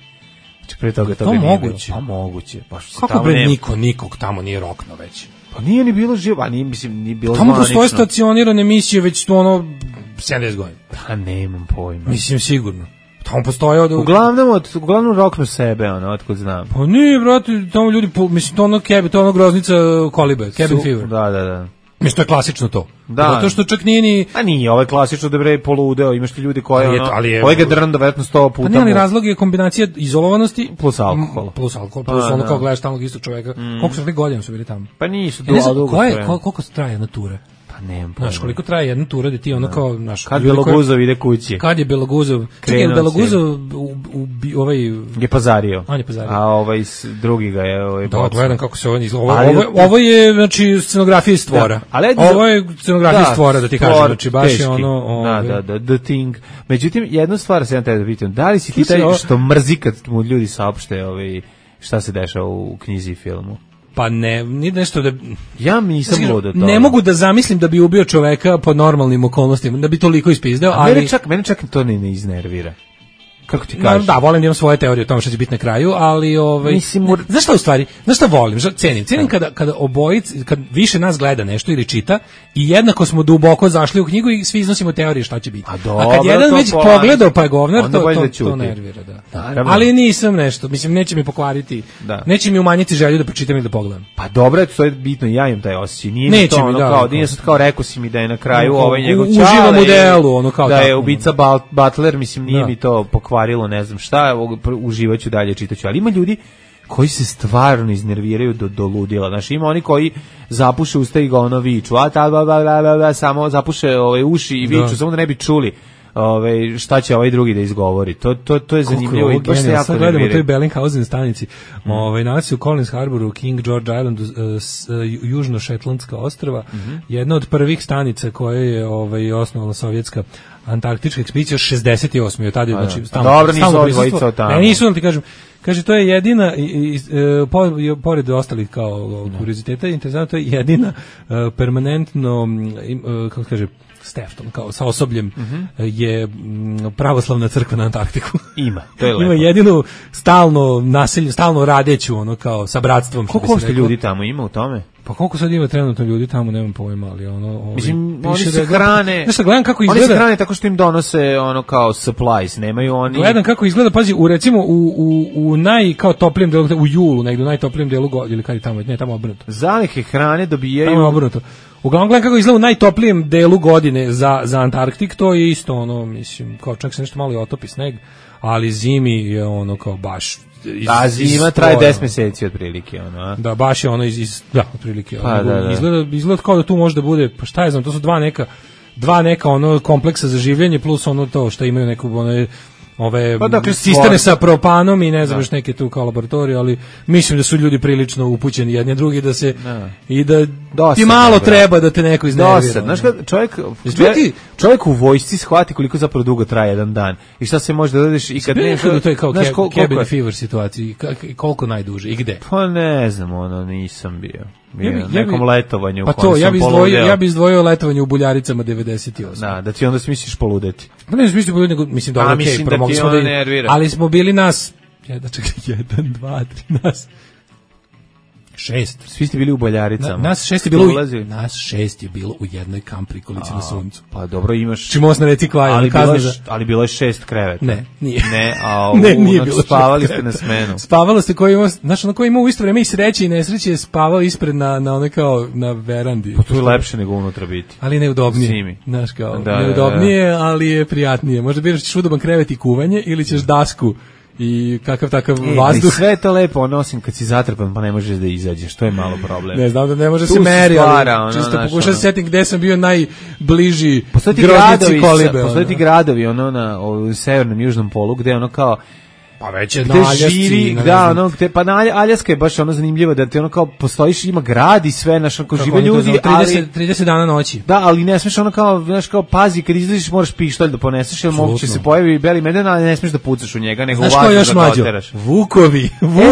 Pre toga to moguće. Pa moguće. Pa kako bre nema... niko nikog tamo nije rokno već. Pa nije ni bilo živo, a nije mislim ni bilo tamo zvanično. Tamo postoje stacionirane emisije već ono sedamdeset godina. Pa nemam pojma. Mislim sigurno. Tamo postoje od uglavnom od uglavnom rokno sebe, ono, otkud znam. Pa nije, brate, tamo ljudi mislim to ono kebe, to ono groznica kolibe, cabin fever. Da, da, da. Mislim, to je klasično to. Da. Zato što čak nije ni... A nije, ovo je klasično da bre poludeo, imaš ti ljudi koji ono, ali je, ovaj ga drnda vjerojatno sto puta. Pa nije, ali razlog je kombinacija izolovanosti plus alkohol. Plus alkohol, plus pa, ono kao gledaš tamo istog čoveka. Mm. Koliko su li godina su bili tamo? Pa nisu, ja znam, dugo. Koje, kol, koliko traje jedna tura? Pa nemam pojma. Znaš, koliko traje jedna tura da ti ono kao... Naš, kad Beloguzov ide kući? Kad je Beloguzov... Čekaj, Beloguzov u, u, ovaj... je pazario. On je pazario. A ovaj drugi ga je... Ovaj da, gledam kako se on izgleda. Ovo, ovo, ovo je, znači, scenografija iz stvora. Da, ali, ovo je scenografija iz stvora, da ti kažem. Znači, baš teški. Je ono... Ovaj. Da, da, da, the thing. Međutim, jednu stvar se ja tebe da pitam. Da li si ti taj što mrzi kad mu ljudi saopšte ovaj, šta se dešava u knjizi i filmu? Pa ne, ni nešto da... Ja nisam ludo to. Ne mogu da zamislim da bi ubio čoveka pod normalnim okolnostima, da bi toliko ispizdeo, ali... Mene čak, mene čak to ne, ne iznervira. Kako ti kažeš? Da, da, volim da imam svoje teorije o tome što će biti na kraju, ali ovaj mislim, znaš šta u stvari, znaš šta volim, šta cenim, cenim kada kada obojic, kad više nas gleda nešto ili čita i jednako smo duboko zašli u knjigu i svi iznosimo teorije šta će biti. A, dobro, a kad jedan već polani, pogledao pa je govnar, to to, to, to nervira, da. da ali nisam nešto, mislim neće mi pokvariti, da. Neće mi umanjiti želju da pročitam ili da pogledam. Pa dobro, to je bitno, ja imam taj osjećaj. Nije neće to ono da, kao, nije sad kao rekao si mi da je na kraju no, ovaj njegov čale. Uživam u delu, ono kao da je ubica Butler, mislim nije mi to pokvarilo, ne znam šta, uživaću dalje, čitaću, ali ima ljudi koji se stvarno iznerviraju do, do ludila, znači ima oni koji zapuše usta i ga ono viču, a ta, ba, ba, ba, ba, samo zapuše ove uši i viču, da. Samo da ne bi čuli ovaj šta će ovaj drugi da izgovori. To to to je zanimljivo i baš se jako sad gledamo toj Bellinghausen stanici. Mm. Ovaj nalazi se u Collins Harboru, King George Island, uh, s, uh, južno Šetlandska ostrva, mm-hmm. jedna od prvih stanica koje je ovaj osnovala sovjetska antarktička ekspedicija šezdeset osme. Od tada je znači stalno. Dobro, nisu odvojica od tamo. Ne, nisu, ti kažem. Kaže, to je jedina, i, i, e, po, pored ostalih kao kurioziteta, interesantno, to je jedina uh, permanentno, uh, kako kaže, Stefton, kao sa osobljem, mm-hmm. je m, pravoslavna crkva na Antarktiku. Ima, to je lepo. Ima jedinu stalno naselju, stalno radeću, ono kao sa bratstvom. Koliko što ljudi tamo ima u tome? Pa koliko sad ima trenutno ljudi tamo, nemam pojma, ali ono... Ovaj, mislim, oni se hrane... Znaš šta, gledam kako izgleda... Oni se hrane tako što im donose ono kao supplies, nemaju oni... Gledam kako izgleda, pazi, u recimo u, u, u naj, kao toplijem delu, u julu, negdje u najtoplijem delu godine, ili kad je tamo, ne, tamo obrnuto. Zalihe hrane dobijaju... Tamo obrnuto. Uglavnom gledam kako izgleda u najtoplijem delu godine za, za Antarktik, to je isto ono, mislim, kao čak se nešto malo i otopi sneg, ali zimi je ono kao baš... Iz, a zima traje deset meseci otprilike, ono, a? Da, baš je ono iz, iz da, otprilike. Pa, ono, da, da. Izgleda, izgleda kao da tu može da bude, pa šta je znam, to su dva neka, dva neka ono kompleksa za življenje plus ono to što imaju neku ono, ove pa, dakle, cisterne sa propanom i ne znam još neke tu kao laboratorije, ali mislim da su ljudi prilično upućeni jedni drugi da se da. i da Dosadno, ti malo bro. treba da te neko iznervira. Znaš kad čovjek, čovjek, čovjek u vojsci shvati koliko zapravo dugo traje jedan dan i šta se može da dodeš i kad ne... To je kao znaš, kol, cabin fever situaciji, koliko najduže i gde? Pa ne znam, ono, nisam bio. Bio ja bi, ja nekom bi, letovanju u pa kojem to, ja sam bi izdvojio, ja bi izdvojio letovanje u Buljaricama devedeset osme. Da, da ti onda smisliš poludeti. Pa ne smisliš poludeti, nego mislim dobro, okej, okay, promogli smo da, nervira. Ali smo bili nas, jedan, čekaj, jedan, dva, tri, nas, šest. Svi ste bili u Boljaricama. Na, nas šest je bilo, u, nas šest je bilo u jednoj kamp prikolici na suncu. Pa dobro imaš. Čimo na reci Kvaja, ali bilo je, ali bilo je šest kreveta. Ne, nije. Ne, a u, ne, nije bilo spavali ste na smenu. Spavalo ste koji ima, znači na koji ima u isto vrijeme i sreće i nesreće je spavao ispred na na one kao na verandi. Pa to je lepše nego unutra biti. Ali neudobnije. Znaš kao, da, neudobnije, da, da. Ali je prijatnije. Možda biraš ćeš udoban krevet i kuvanje ili ćeš dasku i kakav takav e, vazduh. Sve je to lepo, ono, osim kad si zatrpan pa ne možeš da izađeš, to je malo problem. Ne znam da ne može tu se meri, ali ono, čisto pokušam se setim gde sam bio najbliži groznici Kolibe. Postoje ti gradovi ono, na u severnom južnom polu gde ono kao pa već je na Aljasci, da, ono, gde, pa na Aljaska je baš ono zanimljivo da ti ono kao postojiš, ima grad i sve, naš ako žive ljudi, ali trideset dana noći. Da, ali ne smeš ono kao, znaš kao, pazi, kad izlaziš moraš pištolj da poneseš, jer moguće se pojavi beli medved, ali ne smeš da pucaš u njega, nego u vazduh da ga oteraš. Vukovi, Vukovi.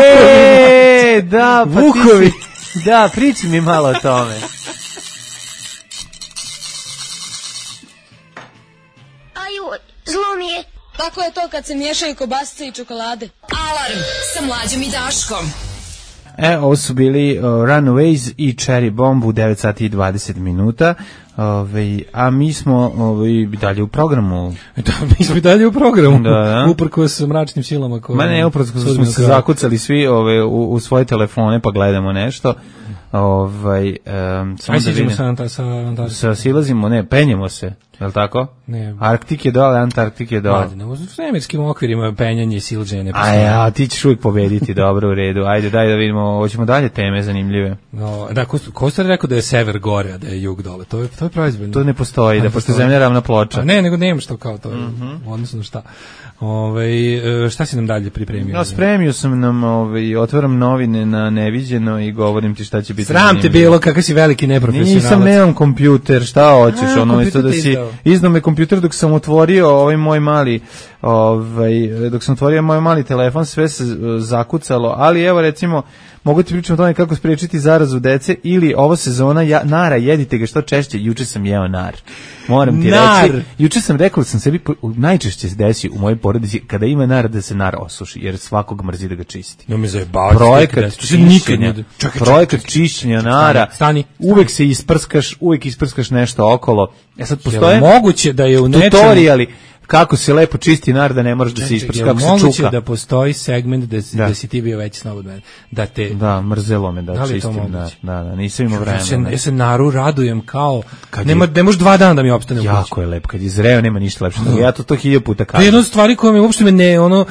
E, da, pa Vukovi. Ti si, da, priči mi malo o tome. Aju, zlo mi je. Tako je to kad se miješaju kobasice i čokolade. Alarm sa Mlađom i Daškom. E, ovo su bili uh, Runaways i Cherry Bomb u devet sati i dvadeset minuta. Ove, a mi smo ove, dalje u programu. Da, mi smo dalje u programu. Da, da. Uprkos mračnim silama. Koje, Ma ne, uprkos smo se zakucali svi ove, u, u svoje telefone pa gledamo nešto. Ovaj um, samo da vidimo sa Antarktikom. Sa silazimo, ne, penjemo se, je li tako? Ne. Arktik je dole, Antarktik je dole. Ajde, u svemirskim okvirima penjanje i silđenje. A ja, ti ćeš uvijek pobediti, dobro, u redu. Ajde, daj da vidimo, hoćemo dalje teme zanimljive. No, da, ko, ko ste rekao da je sever gore, a da je jug dole? To je, to je proizvoljno. To ne postoji, da postoji zemlja ravna ploča. A ne, nego nema što kao to, mm-hmm. odnosno na šta. Ove, šta si nam dalje pripremio? No, spremio sam nam, ove, otvaram novine na neviđeno i govorim ti šta će biti. Sram te bilo, kakav si veliki neprofesionalac. Nisam, nemam kompjuter, šta hoćeš, a, ono, isto da si, izdao me kompjuter dok sam otvorio ovaj moj mali, ovaj, dok sam otvorio moj mali telefon, sve se zakucalo, ali evo recimo, mogu ti pričati o tome kako spriječiti zarazu dece ili ovo sezona ja, nara, jedite ga što češće, juče sam jeo nar. Moram ti nar. reći, juče sam rekao da sam sebi, najčešće se desi u mojoj porodici kada ima nar da se nar osuši, jer svakog mrzi da ga čisti. No me zajebavati. Projekat čišćenja, projekat čišćenja nara, stani, stani. uvek se isprskaš, uvek isprskaš nešto okolo. E sad postoje moguće da je u nečem tutoriali kako se lepo čisti nar da ne moraš da se isprskaš, kako se čuka. Moguće da postoji segment da, da. da si ti bio veći snob od mene. Da te... Da, mrzelo me da, da čistim nar. Da, da, nisam imao vremena. Ja se, ja se naru radujem kao... Nema, ne može dva dana da mi opstane u kući. Jako je lepo, kad je zreo nema ništa lepše. Ja to to hiljadu puta kažem. To je jedna od stvari koja me uopšte me ne, ono...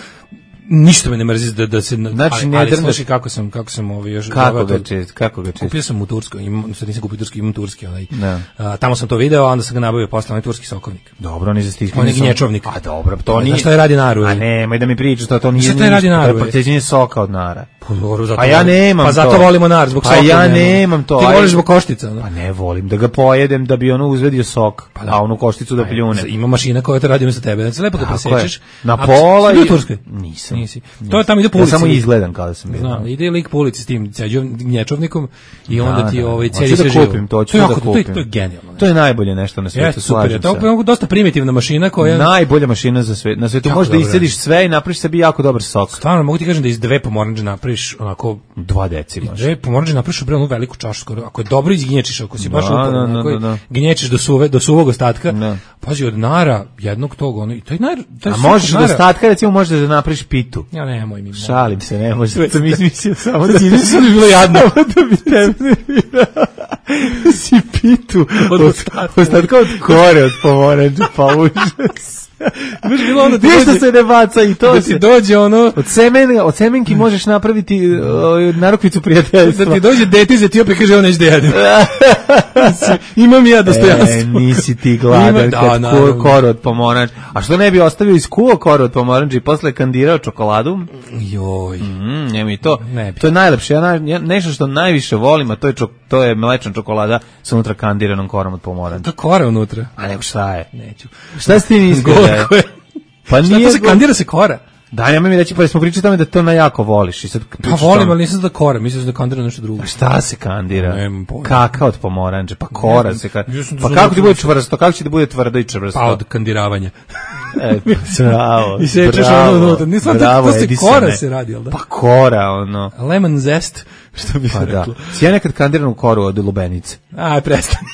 ništa me ne mrzi da, da se... Znači, ali, ne ali drndaš- slušaj kako sam, kako sam ovaj još... Kako doveo ga to- čist, kako ga čist? Kupio sam u Turskoj, imam, sad nisam kupio turski, imam turski, onaj. Da. A, tamo sam to video, a onda sam ga nabavio posle, onaj turski sokovnik. Dobro, oni za stiskanje. On je gnječovnik. A dobro, to Ne nije. znaš šta je radi naru? A nemoj da mi pričaš to, to nije. Šta taj radi ništa, naru, To je ej? proteđenje soka od nara. Pa, dobro, zato Pa ja volim- nemam Pa zato to. volimo nar, zbog Pa soka ja nemam. nemam to. Ti Ajde. voliš zbog koštica, no? Pa ne volim da ga pojedem da bi ono uzvedio sok, a onu košticu da pljune. Ima mašina koja to radi umesto tebe. Znači lepo ga Tako presečeš. je. Na A, pola si bio i- u Turskoj? Nisam. Nisi. To je tamo ide po Ja ulici. samo izgledam kao da sam bio. Znam, ide lik po ulici s tim ceđom, gnječovnikom i onda Da, ti da. ovaj Hoću cedi da sve živo. kupim to, hoću To je da jako- to je- kupim. To je genijalno. To je najbolje nešto na svijetu, Jeste, super. Je. slažem To se. je dosta primitivna mašina koja... Najbolja mašina za sve. Na svetu Jako možeš da dobro iscediš sve i napraviš sebi jako dobar sok. Stvarno, mogu ti kažem da iz dve pomorandže napraviš onako... Dva deci Iz možeš. dve pomorandže napraviš bre onu veliku čašu skoro. Ako je dobro izgnječiš, ako si baš Da, uporan, da, da, ako je da, da. gnječiš do suve, do suvog ostatka. Da. Pazi, od nara, jednog tog, ono, i to je nar... To je A sok možeš od do nara. ostatka recimo možeš da napraviš pitu. Ja nemoj mi. Šalim se, ne može. Sad sam izmislio samo da Sad ti sad bi bilo jadno. Samo da bi tebe si pitu Od od ostatka. ostatka od kore od pomoranđa, pa užas. Baš bilo ono da ti Ništa dođe- se ne baca i to da se. ti dođe ono... Od semena, od semenki možeš napraviti uh, narukvicu prijateljstva. Da ti dođe dete iz Etiopije, kaže on neće da jedem. Imam i ja dostojanstvo. E, nisi ti gladan Ima- da, kad naravno. kuo koru od pomoranđa. A što ne bi ostavio iz kuo koru od pomoranđa i posle kandirao čokoladu? Joj. Mm, njemu i to. Ne bi. To je najlepše. Ja, naj- ja, nešto što najviše volim, a to je, čok, to je mlečna čokolada sa unutra kandiranom korom od pomoranđa. To kora unutra. A nego šta je? Neću. Šta si ti mislio da je? Gorko je. Pa Šta nije... to se go- kandira se kora? Da, ja mi reći, pa smo pričali tamo da to na jako voliš. I sad, Pa volim, ali nisam da kora, mislim da kandira nešto drugo. A šta se kandira? Nemam pojma. Kaka od pomoranđe, pa kora Ne, se kandira. ja sam to Pa sam kako ti rekao bude da- čvrsto? Kako će da bude tvrdo i čvrsto? Pa od kandiravanja. E, bravo, I sečeš bravo, ono unutra. Nisam, to, bravo, to se Edisone. kora se radi, jel da? Pa kora, ono. Lemon zest, što bi se Pa da. reklo. Si ja nekad kandiranu koru od lubenice. Aj, prestani.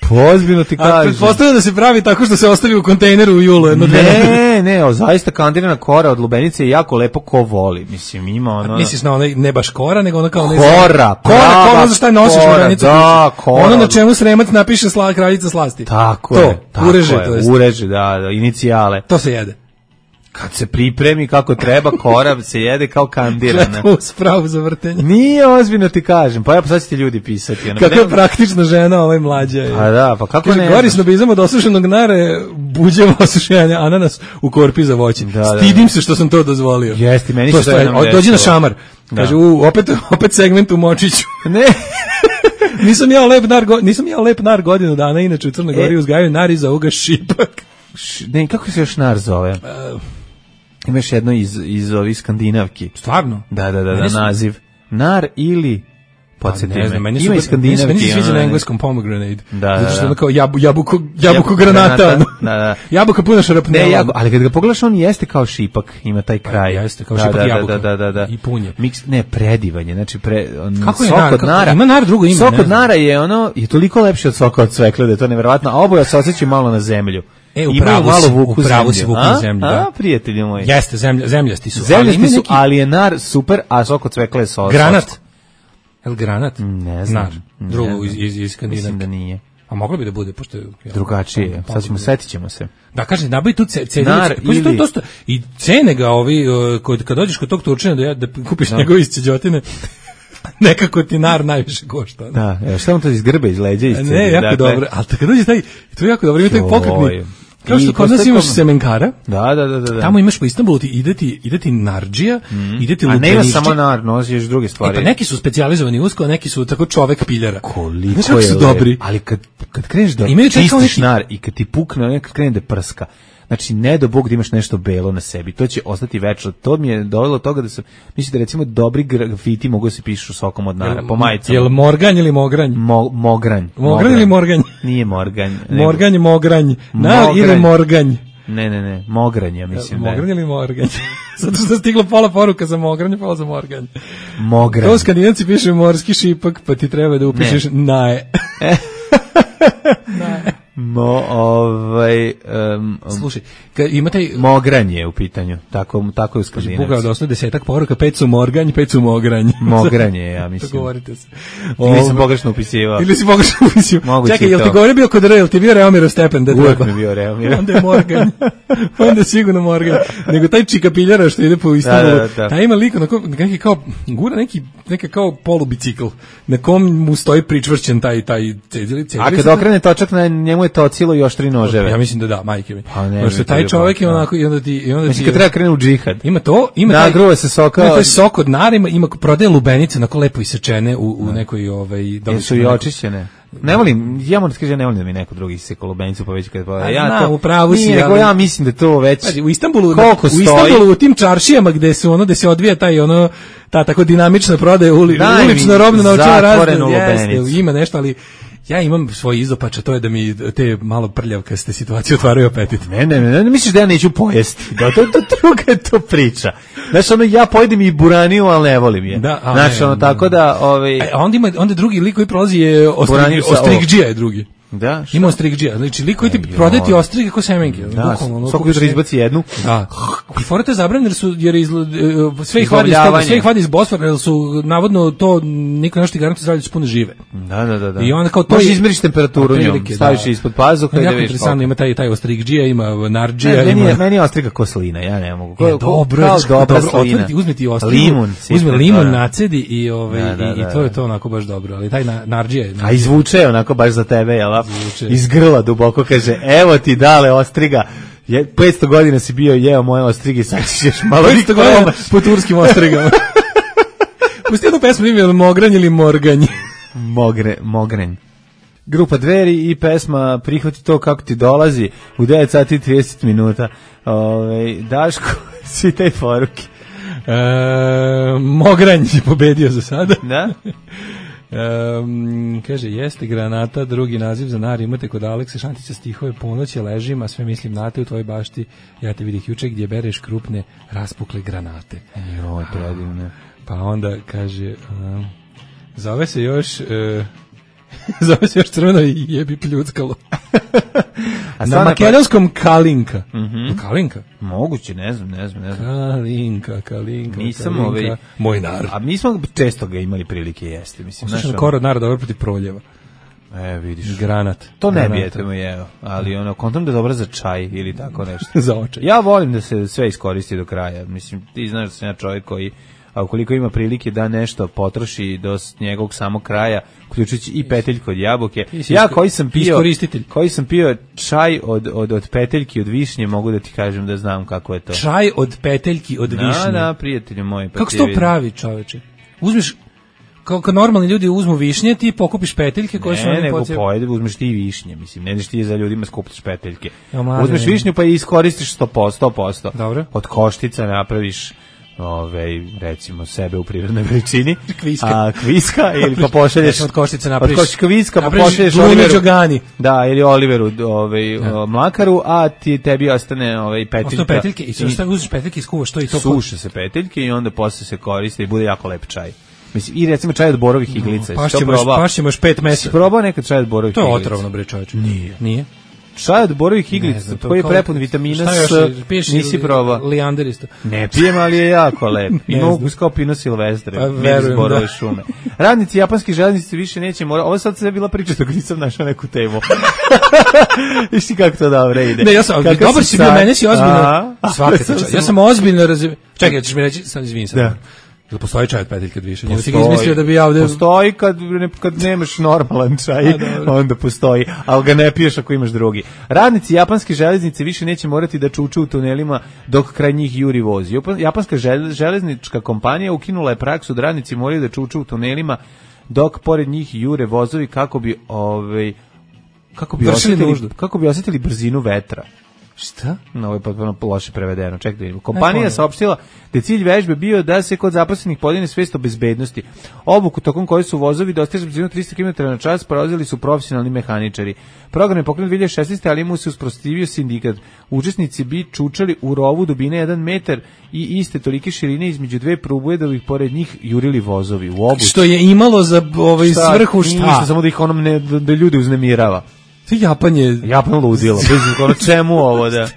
Pozbiljno ti A kažem. pretpostavljam da se pravi tako što se ostavi u kontejneru u julu. Jedno dve nedelje. Ne, ne, o, zaista kandirana kora od lubenice je jako lepo ko voli. Mislim, ima ono... Misliš na onaj, ne baš kora, nego ono kao onaj... Kora, Kora, prava kora, za šta nosiš kora, lubenicu? da, kora. Ono na čemu Sremac napiše sla, kraljica slasti. Tako to, je. Tako ureže, je, to jest. ureže, da, da, inicijale. To se jede. Kad se pripremi kako treba, kora se jede kao kandirana. Gledamo u spravu za vrtenje. Nije ozbiljno ti kažem, pa ja pa sad će ti ljudi pisati. Ono, Kako je nema- praktična žena, ovaj mlađa je. Pa da, pa kako Kaže, ne? gori snobizam od osušenog nare, buđevo osušenja, ananas u korpi za voće. Da, da, Stidim da. se što sam to dozvolio. Jeste, meni To se to stoji. jednom O, dođi na desilo. šamar. Da. Kaže, u, opet, opet segment u Močiću. Ne. nisam ja lep nar, go- nisam ja lep nar godinu dana, inače u Crnoj Gori E. uzgajaju nar iza ovoga šipak. Š- Ne, kako se još nar zove? Uh, Imaš jedno iz, iz ovih skandinavki. Stvarno? Da, da, da, da, Meni su- naziv. Nar ili... Podsjeti Pa ne znam, me. meni Ima su iz skandinavki. Meni se sviđa ono, na ne. engleskom pomegranate. Da, da, Zato što da. ono kao jabu, jabuko, jabuko Jabuko granata. granata, ono. da, da. Jabuka puna šarapnela. Ne, jako, ali kad ga pogledaš, on jeste kao šipak, ima taj kraj. jeste, kao da, šipak da, jabuka. Da, da, da, da. I punje. Miks, ne, predivanje, znači pre, on, Kako je sok nar? od Kako- nara. ima nar drugo ime, Sok ne od znam. nara je ono, je toliko lepši od soka od cvekle, da je to neverovatno, a oboja se osjećaju malo na zemlju. E, Imaju upravo malo si, vuku upravo zemlju. si vuku A? zemlju, A, da. prijatelji moji. Jeste, zemlja, zemljasti su. Zemljasti ima su, neki ali je nar super, a sok od cvekle je so. Granat. socko. El granat? Ne znam. Nar. Ne Drugo znam. iz, iz, iz Skandinavke. Mislim da nije. A moglo bi da bude, pošto je... ja, Drugačije. pom- Sad ćemo, pom- setit ćemo se. Da, kažem, nabavi tu ce- cedinu. Nar Pa što je ili- dosta, i cene ga ovi, uh, kod, kad dođeš kod tog Turčina da, ja, da kupiš njegove isceđotine, nekako ti nar najviše košta. ono. Da, evo, šta on to iz grbe, iz leđa? Iz Ne, jako dobro, ali kad dođe taj, to je jako dobro, ima taj Joj. pokretni. Kao što I kod nas postoji imaš kom- semenkara, Da, da, da, da. da. tamo imaš po Istanbulu, ti ide ti, ide ti narđija, ide ti A nema lubenišči. samo nar, nosiš još druge E, stvari. pa neki su specijalizovani usko, a neki su tako čovek piljara. Koliko Znaš kako je su lep. dobri? Ali kad, kad kreneš da Imaju čak kao čistiš neki- nar i kad ti pukne, nekad krene da prska. Znači, ne do Bog da imaš nešto belo na sebi. To će ostati večno. To mi je dovelo do toga da sam, mislim da recimo dobri grafiti mogu da se pišu sokom od nara, po majicama. Jel morganj ili mogranj? Mo, mogranj. Mogranj ili morganj? Nije morganj. nego- Morganj, mogranj. Nar Mogranj. ili morganj? Ne, ne, ne, mogranj, ja mislim da Mogranj je. ili morganj? Zato što je stiglo pola poruka za mogranj, pola za morganj. Mogranj. To skandinavci pišu morski šipak, pa ti treba da upišeš naje. Mo, ovaj, um, Slušaj, kad ima taj... Mogranje u pitanju, tako, tako je u Skandinavci. Bukao da osnovi desetak poruka, pet su morganj, pet su mogranj. Mogranje, ja mislim. To govorite se. Ili sam pogrešno upisivao. Ili si pogrešno upisivao. Čekaj, jel ti govori bio kod Re, jel ti bio Reomiro Stepen? Da uvijek mi bio Reomiro. Onda je morganj. Onda je sigurno morganj. Nego taj čikapiljara što ide po Istanbulu, da, da, da. taj ima lik, neki kao, gura neki, neka kao polubicikl, na kom mu stoji pričvršćen taj, taj cedili. A kad okrene točak, na njemu je tocilo i oštri noževe. Ja mislim da da, majke mi. Pa ne, pošto taj čovjek je onako i onda ti i onda ti kad treba krene u džihad. Ima to, ima taj nagruva se soka. Ima taj sok od narima, ima prodaje lubenice onako lepo isečene u, u nekoj ovaj da li su i očišćene. Ne volim, ja moram da kažem, ne volim da mi neko drugi iseka lubenicu pa već kad pa ja na, to upravo si, nego ja mislim da to već znači, u Istanbulu koliko u Istanbulu u tim čaršijama gde se ono da se odvija taj ono ta tako dinamična prodaja uli, ulično robno novčana razmjena, ima nešto, ali ja imam svoj izopač, a to je da mi te malo prljavkaste situacije otvaraju apetit. Ne, ne, ne, ne misliš da ja neću pojesti. Da, to, to druga je to priča. Znaš, ono, ja pojedem i buraniju, ali ne volim je. Da, a, znaš, ono, tako da... Ovaj... E, onda, ima, onda drugi lik koji prolazi je ostrig, ostrigđija je drugi. Da, šta? Ima ostrigđija, znači lik koji ti prodaje ti ostrige kao semenke. Da, svako jutro izbaci jednu. Da. I fora te zabranjeno jer su, jer izla, sve ih vadi iz toga, sve ih vadi iz Bosfora, jer su navodno to, niko nešto ti garantuje zdravlje su puno žive. Da, da, da. da. I onda kao to možeš izmeriš temperaturu njom, staviš je ispod pazuha i da vidiš. Interesantno, ima taj, taj ostrigđija, ima narđija. Ne, meni, ima... je, meni je ostriga ko slina, ja ne mogu. Ko, je, dobro, kao dobra dobro, slina. Otvrti, uzmi ti ostrigu, limun, uzmi limun nacedi i, ovaj, da, da, da, i, i to je to onako baš dobro, ali taj narđija je. A izvuče onako baš za tebe, jel? Iz grla duboko kaže, evo ti dale ostriga, je, petsto godina si bio jeo moje ostrige, sad ćeš malo petsto godina po turskim ostrigama. Pusti jednu pesmu ime Mogranj ili Morganj. Mogre, Mogranj. Grupa Dveri i pesma Prihvati to kako ti dolazi u devet sati i trideset minuta. Ove, Daško, svi te poruke. E, Mogranj je pobedio za sada. Da? Um, kaže, jeste granata, drugi naziv za nar, imate kod Aleksa Šantića stihove ponoće ležim, a sve mislim na te u tvojoj bašti, ja te vidih juče gdje bereš krupne raspukle granate. Joj, predivne. Pa onda kaže, um, zove se još... Uh, zove se još crveno i jebi pljuckalo. A na makedonskom pa... Kalinka. Mm-hmm. Kalinka? Moguće, ne znam, ne znam, ne znam. Kalinka, Kalinka, Nisam Kalinka, ovaj... moj narod. A mi smo često ga imali prilike jesti, mislim. Oslišan kor od naroda dobro protiv proljeva. E, vidiš. Granat. To ne bijete mu jeo, ali ono, kontam da je dobro za čaj ili tako nešto. Za očaj. Ja volim da se sve iskoristi do kraja. Mislim, ti znaš da sam ja čovjek koji, a ukoliko ima prilike da nešto potroši do njegovog samog kraja, uključujući i peteljku od jabuke. Ja koji sam pio, koji sam pio čaj od, od, od peteljki od višnje, mogu da ti kažem da znam kako je to. Čaj od peteljki od višnje? Da, da, prijatelju moj. Kako se to pravi, čoveče? Uzmeš, kao kad normalni ljudi uzmu višnje, ti pokupiš peteljke koje ne, su... Ne, nego pocijel... pojede, uzmeš ti višnje, mislim, ne ideš ti za ljudima skupiš peteljke. Ja, uzmeš višnju pa i iskoristiš sto posto. Dobro. Od koštica napraviš... Ove, recimo sebe u prirodnoj veličini, kviska, a kviska ili pa pošalješ od koštice napraviš, od koštica kviska pa pošalješ Oliveru, da, ili Oliveru, ovaj mlakaru, a ti tebi ostane ovaj peteljka. Ostane peteljke i sve što uzmeš peteljke iskuvaš to i to. Suše se peteljke i onda posle se koriste i bude jako lep čaj. Mislim, i recimo čaj od borovih iglica. No, pašćemo još, pašćemo još pet mesa. Probao nekad čaj od borovih iglica? To je otrovno, bre, čovječe. Nije. Nije? Čaj od borovih iglica, koji je prepun vitamina S, nisi probao. Lijander isto. Ne pijem, ali je jako lep. Ima ukus kao Pino Silvestre, pa, miris borove šume. Radnici japanskih železnice više neće morati. Ovo sad sve bila priča dok nisam našao neku temu. Viš ti kako to dobro ide. Ne, ja sam, kako dobar si bio, mene si ozbiljno. Svaka čast. Ja sam ozbiljno razumio. Čekaj, ćeš mi reći, sad izvini sad. Jel postoji čaj od peteljke od više? Postoji, si ga izmislio da bi ja ovde... Postoji kad, ne, kad nemaš normalan čaj, a, onda postoji, ali ga ne piješ ako imaš drugi. Radnici japanske železnice više neće morati da čuču u tunelima dok kraj njih juri voz. Japanska železnička kompanija ukinula je praksu da radnici moraju da čuču u tunelima dok pored njih jure vozovi kako bi, ovaj, kako bi, osjetili, kako bi osjetili brzinu vetra. Šta? No, ovo je potpuno loše prevedeno. Čekaj da vidimo. Kompanija je saopštila da je cilj vežbe bio da se kod zaposlenih podigne svest o bezbednosti. Obuku tokom koje su vozovi dostižu brzinu trista kilometara na čas prolazili su profesionalni mehaničari. Program je pokrenut dve hiljade šesnaeste. ali mu se usprotivio sindikat. Učesnici bi čučali u rovu dubine jedan metar i iste tolike širine između dve prubuje da bi pored njih jurili vozovi u obuci. Što je imalo za ovaj svrhu šta? Ništa, samo da ih onom ne, da ljude uznemirava. Sve Japan je... Japan ludilo. Ono čemu ovo da...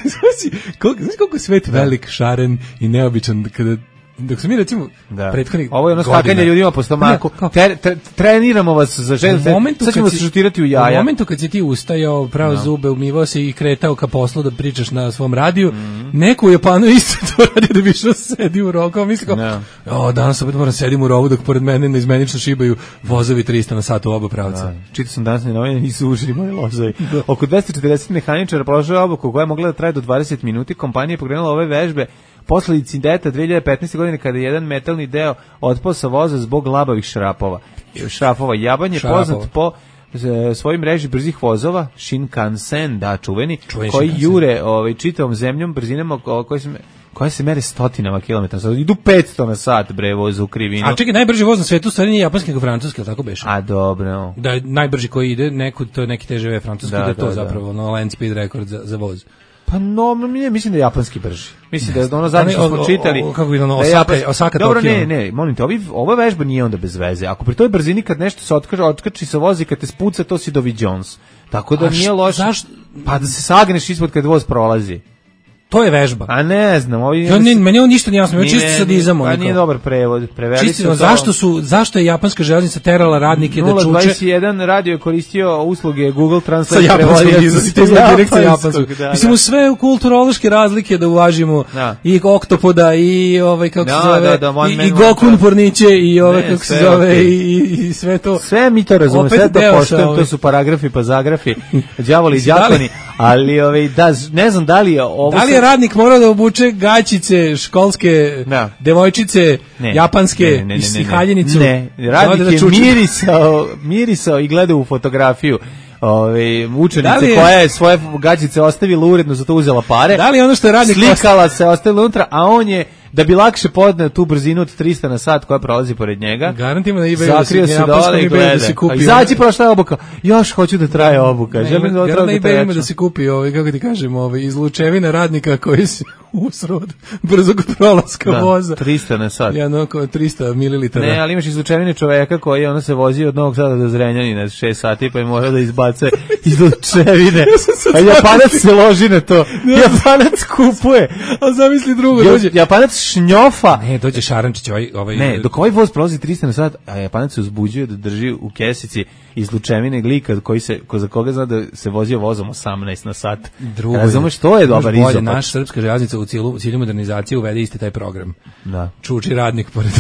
Znaš koliko, koliko je svet velik, šaren i neobičan kada... Dok smo mi recimo da. prethodnih ovo je ono skakanje ljudima po stomaku. Ne, tre, tre, treniramo vas za ženu. Sad ćemo se šutirati u jaja. U momentu kad si ti ustajao, pravo no. zube, umivao se i kretao ka poslu da pričaš na svom radiju, mm. neko u Japanu isto to radi da bi što sedi u rovu. Kao misli kao, no. o, danas opet moram sedim u rovu dok pored mene neizmenično šibaju vozovi trista na sat u oba pravca. Da. Čitao sam danas na novine, nisu ušli moji lozovi. Da. Oko dvesta četrdeset mehaničara prošlo je obuku koja je mogla da traje do dvadeset minuti. Kompanija je pokrenula ove vežbe posle incidenta dve hiljade petnaeste. godine kada je jedan metalni deo otpao sa voza zbog labavih šrapova. Šrafova. Japan je poznat po svojoj mreži brzih vozova, Shinkansen, da, čuveni, Čuveni koji Shinkansen. Jure ovaj, čitavom zemljom brzinama koje se, koje se mere stotinama kilometara. Sad idu petsto na sat, bre, voz u krivinu. A čekaj, najbrži voz na svetu stvari nije japanski nego francuski, ali tako beše? A, dobro. Da je najbrži koji ide, neku, to je neki T G V francuski, da, da je to da, zapravo no, land speed rekord za, za voz. Pa no, mislim da je japanski brži. Mislim da je ono zadnje što smo čitali. O, kako je ono, Osaka, Osaka dobro, ne, ne, molim te, ovi, ova vežba nije onda bez veze. Ako pri toj brzini kad nešto se otkaže, otkači sa vozi, kad te spuca, to si Dovi Jones. Tako da a nije loše. Zašto? Pa da se sagneš ispod kad voz prolazi. To je vežba. A ne znam, ovi ja, ne, meni on ništa nije jasno, čisto sadizam. Pa nije dobar prevod, preveli čisto, su zašto su zašto je japanska železnica terala radnike da čuče? nula dvadeset jedan radio je koristio usluge Google Translate sa japanskog izvozitelja direkcije japanskog. Da, mislim da. U sve kulturološke razlike da uvažimo da. I oktopoda i ovaj kako da, se zove da, da, i, i Gokun porniće i ovaj kako se zove okay. i, i sve to. Sve mi to razumemo, sve to poštujemo, to su paragrafi pa zagrafi, đavoli i đakoni, ali ovaj da ne znam da li je ovo radnik mora da obuče gaćice školske, da. Devojčice, ne. Japanske ne, ne, ne, ne, i haljenicu. Ne, radnik da je mirisao, mirisao i gledao u fotografiju ove, učenice je, koja je svoje gaćice ostavila uredno, zato uzela pare. Da li ono što je radnik slikala se, ostavila unutra, a on je da bi lakše podneo tu brzinu od trista na sat koja prolazi pored njega. Garantima da eBayu zakrio se dole i gleda. Da se kupi. Izađi prošla je obuka. Još hoću da traje obuka. Ne, želim da otraga traje. Da se kupi ovaj kako ti kažem, ovaj izlučevina radnika koji se usrod brzog prolaska da, voza. trista na sat. Ja no trista mililitara. Ne, ali imaš izlučevine čoveka koji ona se vozi od Novog Sada do Zrenjanina šest sati pa je mora da izbace izlučevine. A Japanac se loži na to. Japanac kupuje. A zamisli drugo, dođe Japanac šnjofa. Ne, dođe Šarančić ovaj ovaj. Ne, dok ovaj voz prolazi trista na sat, a Japanac se uzbuđuje da drži u kesici izlučevine glika koji se ko za koga zna da se vozio vozom osamnaest na sat. Drugo, razumeš što je dobar izopet. Naša srpska železnica u cilju, cilju modernizacije uvede isti taj program. Da. Čuči radnik pored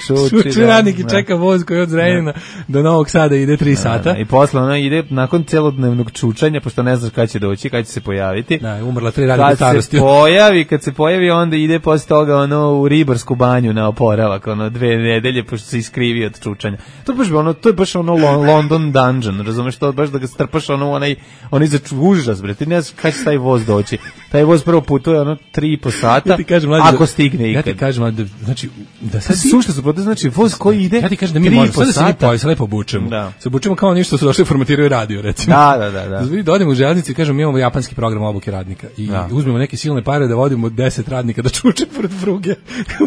Čuči, Čuči radnik i čeka voz koji od Zrenjanina do Novog Sada ide tri sata. Da, i posle ona ide nakon celodnevnog čučanja, pošto ne znaš kada će doći, kada će se pojaviti. Da, umrla tri radnika starosti. Kad se pojavi, kad se pojavi, onda ide posle toga ono u ribarsku banju na oporavak, ono dve nedelje, pošto se iskrivi od čučanja. To je baš ono, to je baš ono London Dungeon, razumeš, to baš da ga strpaš ono onaj, onaj za užas, bre, ti ne znaš kada će taj voz doći. Taj voz prvo putuje ono tri i po sata, ja kažem, mlađe, ako stigne ikad. Ja ti kažem, mlađe, znači, da sad sušta su protiv, znači voz koji ide. Ja ti kažem da mi možemo, sad da se mi pojavi, lepo obučemo. Da. Se obučemo kao ništa su došli formatiraju radio, recimo. Da, da, da. da. Da odemo u železnici i kažemo mi imamo japanski program obuke radnika i da. Uzmemo neke silne pare da vodimo deset radnika da čuče pored pruge.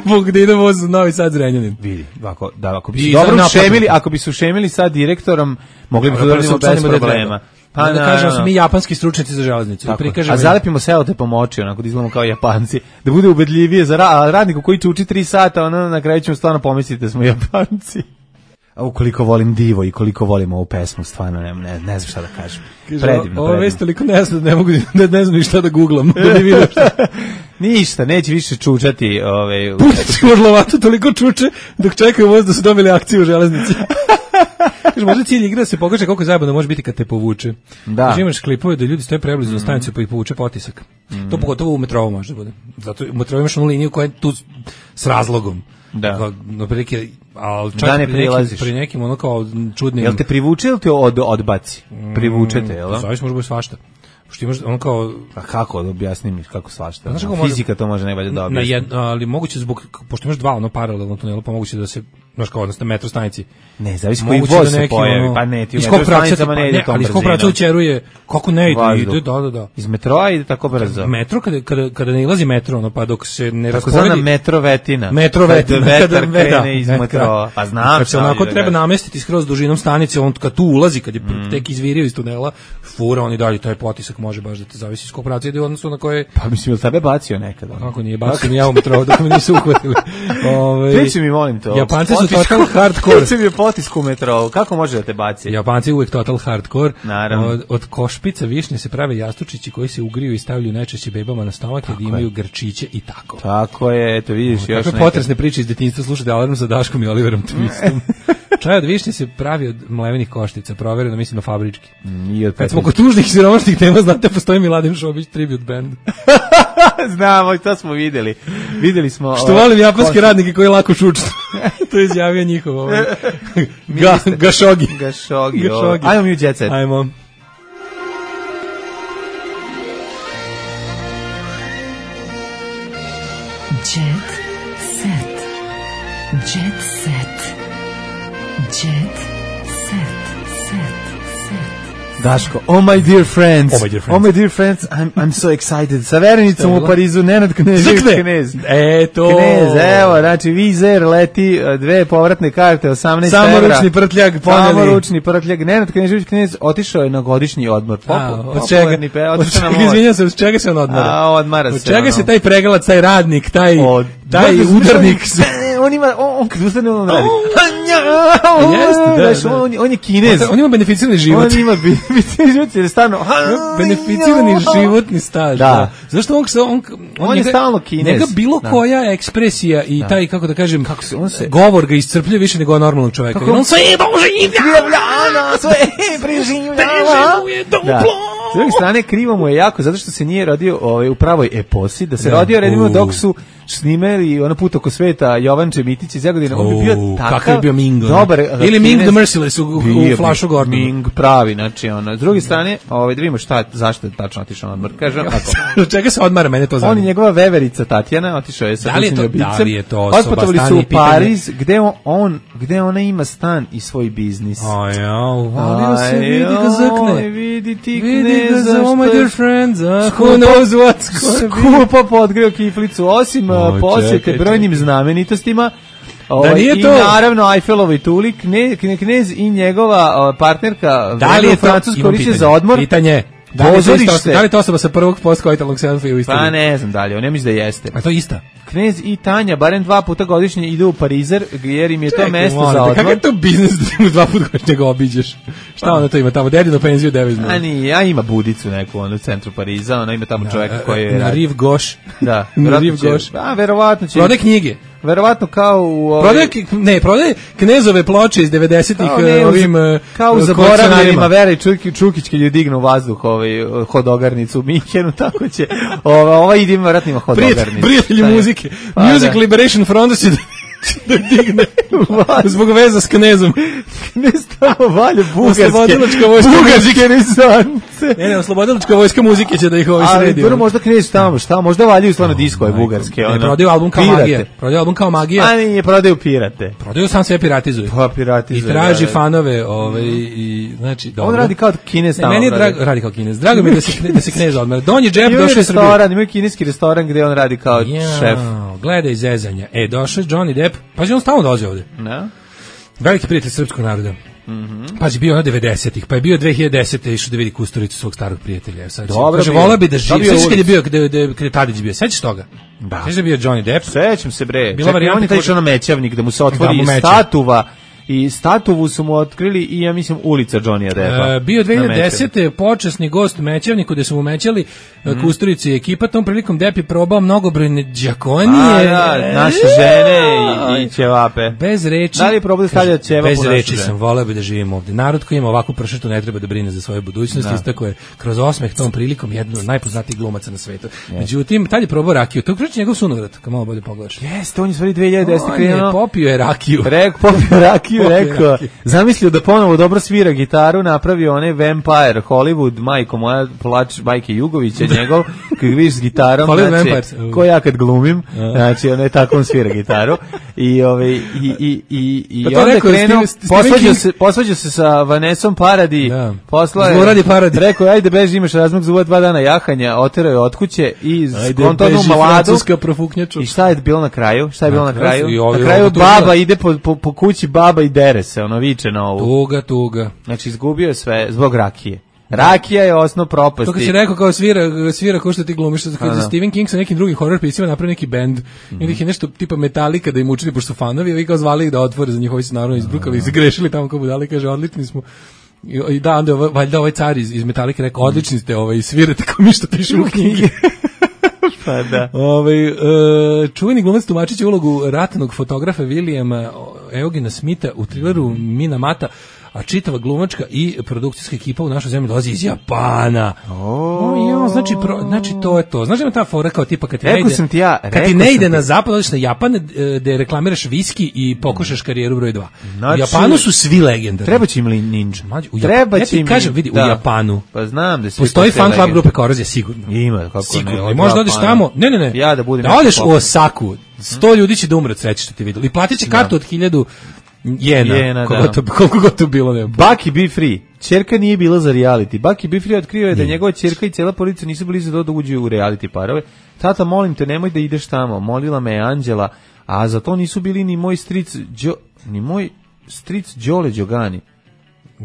Bog da ide voz u Novi Sad Zrenjanin. Vidi, ako, da, ako bi se dobro ušemili, ako bi se ušemili sa direktorom, mogli bi da uradimo bez problema. Pa da, da kažemo no, no. Mi japanski stručnjaci za železnicu. Da prikažemo. A zalepimo selotejp po moći, onako da izgledamo kao Japanci, da bude ubedljivije za ra radniku koji čuči tri sata, ono na kraju ćemo stvarno pomisliti da smo Japanci. A ukoliko volim divo i koliko volim ovu pesmu, stvarno ne, ne, ne znam šta da kažem. Predivno, ovo već toliko ne znam, ne mogu da ne znam ni šta da googlam, da ne vidim šta. Ništa, neće više čučati. Ove, Pusti Orlovatu toliko čuče dok čekaju voz da su dobili akciju u železnici. Kaže, možda cilj igra da se pokaže koliko zajebano može biti kad te povuče. Da. Kaže, imaš klipove da ljudi stoje preblizu na mm. stanicu pa ih povuče potisak. Mm. To pogotovo u metrovu može da bude. Zato u metrovu imaš onu liniju koja je tu s razlogom. Da. No, prilike, ali čak da ne pri, nekim, pri nekim ono kao čudnim... Jel te privuče ili te od, odbaci? Privučete, jel? Zavis može biti svašta. Što imaš ono kao... A kako, objasni mi kako svašta? Znaš kako fizika može, to može ne valja da objasni. Na jed, ali moguće zbog, pošto imaš dva ono paralelno tunela, pa moguće da se znaš kao odnosno metro stanici. Ne, zavisi koji voz se pojavi, ono, pa ne, ti u metro stanicama ne ide tom brzinom. Ali iz kog pravca ućeruje, kako ne ide, ide, da, da, da. Iz metroa ide tako brzo. Metro, kada, kada, kada ne ilazi metro, ono, pa dok se ne tako rasporedi... Tako metrovetina. Metrovetina. Kada vetar krene iz metroa. Pa znam. Kad se onako treba namestiti skroz dužinom stanice, on kad tu ulazi, kad je mm. tek izvirio iz tunela, fura, on i dalje, taj potisak može baš da te zavisi iz kog pravca ide u odnosu na koje... Pa mislim, ili tebe bacio nekada? Kako nije, bacio mi ja u metrou, dok me nisu uhvatili. Reći mi, molim to. Japanci su total hardcore. Reći mi je potisk u metrou, kako može da te baci? Japanci uvek total hardcore. Naravno. Od, od košpica višnje se prave jastučići koji se ugriju i stavljaju najčešće bebama na stomak jer imaju grčiće i tako. Tako je, eto vidiš o, još neke. Potresne priče iz detinjstva, slušajte Alarm sa Daškom i Oliverom Twistom. Čaj od višnje se pravi od mlevenih koštica, provereno mislim na fabrički. Mm, Kad smo kod tužnih siromašnih tema, znate, postoji Miladin Šobić tribute band. Znamo, to smo videli. Videli smo... Što volim japanske radnike koji lako šučnu. To je izjavio njihov ovaj. Ga, gašogi. Gašogi. Gašogi. Ajmo mi u Jet Set. Ajmo. Jet Set. Jet Set. Jet Set. Set. Daško, oh my dear friends, oh my dear friends, oh my dear friends, I'm, I'm so excited. Sa verenicom u Parizu, Nenad Knez, Knez. E, to. Knez, evo, znači, Vizer leti, dve povratne karte, osamnaest evra. Samoručni prtljag, poneli. Samoručni prtljag. Nenad Knežević Knez otišao je na godišnji odmor. A, od čega? Izvinjam se, od čega se on odmara? A, odmara se. Od čega se taj pregalac, taj radnik, taj, taj udarnik? On ima, on kad ustane, on radi. Jeste, da, on je Kinez. On ima beneficirani život. On ima beneficirani život, jer je stvarno... Beneficirani životni staž. Da. Zašto on... On, on, on je stalno Kinez. Njega bilo koja ekspresija i taj, kako da kažem, govor ga iscrpljuje više nego normalnog čoveka. On sve doživljava! Sve preživljava! S druge strane, krivo mu je jako, zato što se nije rodio ovaj, u pravoj eposi, da se da, rodio, redimo, dok su snimali ono put oko sveta Jovanče Mitić iz Jagodina, on bi bio takav, kakav je bio Ming, dobar, ili Ming the Merciless u, u Flashu Gordonu. Ming pravi, znači ono. S druge strane, ovaj, da vidimo šta, zašto je tačno otišao na odmor. Kažem, od čega se odmara, mene to zanima. On i njegova veverica Tatjana, otišao je sa da li je to, ljubicom. Da li je to osoba, otputovali su u Pariz, gde on, on, gde ona ima stan i svoj biznis. Aj, uvalio se, vidi ga zrkne. Vidi ti vidi ga za, oh my dear friends, who knows what's skupo podgrio kiflicu, osim posjete brojnim znamenitostima. Da nije I to. naravno Eiffelovi tuli, knez, knez i njegova partnerka da li je to francusko liče za odmor. Pitanje. Da li, to isto, da li to osoba sa prvog postkoitalnog selfie u istoriji? Pa ne znam dalje, on ne misli da jeste. A to je ista? Knez i Tanja barem dva puta godišnje idu u Parizer, jer im je to mesto molim, za odmor. Kako je to biznis da ti dva puta godišnje ga obiđeš? Šta pa. Ona to ima tamo? Dedinu penziju deviznu. A nije, a ima budicu neku ono, u centru Pariza, ona ima tamo čovjeka koji je... Na Rive Gauche. Da, na Rive Gauche. A, verovatno će... Prode knjige. Verovatno kao u ovaj... prodaje ne prodaje Knezove ploče iz devedesetih ovim kao u zaboravljenima Vera i Čukić Čukić kad je dignu vazduh ovaj hodogarnicu u Minhenu, tako će ova ova ide verovatno ima hodogarnicu. Prijatelji muzike. Pa, Music da. Liberation Front će da digne zbog veza s Knezom. Knez tamo valje bugarske. Oslobodilačka vojska bugarske renesance. Ne, ne, oslobodilačka vojska muzike će da ih ovaj sredi. Ali prvo možda Knez tamo, šta, možda valjaju stvarno diskove bugarske. Ne, prodaju album kao Magija. Prodaju album kao Magija. A nije, prodaju pirate. Prodaju sam sve piratizuju. Pa piratizuju. I traži fanove, ovaj, i, znači, dobro. On radi kao Kinez tamo. Meni je drago, radi kao Kinez. Drago mi je da se, da se Knez odmara. Donji džep došao u Srbiju. Imaju kineski restoran gde on radi kao šef. Gledaj zezanja. E, došao Johnny Depp. Pa on stalno dolazi ovde. Da. Veliki prijatelj srpskog naroda. Mhm. Pa je bio na devedesetih, pa je bio dve hiljade desete išao da vidi Kusturicu svog starog prijatelja. Sad dobro, kaže vola bi da živi. Sećaš kad je bio gde gde gde Tadić bio? Sećaš toga? Da. Sećaš da bio Johnny Depp? Sećam se bre. Bila varijanta on je taj išao na Mećavnik da mu se otvori da, statuva. I statuvu su mu otkrili i ja mislim ulica Johnny Deppa. E, bio dve hiljade desete počasni gost u Mećavniku gde su mu mećali mm. Kusturici i ekipa. Tom prilikom Depp je probao mnogobrojne đakonije. A, da, naše žene i, i ćevape. Bez reči. Da li je probao da stavlja ćevapu? Bez reči sam, voleo bi da živim ovde. Narod koji ima ovakvu pršetu ne treba da brine za svoju budućnost. Da. Istako je kroz osmeh tom prilikom jedno od najpoznatijih glumaca na svetu. Yes. Međutim, tad je probao rakiju. To je njegov sunovrat, kad malo bolje pogledaš. Jeste, on je stvari dve hiljade desete krenuo. Popio je rakiju. Rek, popio rakiju. Rakiju rekao, zamislio da ponovo dobro svira gitaru, napravio onaj Vampire Hollywood, majko moja, plač Bajke Jugovića, njegov, kad vidiš s gitarom, znači, ko ja kad glumim, znači, on je tako on svira gitaru, i, ove, i, i, i, i pa onda rekao, krenuo, Steve, posvađao se, posvađao se sa Vanessom Paradis, da. posla je, Zloradi Paradis. Rekao, ajde beži, imaš razmak za ova dva dana jahanja, oterao je od kuće i skontonu mladu. I šta je bilo na kraju? Šta je bilo na kraju? Na kraju baba ide po, po, po kući, baba i dere se, ono viče na ovu. Tuga, tuga. Znači, izgubio je sve zbog rakije. Rakija je osnov propasti. To kad si rekao kao svira, svira ko što ti glumiš, kad je Stephen King sa nekim drugim horror pisima napravio neki band, mm. ili je nešto tipa Metallica da im učini, pošto su fanovi, ovi kao zvali ih da otvore za njihovi se naravno izbrukali i zagrešili tamo kao budali, kaže, odlični smo. I da, onda je valjda ovaj car iz, iz Metallica rekao, odlični ste, ovaj, svirate kao mi što pišemo u knjige. Pa da. Ovaj e, čuveni glumac tumačiće ulogu ratnog fotografa Williama Eugena Smitha u trileru Mina Mata, a čitava glumačka i produkcijska ekipa u našoj zemlji dolazi iz Japana. Oh. Jo, znači, pro, znači to je to. Znaš da ima ta fora kao tipa kad ti ne ide, sam ti ja, kad ti ne ide na zapad, odeš na Japan gde reklamiraš viski i pokušaš karijeru broj dva. Znači, u Japanu su svi legendarni. Treba će im li ninja? U Treba ja ti kažem, vidi, da. U Japanu pa znam da postoji fan club grupe Korozija, sigurno. Ima, kako sigurno. ne. I možda odeš tamo, ne, ne, ne. Ja da budem. Da odeš u Osaku, sto ljudi će da umre od sreće što ti videli. I platit će kartu od hiljadu jena, jena koliko, da. to, koliko god to bilo. Ne. Bucky Be Free. Ćerka nije bila za reality. Bucky Be Free otkrio je da njegova ćerka i cela porodica nisu bili za to da uđu u reality parove. Tata, molim te, nemoj da ideš tamo. Molila me je Anđela, a za to nisu bili ni moj stric, Đo, ni moj stric Đole Đogani.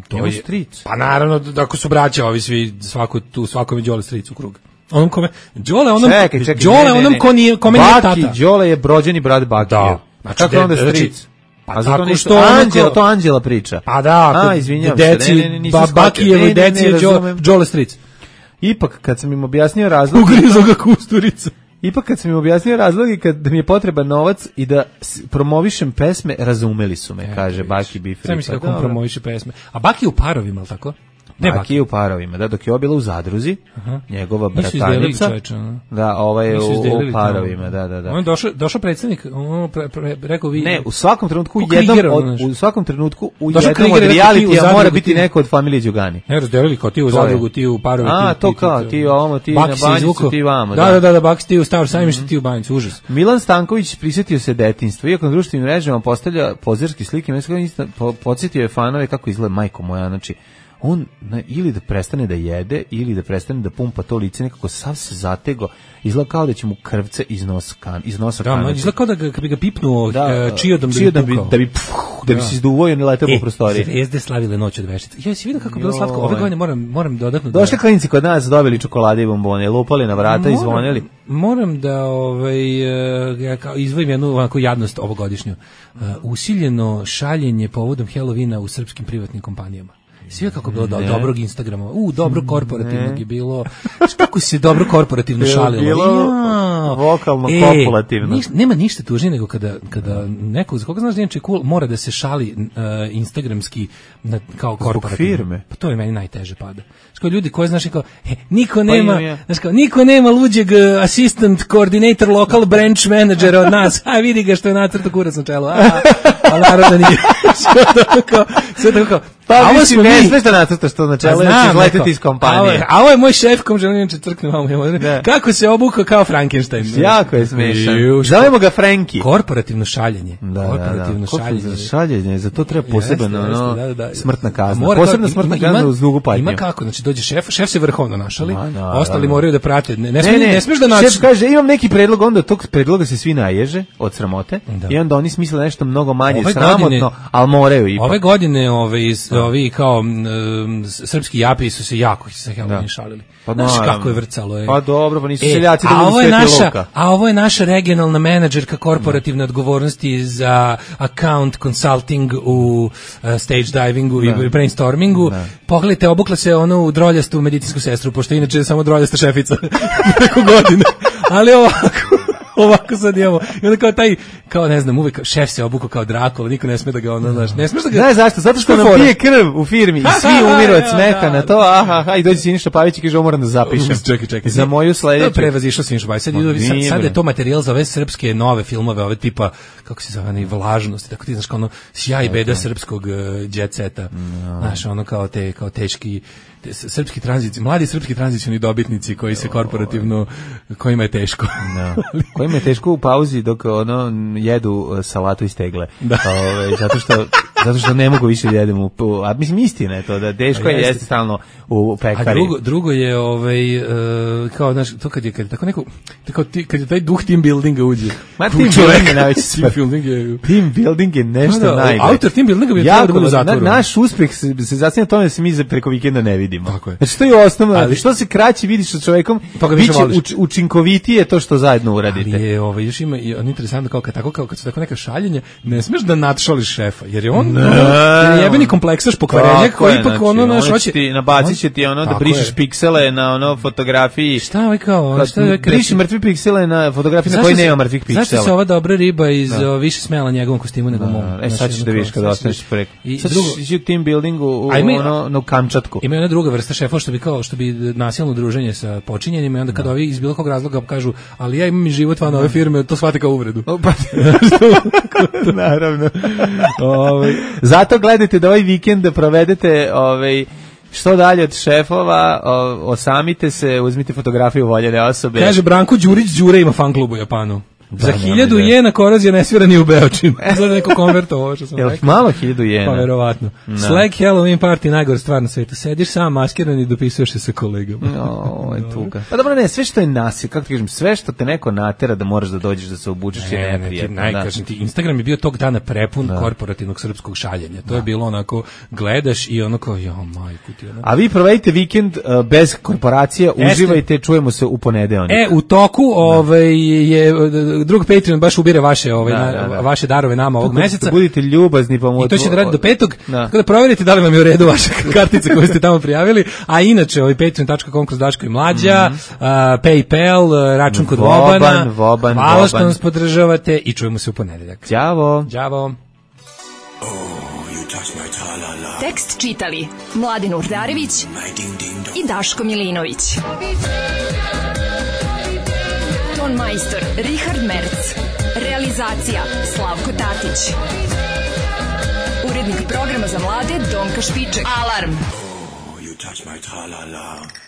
To je stric. Pa naravno, ako su braća, ovi svi, svako tu, svako mi Đole stric u krug. Onom kome, Đole onom, čekaj, čekaj, Đole ne, ne, onom ko nije, kome nije tata. Baki, Đole je brođeni brat Baki. Da. Znači, kako je onda stric? Pa a zato što Anđela, to Anđela priča. Pa da, a, izvinjavam deci, se, ne, ne, nisam ba, Bakijevoj deci je Đole stric. Ipak, kad sam im objasnio razlog... Ugrizo ga Kusturica. Ipak, kad sam im objasnio razlog i kad mi je potreban novac i da promovišem pesme, razumeli su me, e, kaže Baki Be Free. Sam misli kako promoviše pesme. A Baki je u parovima, ali tako? Ne, Baki je u parovima, da, dok je obila u Zadruzi, aha, njegova bratanica, da, ovaj je u, u parovima, da, da, da. On je došao, došao predsjednik, on pre, pre, rekao vi... Ne, u svakom trenutku, u jednom, od, u svakom trenutku, u jednom od realitija mora biti neko od familije Đugani. Ne, razdelili kao ti u Zadrugu, ti u parovi. A, to kao, ti ovamo, ti na Banjicu, ti vamo. Da, da, da, da, Baki ti u Staro Sajmište, ti u Banjicu, užas. Milan Stanković prisjetio se detinjstva, iako na društvenim mrežama postavlja pozerske slike, podsjetio je fanove kako izgleda majko moja, znači on na, ili da prestane da jede ili da prestane da pumpa to lice, nekako sav se zatego, izgleda kao da će mu krvce iz nosa kan, iz nosa da, kanati. Izgleda kao da ga, kad bi ga pipnuo da, uh, čiodom da, da bi pukao. Da bi, pff, da bi da. se izduvao i ne letao po prostoriji. Zvezde slavile noć od veštice. Ja si vidio kako je bilo slatko. Ove godine moram, moram dodatno... Došli da... klinici kod nas, dobili čokolade i bombone, lupali na vrata moram, i zvonili. Moram da ovaj, ja kao izvojim jednu ovako jadnost ovogodišnju. Uh, usiljeno šaljenje povodom Halloweena u srpskim privatnim kompanijama. Sve kako bilo do, dobrog Instagrama. U, dobro korporativnog ne. je bilo. Kako se dobro korporativno šalilo. Bilo ja. vokalno e, kopulativno. Niš, nema ništa tužnije nego kada, kada neko, za koga znaš da je cool, mora da se šali uh, instagramski na, kao korporativno. Firme. Pa to je meni najteže pada. Što ljudi koji znaš kao, e, niko nema, pa znaš kao, niko nema luđeg uh, assistant coordinator local branch manager od nas. A vidi ga što je nacrto kurac na čelu. A, a naravno nije. Sve tako kao, sve tako kao. Pa a ovo smo ne smeš da nacrtaš to na čelo, da ćeš letiti iz kompanije. A ovo je moj šef, kom želim inače crkne malo. Kako se obukao kao Frankenstein. Jako je smešan. Zovemo ga Franki. Korporativno šaljenje. Da, korporativno da, da. šaljenje. šaljenje. Za to treba posebno jeste, ono, da, da. smrtna kazna. Posebna smrtna kazna uz dugu patnju. Ima kako, znači dođe šef, šef se vrhovno našali, a, da, ostali da, da. moraju da prate. Ne, ne, ne, ne, ne smiješ da nađeš. Šef kaže, imam neki predlog, onda tog predloga se svi naježe od sramote da. I onda oni smisle nešto mnogo manje ove sramotno, godine, ali moraju ipak. Ove godine ove, ovi kao um, srpski japi su se jako sa Halloweena šalili. Pa znaš kako je vrcalo. Je. Pa dobro, pa nisu e, seljaci da budu Sveti naša, Luka. A ovo je naša regionalna menadžerka korporativne odgovornosti za account consulting u uh, stage divingu da. I brainstormingu. Da. Pogledajte, obukla se ono u droljastu medicinsku sestru, pošto inače je samo droljasta šefica preko godine. Ali ovako... ovako sad imamo. I onda kao taj, kao ne znam, uvek šef se obukao kao Drakula, niko ne sme da ga ono, znaš, ne smeš da ga... Znaš zašto? Zato što nam pije krv u firmi i svi umiru od smeha na to, aha, aha, i dođe Siniša Pavić i kaže, ovo moram da zapišem. Čekaj, čekaj. Za moju sledeću. Prevazišao Siniša Pavić. Sad, sad, sad je to materijal za ove srpske nove filmove, ove tipa, kako se zove, vlažnosti, tako ti znaš, kao ono, sjaj i beda srpskog uh, jet seta. No. Znaš, ono kao te, kao teški, te, srpski tranzici, mladi srpski tranzicioni dobitnici koji se korporativno, kojima je teško. No. Kojima je teško u pauzi dok ono jedu salatu iz tegle. Da. Ove, zato što zato što ne mogu više jedem u, a mislim istina je to da teško je jesti stalno u pekari. A drugo, drugo je ovaj uh, kao znaš to kad je kad je tako neko tako ti, kad je taj duh team buildinga uđe. Ma team building je najveći team building je team building je nešto da, najbolje. Autor team buildinga bi trebao da bude u zatvoru. Na, naš uspeh se, se zasniva na tome da se mi za preko vikenda ne vidimo. Tako je. Znači to je osnovno, ali što se kraće vidiš sa čovekom, biće uč, učinkovitije to što zajedno uradite. Ali je ovaj još ima i on interesantno kao kad tako kao kad su tako neka šaljenja, ne smeš da nadšališ šefa, jer je on je jebeni kompleksaš pokvarenjak koji ipak znači, ono naš hoće ti nabacit će ti ono da brišeš je. piksele na ono fotografiji. Šta ovaj kao, šta je briši mrtve piksele na fotografiji na kojoj nema mrtvih piksela. Zašto se ova dobra riba iz da. o, više smela njegovom kostimu nego mom. E sad ćeš da vidiš kad ostaneš preko. I sad drugo u team buildingu u ono na Kamčatku. Ima jedna druga vrsta šefova što bi kao što bi nasilno druženje sa počinjenima i onda kad no. ovi iz bilo kog razloga kažu ali ja imam i život van ove firme, to shvate kao uvredu. Naravno. Ovaj zato gledajte da ovaj vikend provedete ovaj što dalje od šefova, o, osamite se, uzmite fotografiju voljene osobe. Kaže Branko Đurić, Đure ima fan klub u Japanu. Da, za hiljadu jena korozija ne svira ni u Beočinu. Za neko konverto ovo što sam rekao. Jel malo hiljadu jena? Pa verovatno. No. Slag Halloween party, najgore stvar na svetu. Sediš sam maskiran i dopisuješ se sa kolegama. No, je tuga. Pa dobro, ne, sve što je nasilje, kako ti kažem, sve što te neko natera da moraš da dođeš da se obučeš je neprijatno. Ne, ne, kažem ti, Instagram je bio tog dana prepun da. korporativnog srpskog šaljenja. To da. je bilo onako, gledaš i onako, jo, majku ti. Onako. A vi provedite vikend uh, bez korporacije, uživajte, čujemo se u ponedeljak. E, u toku da. ovaj, je drug Patreon baš ubire vaše ovaj da, da, da. vaše darove nama ovog meseca. Budite ljubazni pa mu i to će da radi do petog. Da. Tako da proverite da li vam je u redu vaša kartica koju ste tamo prijavili. A inače ovaj patreon tačka com kroz Daško i Mlađa, mm -hmm. uh, PayPal, račun kod Vobana. Voban, Voban, Hvala Voban. što nas podržavate i čujemo se u ponedeljak. Ćao. Ćao. Tekst čitali Mladin Urdarević i Daško Milinović. Ton majstor Richard Merc. Realizacija Slavko Tatić. Urednik programa za mlade Donka Špiček. Alarm! Oh, you touch my tra-la-la.